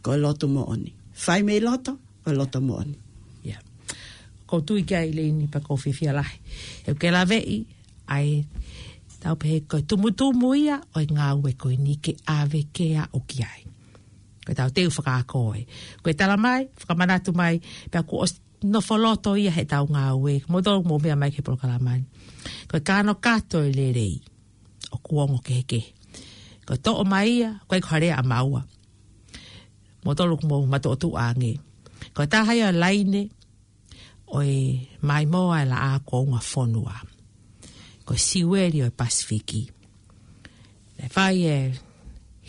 Ko e lotu moʻoni. Fai mei loto, ko e loto moʻoni. Ko u tui ki ai Leini pea ko u fiefia lahi. He ʻoku ke laveʻi, ʻa e tau pehē ko e tumutumu ia ʻo e ngāue ko eni ke ʻave ke aʻu ki ai. Ko ʻetau teu fakaako ē. Ko e tala mai, fakamanatu mai, pea kuo ʻosi nofo loto ia heʻetau ngāue. Mou tolu mou meʻa mai ki he polokalama ni. Ko e kanokato e lelei ʻoku ongo kehekehe. Ko e toʻo mai ia, ko e ko hare a maua. Mou tolu mou matuʻotuʻa ange. Ko e taha ia laine, ʻo e maimoa e laʻā ko unga fonua. Ko e siueli ʻo e Pasifiki. Ne fai e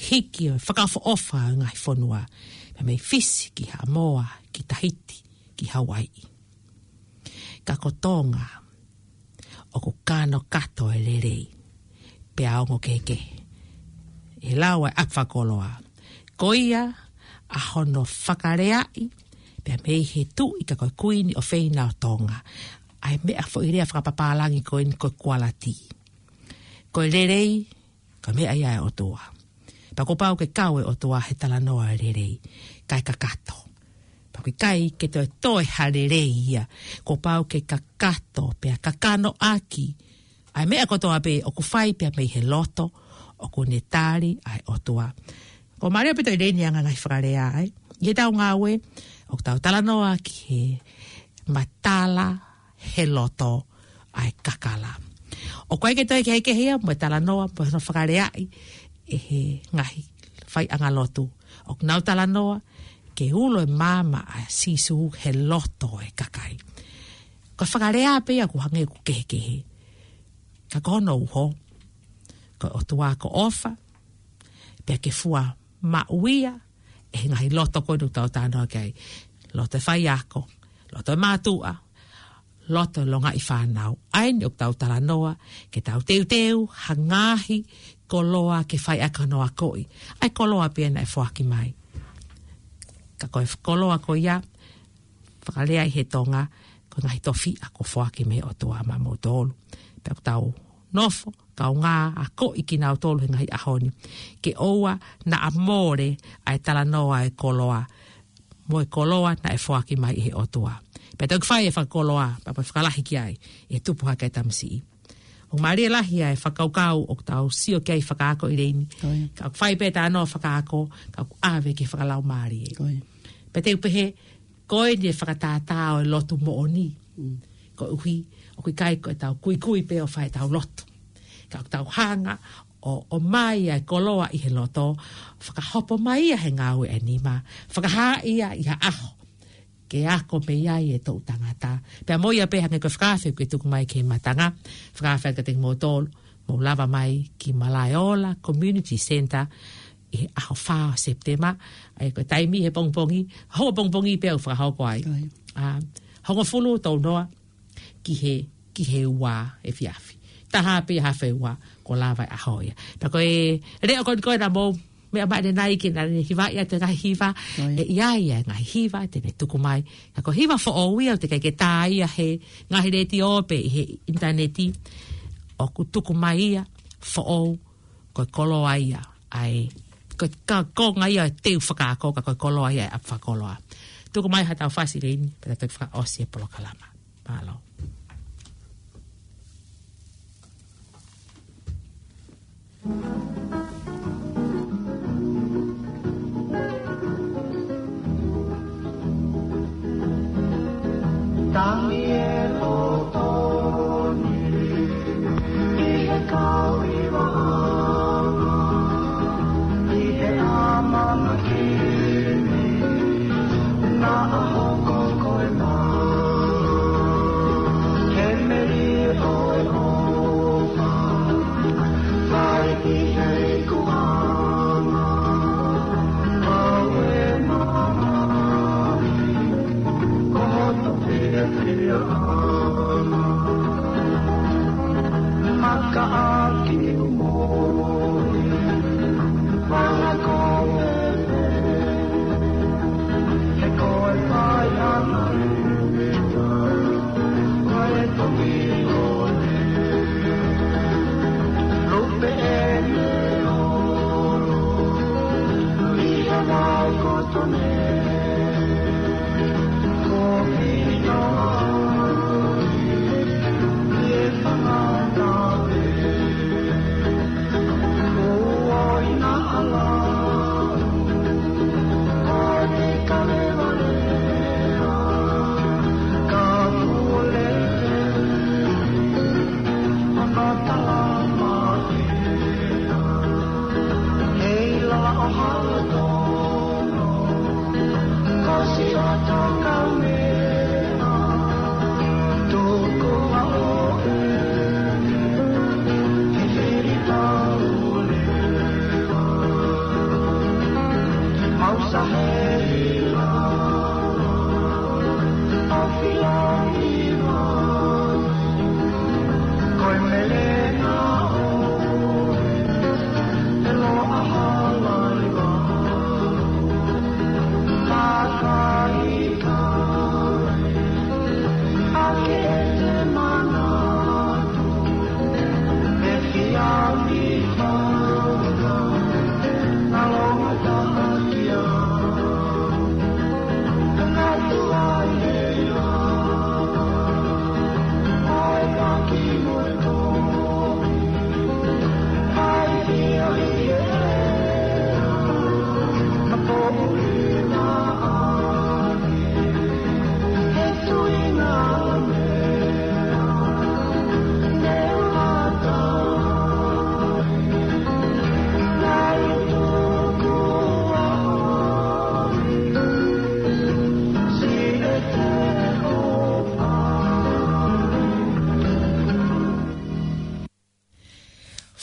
hiki ʻo e fakaʻofoʻofa ʻo e ngaahi fonua. Pea mei Fisi ki Haʻamoa, ki Tahiti, ki Hauaiʻi. Ka ko Tonga, ʻoku kanokato e lelei. Pea ongo kehekehe. ʻE lau ʻa e ʻapi fakakoloa. Ko ia ʻa hono fakaleaʻi, pea mei he tuʻi ka ko e kuini ʻofeina ʻo Tonga. ʻA e meʻa foʻi lea fakapapālangi ko eni ko e kualatī. Ko e lelei, ko e meʻa ia ʻa e ʻOtua. Pea kuo pau ke kau e ʻOtua he talanoa e lelei. Kae kakato. Pea ʻoku ʻikai ke toe toe ha lelei ia. Kuo pau ke kakato, pea kakano ʻaki ʻa e meʻa kotoa pē ʻoku fai pea mei he loto, ʻoku ne tali ʻa e ʻOtua. Ko mālie pē toe lelei ni ʻa e ngaahi fakalea ai. ʻI heʻetau ngāue, ʻoku tau talanoa ki he matala he loto ʻa e kakala. ʻOku ʻikai ke toe kehekehe ia, mo e talanoa, mo hono fakaleaʻi, ʻe he ngaahi faiʻanga lotu. ʻOku nau talanoa, ke ulo e maama ʻa Sīsū he loto e kakai. Ko e fakalea pē ia ʻoku hangē ʻoku kehekehe. Ka ko hono uho, ko e ʻOtua ko ʻofa, pea ke fua maʻu ia, ʻe he ngaahi loto ko eni ʻoku tau talanoa ki ai. Loto e faiako, loto e mātuʻa, loto e longaʻi fānau. ʻA eni ʻoku tau talanoa, ke tau teuteu, ha ngaahi koloa ke fai ʻaki hono akoʻi. ʻA e koloa pē ia naʻe foaki mai. Ka ko e koloa ko ia, fakalea ʻi he Tonga, ko e ngaahi tofiʻa kuo foaki mei he ʻOtua maʻa moutolu. Pea ʻoku tau nofo, kaungā akoʻi kinautolu he ngaahi ʻaho ni. Ke ʻoua naʻa mole ʻa e talanoa e koloa. Mo e koloa naʻe foaki mai ʻe he ʻOtua. Pea toki fai e fakakoloa, pea mo e fakalahi ki ai, ʻe tupu hake e tamasiʻi. ʻOku mālie lahi ʻa e fakakaukau ʻoku tau sio ki ai fakaako ʻi Leini. Ka ʻoku fai pē talanoa fakaako, ka ʻoku ʻave ki he fakalaumālie. Pea te u pehē, ko eni e fakatātā ʻo e lotu moʻoni. Koeʻuhi, ʻoku ʻikai ko ʻetau kuikui pē ʻo fai ʻetau lotu. Ka ʻoku tau hanga ʻo, ʻomai ʻa e koloa ʻi he loto, fakahopo mai ia he ngāue ʻa e nima, fakahā ia ʻi ha ʻaho. Ke ako mei ai e toʻu tangata. Pea mo ia pē hangē ko e fakaafe kuo tuku mai ki he matanga. Fakaafe atu kiate kimoutolu, mou lava mai ki Malaeola Community Centre ʻi he ʻaho fā ʻo Sepitema. ʻA ia ko e taimi he pongipongi, hoʻo pongipongi pē ʻoku fakahoko ai. ʻA, hongofulu tolu noa ki he, ki he ua efiafi. Taha pē ʻi he afe ua, kuo lava e ʻaho ia. Pea ko e leʻo ko eni ko ē naʻa mou meʻa mai ʻanenai ke naʻa ne hivaʻi atu e ngaahi hiva, ʻe ʻi ai e ngaahi hiva te ne tuku mai. Ka ko e hiva foʻou ia ʻoku teʻeki ke tā ia he ngaahi letiō pe ʻi he ʻinitaneti, ʻoku tuku mai ia foʻou, ko e koloa ia, ʻa e, ko e ka-, konga ia e teu fakaako, ka ko e koloa ia e ʻapi fakakoloa. Tuku mai haʻatau fasi Leini, pea tau toki fakaʻosi e polokalama. Mālō.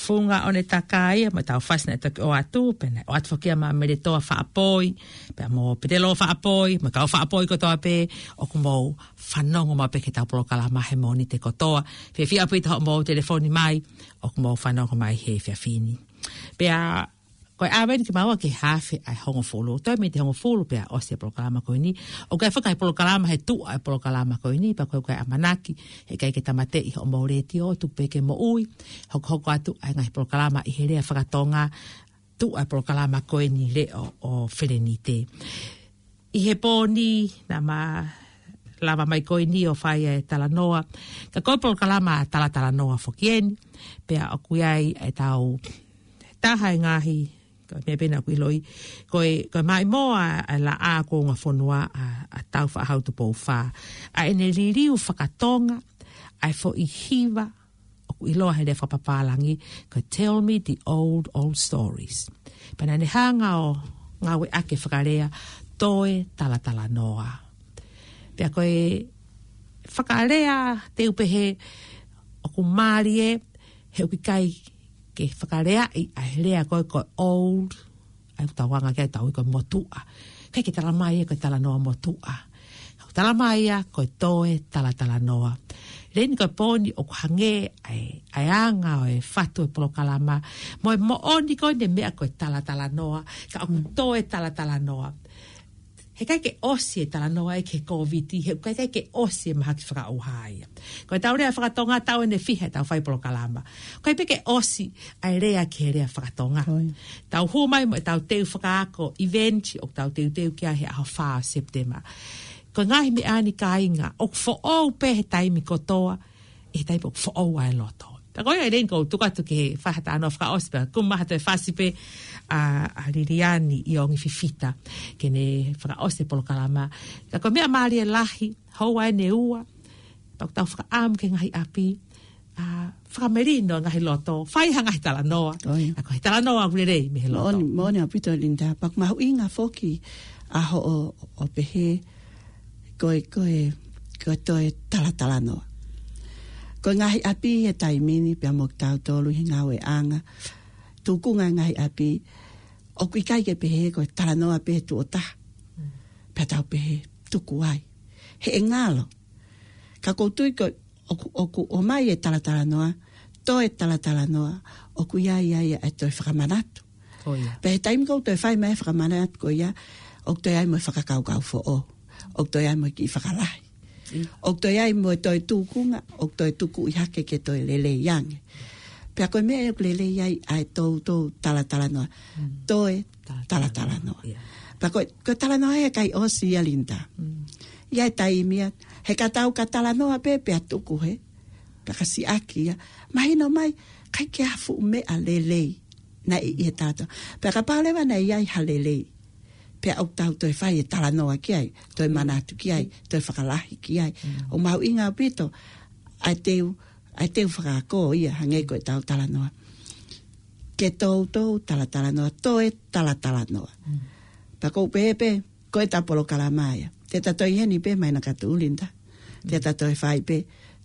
Funga ʻo ne takai, mo ʻetau fasi naʻe toki ʻoatu, pea naʻe ʻoatu foki ʻa Mele Toa Faʻapoi, pea mo Petelo Faʻapoi, mo e kau Faʻapoi kotoa pē, ʻoku mou fanongo mai pē ki heʻetau polokalama he Mōnite kotoa. Fiefia ʻaupito hoʻomou telefoni mai, ʻoku mou fanongo mai he efiafi ni. Pea ko e ʻave eni kimaua ki he hafe ʻa e hongofulu. Toe miniti hongofulu pea ʻosi e polokalama ko eni. ʻOku ʻi ai foki e polokalama he tuʻa e polokalama ko eni, pea ko e, ko e ʻamanaki, heʻikai ke tāmateʻi hoʻomou letiō, tuku pē ke moʻui, hokohoko atu ʻa e ngaahi polokalama ʻi he lea faka-Tonga, tuʻa e polokalama ko eni Leʻo ʻo Felenite. ʻI he pō ni, naʻá ma lava mai ko eni ʻo fai e talanoa. Ka ko e polokalama talatalanoa foki eni, pea ʻoku ʻi ai ʻetau taha e ngaahi, ko e meʻa pē naʻá ku ʻiloʻi, ko e, ko e maʻimoa ʻa e Laʻā Kuonga Fonua ʻa, ʻa Tāufaʻāhau Tupou Fā. ʻA ʻene liliu faka-Tonga ʻa e foʻi hiva ʻoku ʻiloa he lea fakapapālangi ko e Tell Me the Old, Old Stories. Pea naʻá ne hanga ʻo ngāueʻaki e fakalea toe talatalanoa. Pea ko e fakalea te u pehē ʻoku mālie, he ʻoku ʻikai ke fakaleaʻi ʻa e lea ko e, ko e old, ʻa ia ʻoku tau anga ki ai ʻetau ui ko e motuʻa. ʻIkai ke talamai ia ko e talanoa motuʻa. Ka ʻoku talamai ia ko e toe talatalanoa. Leni ko e pō ni ʻoku hangē ʻa e, ʻa e anga ʻo e fatu e polokalama. Mo e moʻoni ko eni e meʻa ko e talatalanoa. Ka ʻoku toe talatalanoa. Heʻikai ke ʻosi e talanoa ʻi he Kōviti, heʻikai ke ʻosi e mahaki fakaʻauha ia. Ko ʻetau lea faka-Tonga taʻu ʻe fiha ʻetau fai polokalama. ʻIkai pē ke ʻosi ʻa e lea ki he lea faka-Tonga. ʻOi. Tau hū mai mo ʻetau teu fakaako event ʻoku tau teuteu ki ai he ʻaho fā ʻo Sepitema. Ko e ngaahi meʻa ni kāinga, ʻoku foʻou pē he taimi kotoa, he taimi ʻoku foʻou ai e loto. Ka ko ia ʻi heni ʻoku ou tuku atu ke fai ha talanoa fakaʻosi pea, kumi mai ha toe fasi pē ʻa, ʻa Liliani ʻIongi Fifita, ke ne fakaʻosi e polokalama. Ka ko e meʻa mālie lahi, houa ʻeni ʻe ua, pea ʻoku tau fakaʻamu ki he ngaahi ʻapi, ʻa, fakamelino e ngaahi loto, fai ha ngaahi talanoa. ʻOi. ʻA ko e talanoa ʻoku lelei mei he loto. Moʻoni, moʻoni ʻaupito Linda, pea ʻoku mahuʻinga foki ʻa hoʻo, ʻo pehē, ko e, ko e, ko e toe talatalanoa. Ko e ngaahi ʻapi he taimi ni pea mo kitautolu he ngāueʻanga. Tukunga e ngaahi ʻapi, ʻoku ʻikai ke pehē ko e talanoa pē tuʻo taha. Mm. Pea tau pehē, tuku ai. He ʻe ngalo. Ka ʻoku ou tui ko ʻoku, ʻoku ʻomai e talatalanoa, toe talatalanoa, ʻoku ʻi ai, ʻi ai ʻa e toe fakamanatu. Ko ia. Pea he taimi ʻoku toe fai mai e fakamanatu ko ia, ʻoku toe ʻi ai mo e fakakaukau foʻou, ʻoku toe ʻi ai mo e kiʻi fakalahi. ʻIo. ʻOku toe ʻi ai mo e toe tukunga, ʻoku toe tukuʻi hake ke toe lelei ange. Pea ko e meʻa ʻoku lelei ai ʻa e toutou talatalanoa. Mm. Toe talatalanoa. Talatalanoa. ʻIo. Pea ko, ko e talanoa he ʻikai ʻosi ia, Linda. Mm. ʻI ai e taimi ia, he ka tau ka talanoa pē, pea tuku he, pea ka siʻaki ia. Mahino mai, ʻikai ke ʻi ai ha fuʻu meʻa lelei naʻe ʻi he talanoa. Pea kapau leva naʻe ʻi ai ha lelei, pea ʻoku tau toe fai e talanoa ki ai, toe manatu ki ai, toe fakalahi ki ai. Mm. ʻOku mahuʻinga ʻaupito ʻa e teu, ʻa e teu fakaako ia hangē ko ʻetau talanoa. Ke toutou talatalanoa, toe talatalanoa. Mm. Pea ʻoku ou pehē pē, ko ʻetau polokalama ia. Te ta toe ʻi heni pē māhina ka tuʻu, Linda. Te ta toe fai pē,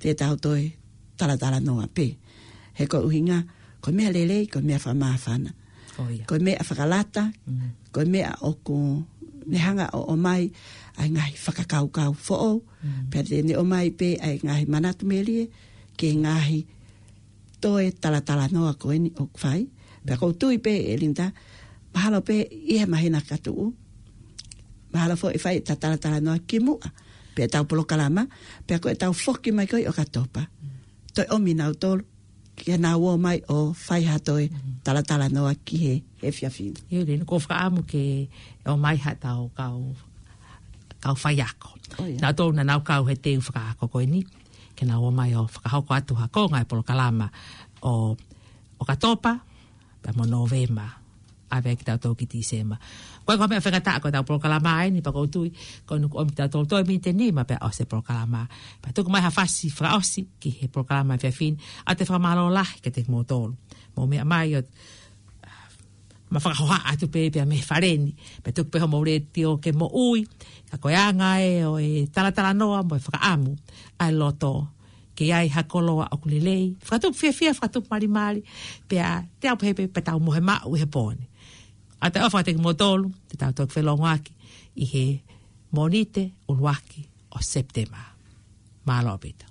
te tau toe talatalanoa pē. He ko e ʻuhinga, ko e meʻa lelei, ko e meʻa fakamāfana. ʻO ia. Ko e meʻa fakalata, Mm. ko e meʻa ʻoku ne hanga ʻo ʻomai ʻa e ngaahi fakakaukau foʻou. Mm. Pea te ne ʻomai pē ʻa e ngaahi manatu melie, ki he ngaahi toe talatalanoa ko eni ʻoku fai. Pea ʻoku ou tui pē, ʻe Linda, mahalo pē ʻi he māhina ka tuʻu. Mahalo foʻi fai ʻeta talatalanoa kimuʻa. Pea ʻetau polokalama, pea ko ʻetau foki mai ko ē ʻOkatopa. Toe ʻomi nautolu, ke nau ō mai ʻo fai ha toe talatalanoa ki he, he efiafi ni. ʻIo, Leni, ʻoku ou fakaʻamu ke ō mai haʻatau kau, kau faiako. ʻO ia. Nautolu naʻa nau kau he teu fakaako ko eni. Ke nau ō mai ʻo fakahoko atu ha konga e polokalama ʻo ʻOkatopa, pea mo Nōvema, ʻave kitautolu ki Tīsema. Ko e ko e meʻa faingataʻa ko ʻetau polokalama eni, pea ʻoku ou tui, ko ʻeni ʻoku ʻomi kitautolu toe miniti ʻe nima pea ʻosi e polokalama. Pea tuku mai ha fasi fakaʻosi ki he polokalama efiafi ni, ʻa e fakamālō lahi kiate kimoutolu. Mou meʻa mai ʻo ma fakahoha atu pē pea mei fale ni, pea tuku pē homou letiō ke moʻui, ka ko e anga ē ʻo e talatalanoa mo e fakaʻamu ʻa e loto, ke ʻi ai ha koloa ʻoku lelei, fakatupu fiefia, fakatupu malimali, pea te u pehē pē pea tau mohe maʻu he pō ni. ʻOatu e ʻofa kiate kimoutolu, te tau toki felōngoaki ʻi he Mōnite ʻuluaki ʻo Sepitema. Mālō ʻaupito.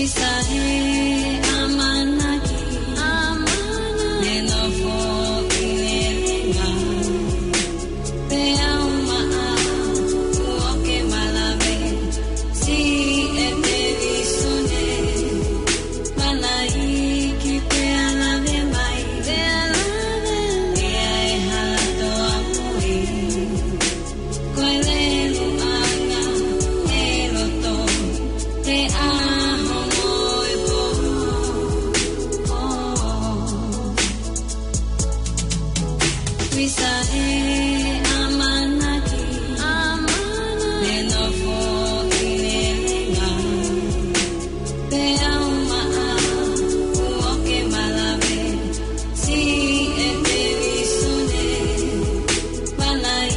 Isa he ʻamanaki, ʻamanaki. Meʻa nofo ʻi he linga. Pea uma ʻa uo ke malave, si e televīsone. Mana iki pea lave mai, pea lave. Pea e hala toa pui. Ko e leluʻanga e loto, he ʻaho mo e pō. Isa e